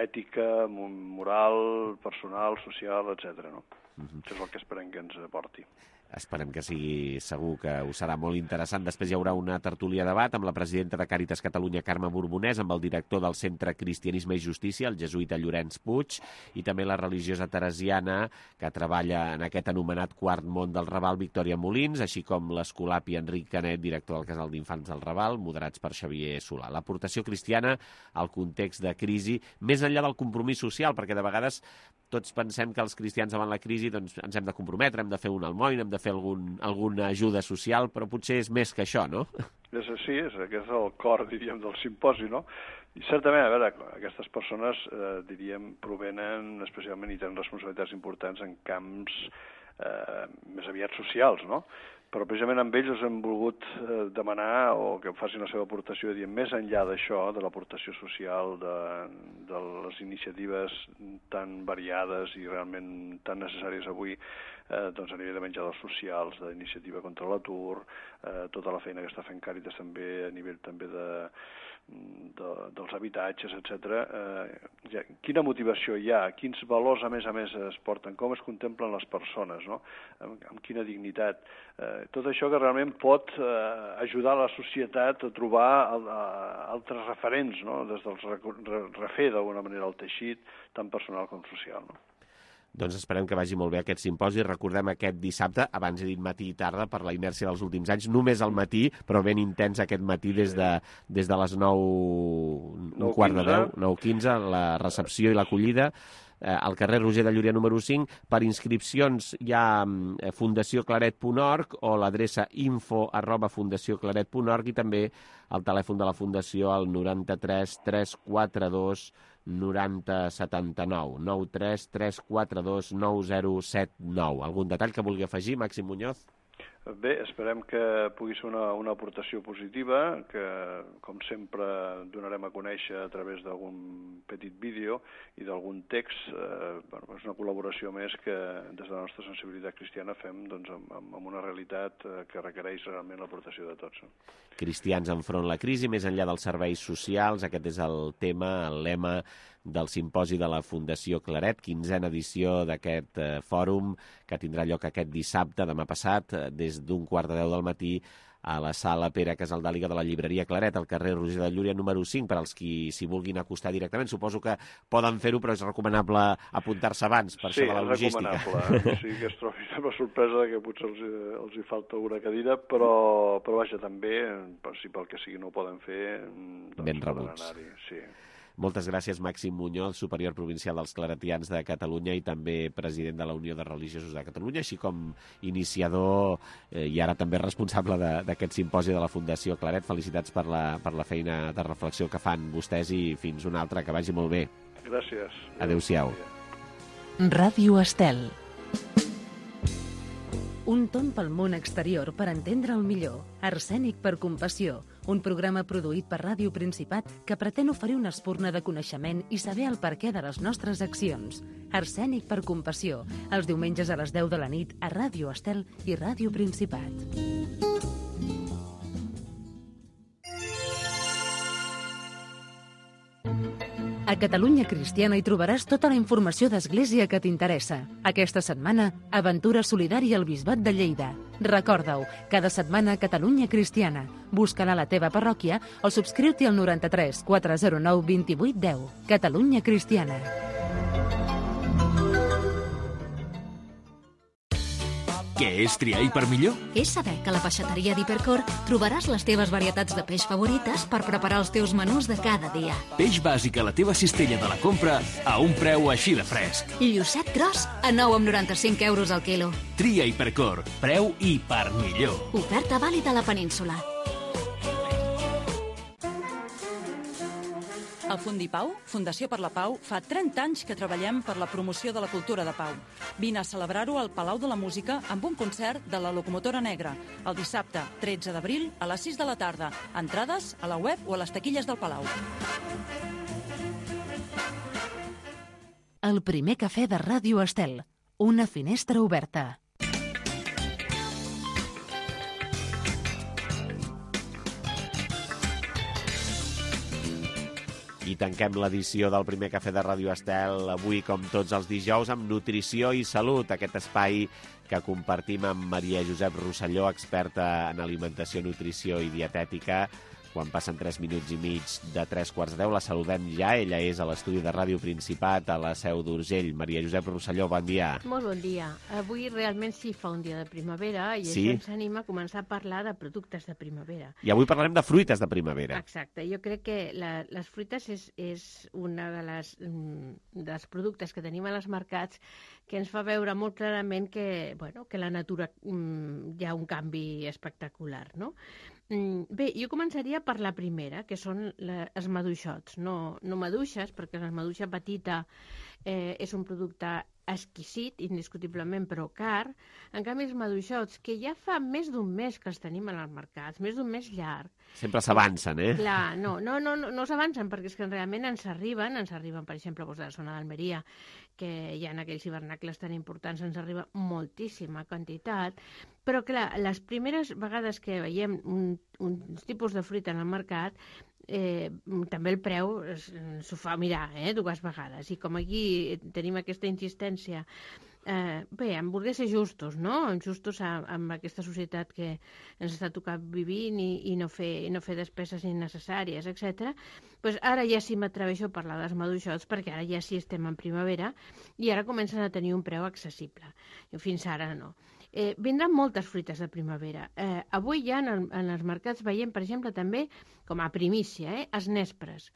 ètica, moral, personal, social, etcètera. No? Uh-huh. Això és el que esperem que ens aporti. Esperem que sigui segur, que us serà molt interessant. Després hi haurà una tertúlia debat amb la presidenta de Càritas Catalunya, Carme Borbonès, amb el director del Centre Cristianisme i Justícia, el jesuïta Llorenç Puig, i també la religiosa teresiana que treballa en aquest anomenat Quart Món del Raval, Victòria Molins, així com l'escolapi Enric Canet, director del Casal d'Infants del Raval, moderats per Xavier Solà. L'aportació cristiana al context de crisi, més enllà del compromís social, perquè de vegades tots pensem que els cristians davant la crisi doncs, ens hem de comprometre, hem de fer un almoina, hem de fer algun, alguna ajuda social, però potser és més que això, no? És així, és, aquest és el cor, diríem, del simposi, no? I certament, a veure, aquestes persones, eh, diríem, provenen especialment i tenen responsabilitats importants en camps eh, més aviat socials, no? Però precisament amb ells us hem volgut eh, demanar o que facin la seva aportació, diem, més enllà d'això, de l'aportació social, de, de les iniciatives tan variades i realment tan necessàries avui, eh, doncs a nivell de menjadors socials, d'iniciativa contra l'atur, eh, tota la feina que està fent Càritas també a nivell també de, de, dels habitatges, etcètera. Eh, ja, quina motivació hi ha? Quins valors, a més a més, es porten? Com es contemplen les persones, no? Amb, amb quina dignitat? Eh, tot això que realment pot eh, ajudar la societat a trobar el, a, altres referents, no? Des del refer d'alguna manera el teixit, tant personal com social, no? Doncs esperem que vagi molt bé aquest simposi. Recordem aquest dissabte, abans he dit matí i tarda, per la inèrcia dels últims anys, només al matí, però ben intens aquest matí des de, des de les nou, un quart de deu, nou quinze, la recepció i l'acollida, eh, al carrer Roger de Llúria número cinc. Per inscripcions hi ha eh, fundació claret punt org o l'adreça info arroba fundació claret punt org i també el telèfon de la fundació al noranta-tres tres quatre dos noranta setanta-nou, nou tres tres quatre dos nou zero set nou. Algun detall que vulgui afegir, Màxim Muñoz? Bé, esperem que pugui ser una, una aportació positiva, que, com sempre, donarem a conèixer a través d'algun petit vídeo i d'algun text. Eh, bueno, és una col·laboració més que, des de la nostra sensibilitat cristiana, fem doncs, amb, amb una realitat eh, que requereix realment l'aportació de tots. Cristians enfront la crisi, més enllà dels serveis socials. Aquest és el tema, el lema del simposi de la Fundació Claret, quinzena edició d'aquest eh, fòrum que tindrà lloc aquest dissabte, demà passat, eh, des d'un quart de deu del matí a la sala Pere Casaldàliga de la llibreria Claret, al carrer Roger de Llúria número cinc, per als qui s'hi vulguin acostar directament. Suposo que poden fer-ho, però és recomanable apuntar-se abans, per sí, això de la logística. Sí, és recomanable. Sí, que es trobi amb la sorpresa que potser els, els hi falta alguna cadira, però, però vaja, també, si pel que sigui no ho poden fer, doncs ben rebuts. Sí. Moltes gràcies, Màxim Muñoz, superior provincial dels claretians de Catalunya i també president de la Unió de Religiosos de Catalunya, així com iniciador eh, i ara també responsable d'aquest simposi de la Fundació Claret. Felicitats per la, per la feina de reflexió que fan vostès i fins una altra, que vagi molt bé. Gràcies. Adéu-siau. Ràdio Estel. Un tomb pel món exterior per entendre'l millor. Arsènic per compassió. Un programa produït per Ràdio Principat que pretén oferir una espurna de coneixement i saber el perquè de les nostres accions. Arsènic per compassió. Els diumenges a les deu de la nit a Ràdio Estel i Ràdio Principat. A Catalunya Cristiana hi trobaràs tota la informació d'Església que t'interessa. Aquesta setmana, Aventura Solidària al Bisbat de Lleida. Recorda-ho, cada setmana Catalunya Cristiana. Busca-la a la teva parròquia o subscriu-t'hi al noranta-tres quatre zero nou vint vuit deu. Catalunya Cristiana. Què és triar i per millor? És saber que a la peixateria d'Hipercor trobaràs les teves varietats de peix favorites per preparar els teus menús de cada dia. Peix bàsic a la teva cistella de la compra a un preu així de fresc. Llucet gros a nou coma noranta-cinc euros al quilo. Tria Hipercor, preu i per millor. Oferta vàlida a la península. A Fundipau, Fundació per la Pau, fa trenta anys que treballem per la promoció de la cultura de pau. Vine a celebrar-ho al Palau de la Música amb un concert de la Locomotora Negra, el dissabte tretze d'abril a les sis de la tarda. Entrades a la web o a les taquilles del Palau. El primer cafè de Ràdio Estel. Una finestra oberta. I tanquem l'edició del primer cafè de Ràdio Estel avui, com tots els dijous, amb Nutrició i Salut, aquest espai que compartim amb Maria Josep Rosselló, experta en alimentació, nutrició i dietètica. Quan passen tres minuts i mig de tres quarts de deu, la saludem ja. Ella és a l'estudi de Ràdio Principat, a la Seu d'Urgell. Maria Josep Rosselló, bon dia. Molt bon dia. Avui realment sí fa un dia de primavera i sí? Això ens anima a començar a parlar de productes de primavera. I avui parlarem de fruites de primavera. Exacte. Jo crec que la, les fruites és, és una de les, dels productes que tenim a les mercats que ens fa veure molt clarament que, bueno, que la natura mm, hi ha un canvi espectacular, no? Bé, jo començaria per la primera, que són la, els maduixots. No, no maduixes, perquè la maduixa petita eh, és un producte exquisit, indiscutiblement, però car. En canvi, els maduixots, que ja fa més d'un mes que els tenim en els mercats, més d'un mes llarg. Sempre s'avancen, eh? Clar, no, no, no, no, no s'avancen, perquè és que realment ens arriben, ens arriben, per exemple, doncs, de la zona d'Almeria, que hi ha aquells hivernacles tan importants, ens arriba moltíssima quantitat, però clar, les primeres vegades que veiem un, un tipus de fruita en el mercat, eh, també el preu s'ho fa mirar, eh, dues vegades, i com aquí tenim aquesta insistència, eh, bé, hem volgut ser justos, no? Justos amb, amb aquesta societat que ens està tocant vivint i, i, no, fer, i no fer despeses innecessàries, etcètera. Pues ara ja sí m'atreveixo a parlar dels maduixots, perquè ara ja sí estem en primavera i ara comencen a tenir un preu accessible. Fins ara no. Eh, vindran moltes fruites de primavera. Eh, avui ja en, el, en els mercats veiem, per exemple, també, com a primícia, eh, els nespres.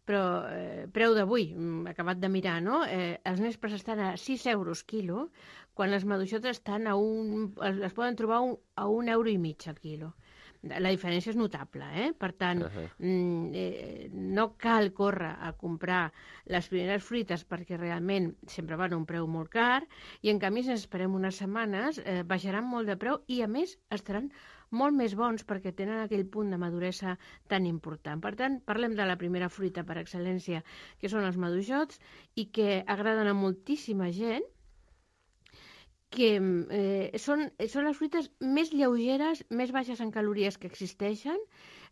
Però eh, preu d'avui, acabat de mirar, no? Eh, els nespres estan a sis euros quilo, quan les maduixotes estan a un, es poden trobar un, a un euro i mig al quilo. La diferència és notable, eh? Per tant, uh-huh. eh, no cal córrer a comprar les primeres fruites perquè realment sempre van a un preu molt car i en canvi si ens esperem unes setmanes eh, baixaran molt de preu i a més estaran molt més bons perquè tenen aquell punt de maduresa tan important. Per tant, parlem de la primera fruita per excel·lència, que són els maduixots i que agraden a moltíssima gent, que eh, són, són les fruites més lleugeres, més baixes en calories que existeixen,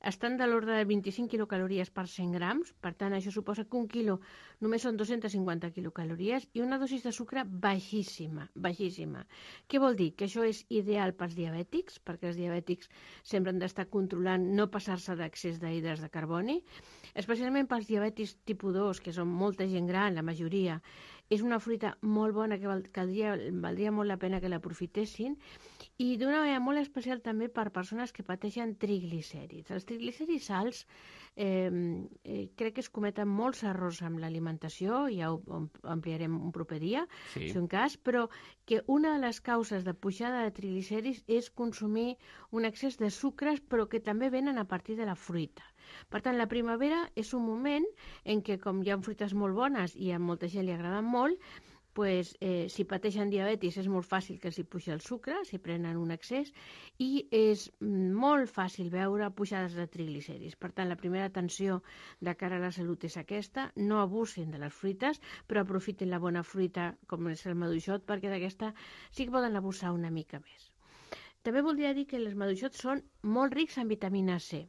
estan de l'ordre de vint-i-cinc quilocalories per cent grams, per tant això suposa que un quilo només són dos-centes cinquanta quilocalories i una dosis de sucre baixíssima, baixíssima. Què vol dir? Que això és ideal pels diabètics, perquè els diabètics sempre han d'estar controlant no passar-se d'accés d'hidres de carboni, especialment pels diabètics tipus dos, que són molta gent gran, la majoria. És una fruita molt bona que val, caldria, valdria molt la pena que l'aprofitessin i d'una manera molt especial també per persones que pateixen triglicèrids. Els triglicèrids alts eh, eh, crec que es cometen molts errors amb l'alimentació, ja ho ampliarem un proper dia, sí. Si un cas, però que una de les causes de pujada de triglicèrids és consumir un excés de sucres, però que també venen a partir de la fruita. Per tant, la primavera és un moment en què, com hi ha fruites molt bones i a molta gent li agraden molt, pues, eh, si pateixen diabetis és molt fàcil que els hi pugi el sucre, si prenen un excés, i és molt fàcil veure pujades de triglicèrids. Per tant, la primera atenció de cara a la salut és aquesta, no abusin de les fruites, però aprofitin la bona fruita, com és el maduixot, perquè d'aquesta sí que poden abusar una mica més. També voldria dir que els maduixots són molt rics en vitamina C,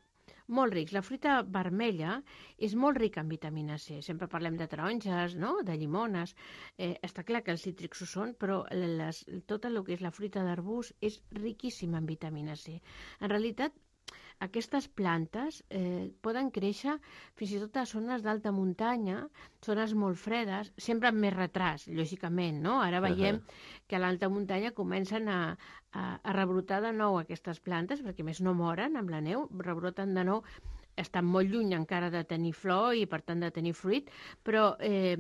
molt rics. La fruita vermella és molt rica en vitamina C. Sempre parlem de taronges, no?, de llimones. Eh, està clar que els cítrics ho són, però les, tot el que és la fruita d'arbust és riquíssima en vitamina C. En realitat, aquestes plantes eh, poden créixer fins i tot a zones d'alta muntanya, zones molt fredes, sempre amb més retras, lògicament, no? Ara veiem uh -huh. que a l'alta muntanya comencen a, a, a rebrotar de nou aquestes plantes, perquè més no moren amb la neu, rebroten de nou, estan molt lluny encara de tenir flor i, per tant, de tenir fruit, però eh,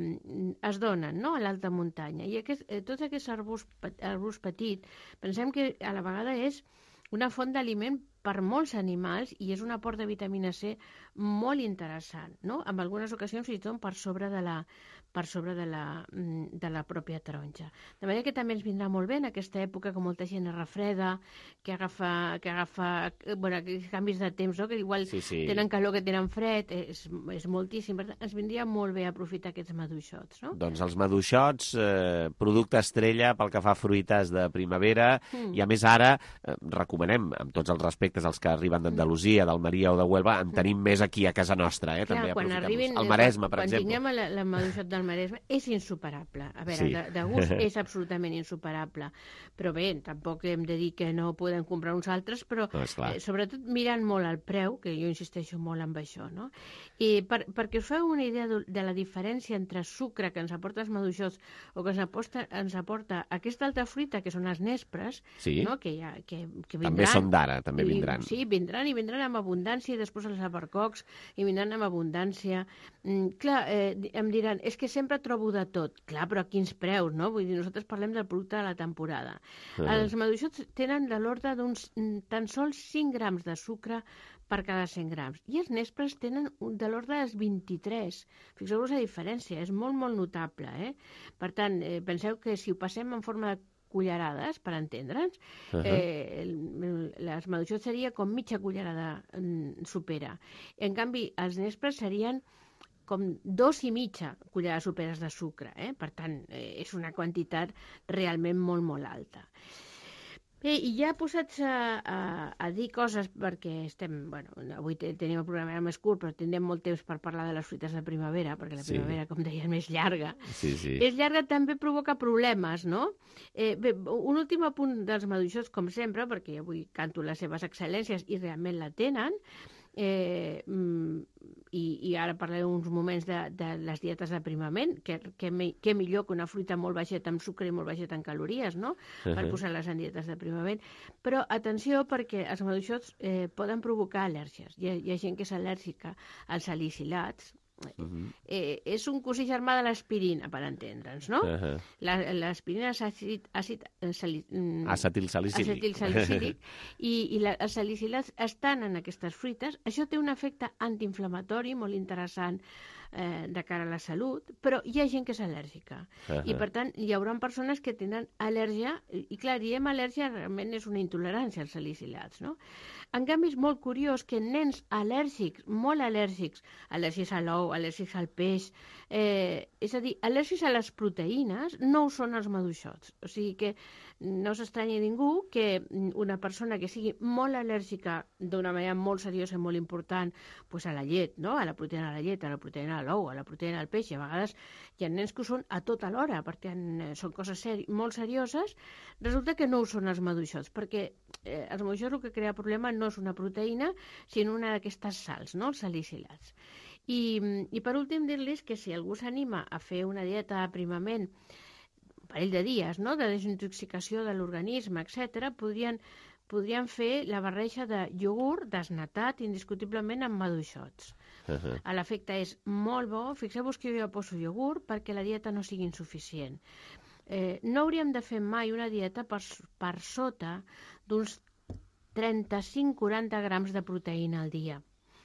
es donen, no?, a l'alta muntanya. I aquest, eh, tots aquests arbusts, arbusts petits, pensem que a la vegada és una font d'aliment per molts animals i és un aport de vitamina C molt interessant, no? En algunes ocasions fins i tot per sobre de la, per sobre de la, de la pròpia taronja. De manera que també ens vindrà molt bé en aquesta època que molta gent es refreda, que agafa, que agafa bueno, canvis de temps, no?, que igual sí, sí. tenen calor, que tenen fred, és, és moltíssim. Per tant, ens vindria molt bé aprofitar aquests maduixots, no? Doncs els maduixots, eh, producte estrella pel que fa a fruites de primavera, mm. i a més ara eh, recomanem, amb tots els respectes als que arriben d'Andalusia, d'Almeria o de Huelva, en tenim més aquí a casa nostra, eh? Clar, també quan arribin, el Maresme, per quan exemple. Quan tinguem el maduixot del Maresme, és insuperable. A veure, sí. de, de gust és absolutament insuperable. Però bé, tampoc hem de dir que no podem comprar uns altres, però no, eh, sobretot mirant molt el preu, que jo insisteixo molt en això, no? I per, perquè us feu una idea de, de la diferència entre sucre que ens aporta els maduixots o que ens aporta, ens aporta aquesta altra fruita, que són els nespres, sí. no?, que, ja, que, que vindran. També són d'ara, també vindran. I, sí, vindran i vindran amb abundància, i després els albercocs i vindran amb abundància. Mm, clar, eh, em diran, és que sempre trobo de tot. Clar, però a quins preus, no? Vull dir, nosaltres parlem del producte de la temporada. Uh -huh. Els maduixots tenen de l'ordre d'uns tan sols cinc grams de sucre per cada cent grams. I els nespres tenen de l'ordre dels vint-i-tres. Fixeu-vos la diferència, és molt, molt notable, eh? Per tant, eh, penseu que si ho passem en forma de cullerades, per entendre'ns, uh -huh. eh, les maduixots seria com mitja cullerada mm, supera. En canvi, els nespres serien com dos i mitja cullerades superes de sucre, eh? Per tant, eh, és una quantitat realment molt, molt alta. Bé, i ja posats a, a, a dir coses, perquè estem, bueno, avui tenim el programa més curt, però tindrem molt temps per parlar de les fruites de primavera, perquè la primavera, sí. com deia, és més llarga. Sí, sí. És llarga, també provoca problemes, no? Eh, bé, un últim apunt dels maduixots, com sempre, perquè avui canto les seves excel·lències i realment la tenen, Eh, i, i ara parlaré uns moments de, de les dietes d'aprimament, que, que, me, que millor que una fruita molt baixeta en sucre i molt baixeta en calories, no?, uh-huh. per posar-les en dietes d'aprimament. Però atenció, perquè els maduixots eh, poden provocar al·lèrgies. Hi ha, hi ha gent que és al·lèrgica als salicilats. Uh-huh. Eh, és un cosí germà de l'aspirina, per entendre'ns, no? Uh-huh. L'aspirina és àcid, àcid sali, acetilsalicílic, acetilsalicílic i, i la, els salicilats estan en aquestes fruites. Això té un efecte antiinflamatori molt interessant eh, de cara a la salut, però hi ha gent que és al·lèrgica. Uh-huh. I, per tant, hi haurà persones que tenen al·lèrgia, i clar, diem al·lèrgia, realment és una intolerància als salicilats, no? En canvi, és molt curiós que nens al·lèrgics, molt al·lèrgics, al·lèrgics a l'ou, al·lèrgics al peix, eh, és a dir, al·lèrgics a les proteïnes, no ho són els maduixots. O sigui que no s'estranyi ningú que una persona que sigui molt al·lèrgica d'una manera molt seriosa i molt important pues a la llet, no?, a la proteïna de la llet, a la proteïna de l'ou, a la proteïna del peix, i a vegades hi ha nens que ho són a tota l'hora, perquè són coses seri molt serioses, resulta que no ho són els maduixots, perquè eh, els maduixots el que crea problema no és una proteïna, sinó una d'aquestes sals, no?, els salicilats. I, i per últim dir-los que si algú s'anima a fer una dieta d'aprimament un parell de dies, no?, de desintoxicació de l'organisme, etcètera, podrien, podrien fer la barreja de iogurt desnatat indiscutiblement amb maduixots. Uh-huh. L'efecte és molt bo. Fixeu-vos que jo poso iogurt perquè la dieta no sigui insuficient. Eh, no hauríem de fer mai una dieta per, per sota d'uns trenta-cinc a quaranta grams de proteïna al dia.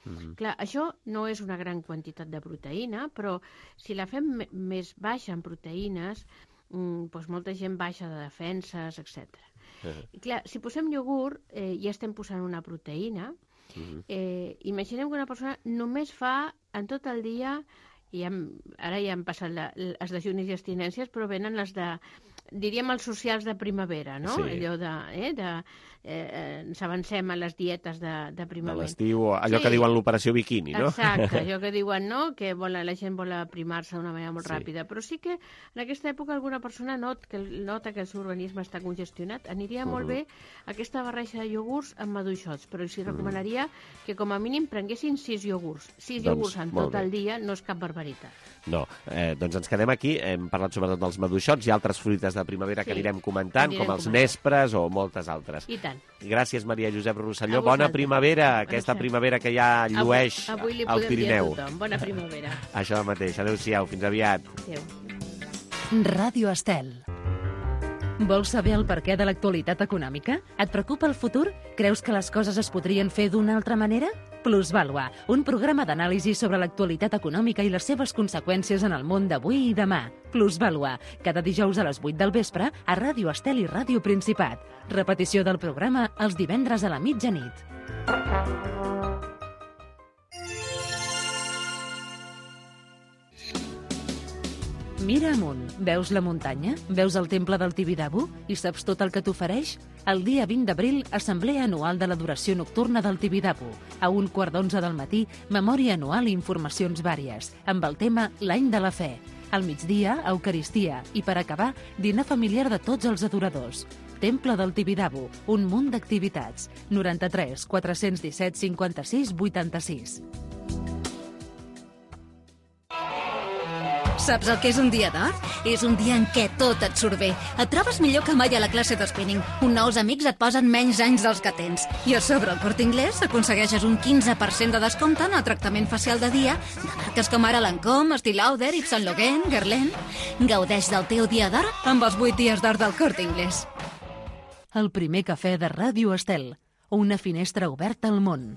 Uh-huh. Clar, això no és una gran quantitat de proteïna, però si la fem més baixa en proteïnes, mm, doncs molta gent baixa de defenses, etcètera. Uh-huh. Clar, si posem iogurt, eh, ja estem posant una proteïna. Uh-huh. eh, imaginem que una persona només fa en tot el dia, i hem, ara ja han passat la, els dejunis i abstinències, però venen les de diríem els socials de primavera, no? Sí. Allò de... Eh, de eh, ens avancem a les dietes de, de primavera. De l'estiu, allò Sí. que diuen l'operació biquini, no? Exacte, allò que diuen, no?, que vol, la gent vol aprimar-se d'una manera molt Sí. ràpida. Però sí que en aquesta època alguna persona not, que, nota que el seu organisme està congestionat. Aniria molt Mhm. bé aquesta barreja de iogurts amb maduixots, però els recomanaria que com a mínim prenguessin sis iogurts. Sis Doncs, iogurts en molt tot bé. el dia no és cap barbaritat. No, eh, doncs ens quedem aquí. Hem parlat sobretot dels maduixots i altres fruites de primavera que Sí, anirem comentant, anirem com els comentant. nespres o moltes altres. I tant. Gràcies, Maria Josep Rosselló. A Bona vosaltres. primavera, aquesta Això. primavera que ja llueix Avui, avui li al podem dir a Pirineu. tothom. Bona primavera. Això mateix. Adéu-siau, fins aviat. Adéu. Ràdio Estel. Vols saber el perquè de l'actualitat econòmica? Et preocupa el futur? Creus que les coses es podrien fer d'una altra manera? Plusvàlua, un programa d'anàlisi sobre l'actualitat econòmica i les seves conseqüències en el món d'avui i demà. Plusvàlua, cada dijous a les vuit del vespre a Ràdio Estel i Ràdio Principat. Repetició del programa els divendres a la mitjanit. Mira amunt, veus la muntanya? Veus el temple del Tibidabo? I saps tot el que t'ofereix? El dia vint d'abril, assemblea anual de l'adoració nocturna del Tibidabo. A un quart d'onze del matí, memòria anual i informacions vàries, amb el tema L'any de la fe. Al migdia, Eucaristia, i per acabar, dinar familiar de tots els adoradors. Temple del Tibidabo, un munt d'activitats. noranta-tres quatre-cents disset cinquanta-sis vuitanta-sis. Saps el que és un dia d'or? És un dia en què tot et surt bé. Et trobes millor que mai a la classe de spinning. Un nous amics et posen menys anys dels que tens. I a sobre el Corte Inglés aconsegueixes un quinze per cent de descompte en el tractament facial de dia de marques com ara Lancôme, Estée Lauder, Yves Saint Laurent, Guerlain. Gaudeix del teu dia d'or amb els vuit dies d'or del Corte Inglés. El primer cafè de Ràdio Estel. Una finestra oberta al món.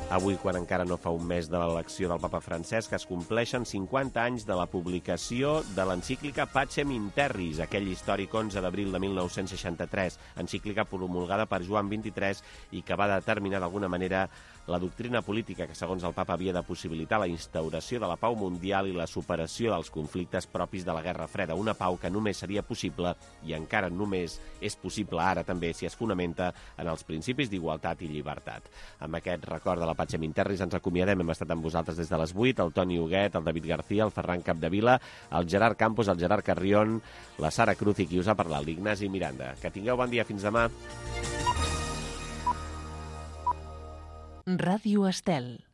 Avui, quan encara no fa un mes de l'elecció del papa Francesc, es compleixen cinquanta anys de la publicació de l'encíclica Pacem in Terris, aquell històric onze d'abril de mil nou-cents seixanta-tres, encíclica promulgada per Joan vint-i-tres i que va determinar d'alguna manera la doctrina política que, segons el papa, havia de possibilitar la instauració de la pau mundial i la superació dels conflictes propis de la Guerra Freda, una pau que només seria possible i encara només és possible ara també si es fonamenta en els principis d'igualtat i llibertat. Amb aquest record de la Pacem in Terris ens acomiadem. Hem estat amb vosaltres des de les vuit, el Toni Huguet, el David García, el Ferran Capdevila, el Gerard Campos, el Gerard Carrión, la Sara Cruz i qui us ha parlat, l'Ignasi Miranda. Que tingueu bon dia, fins demà. Ràdio Estel.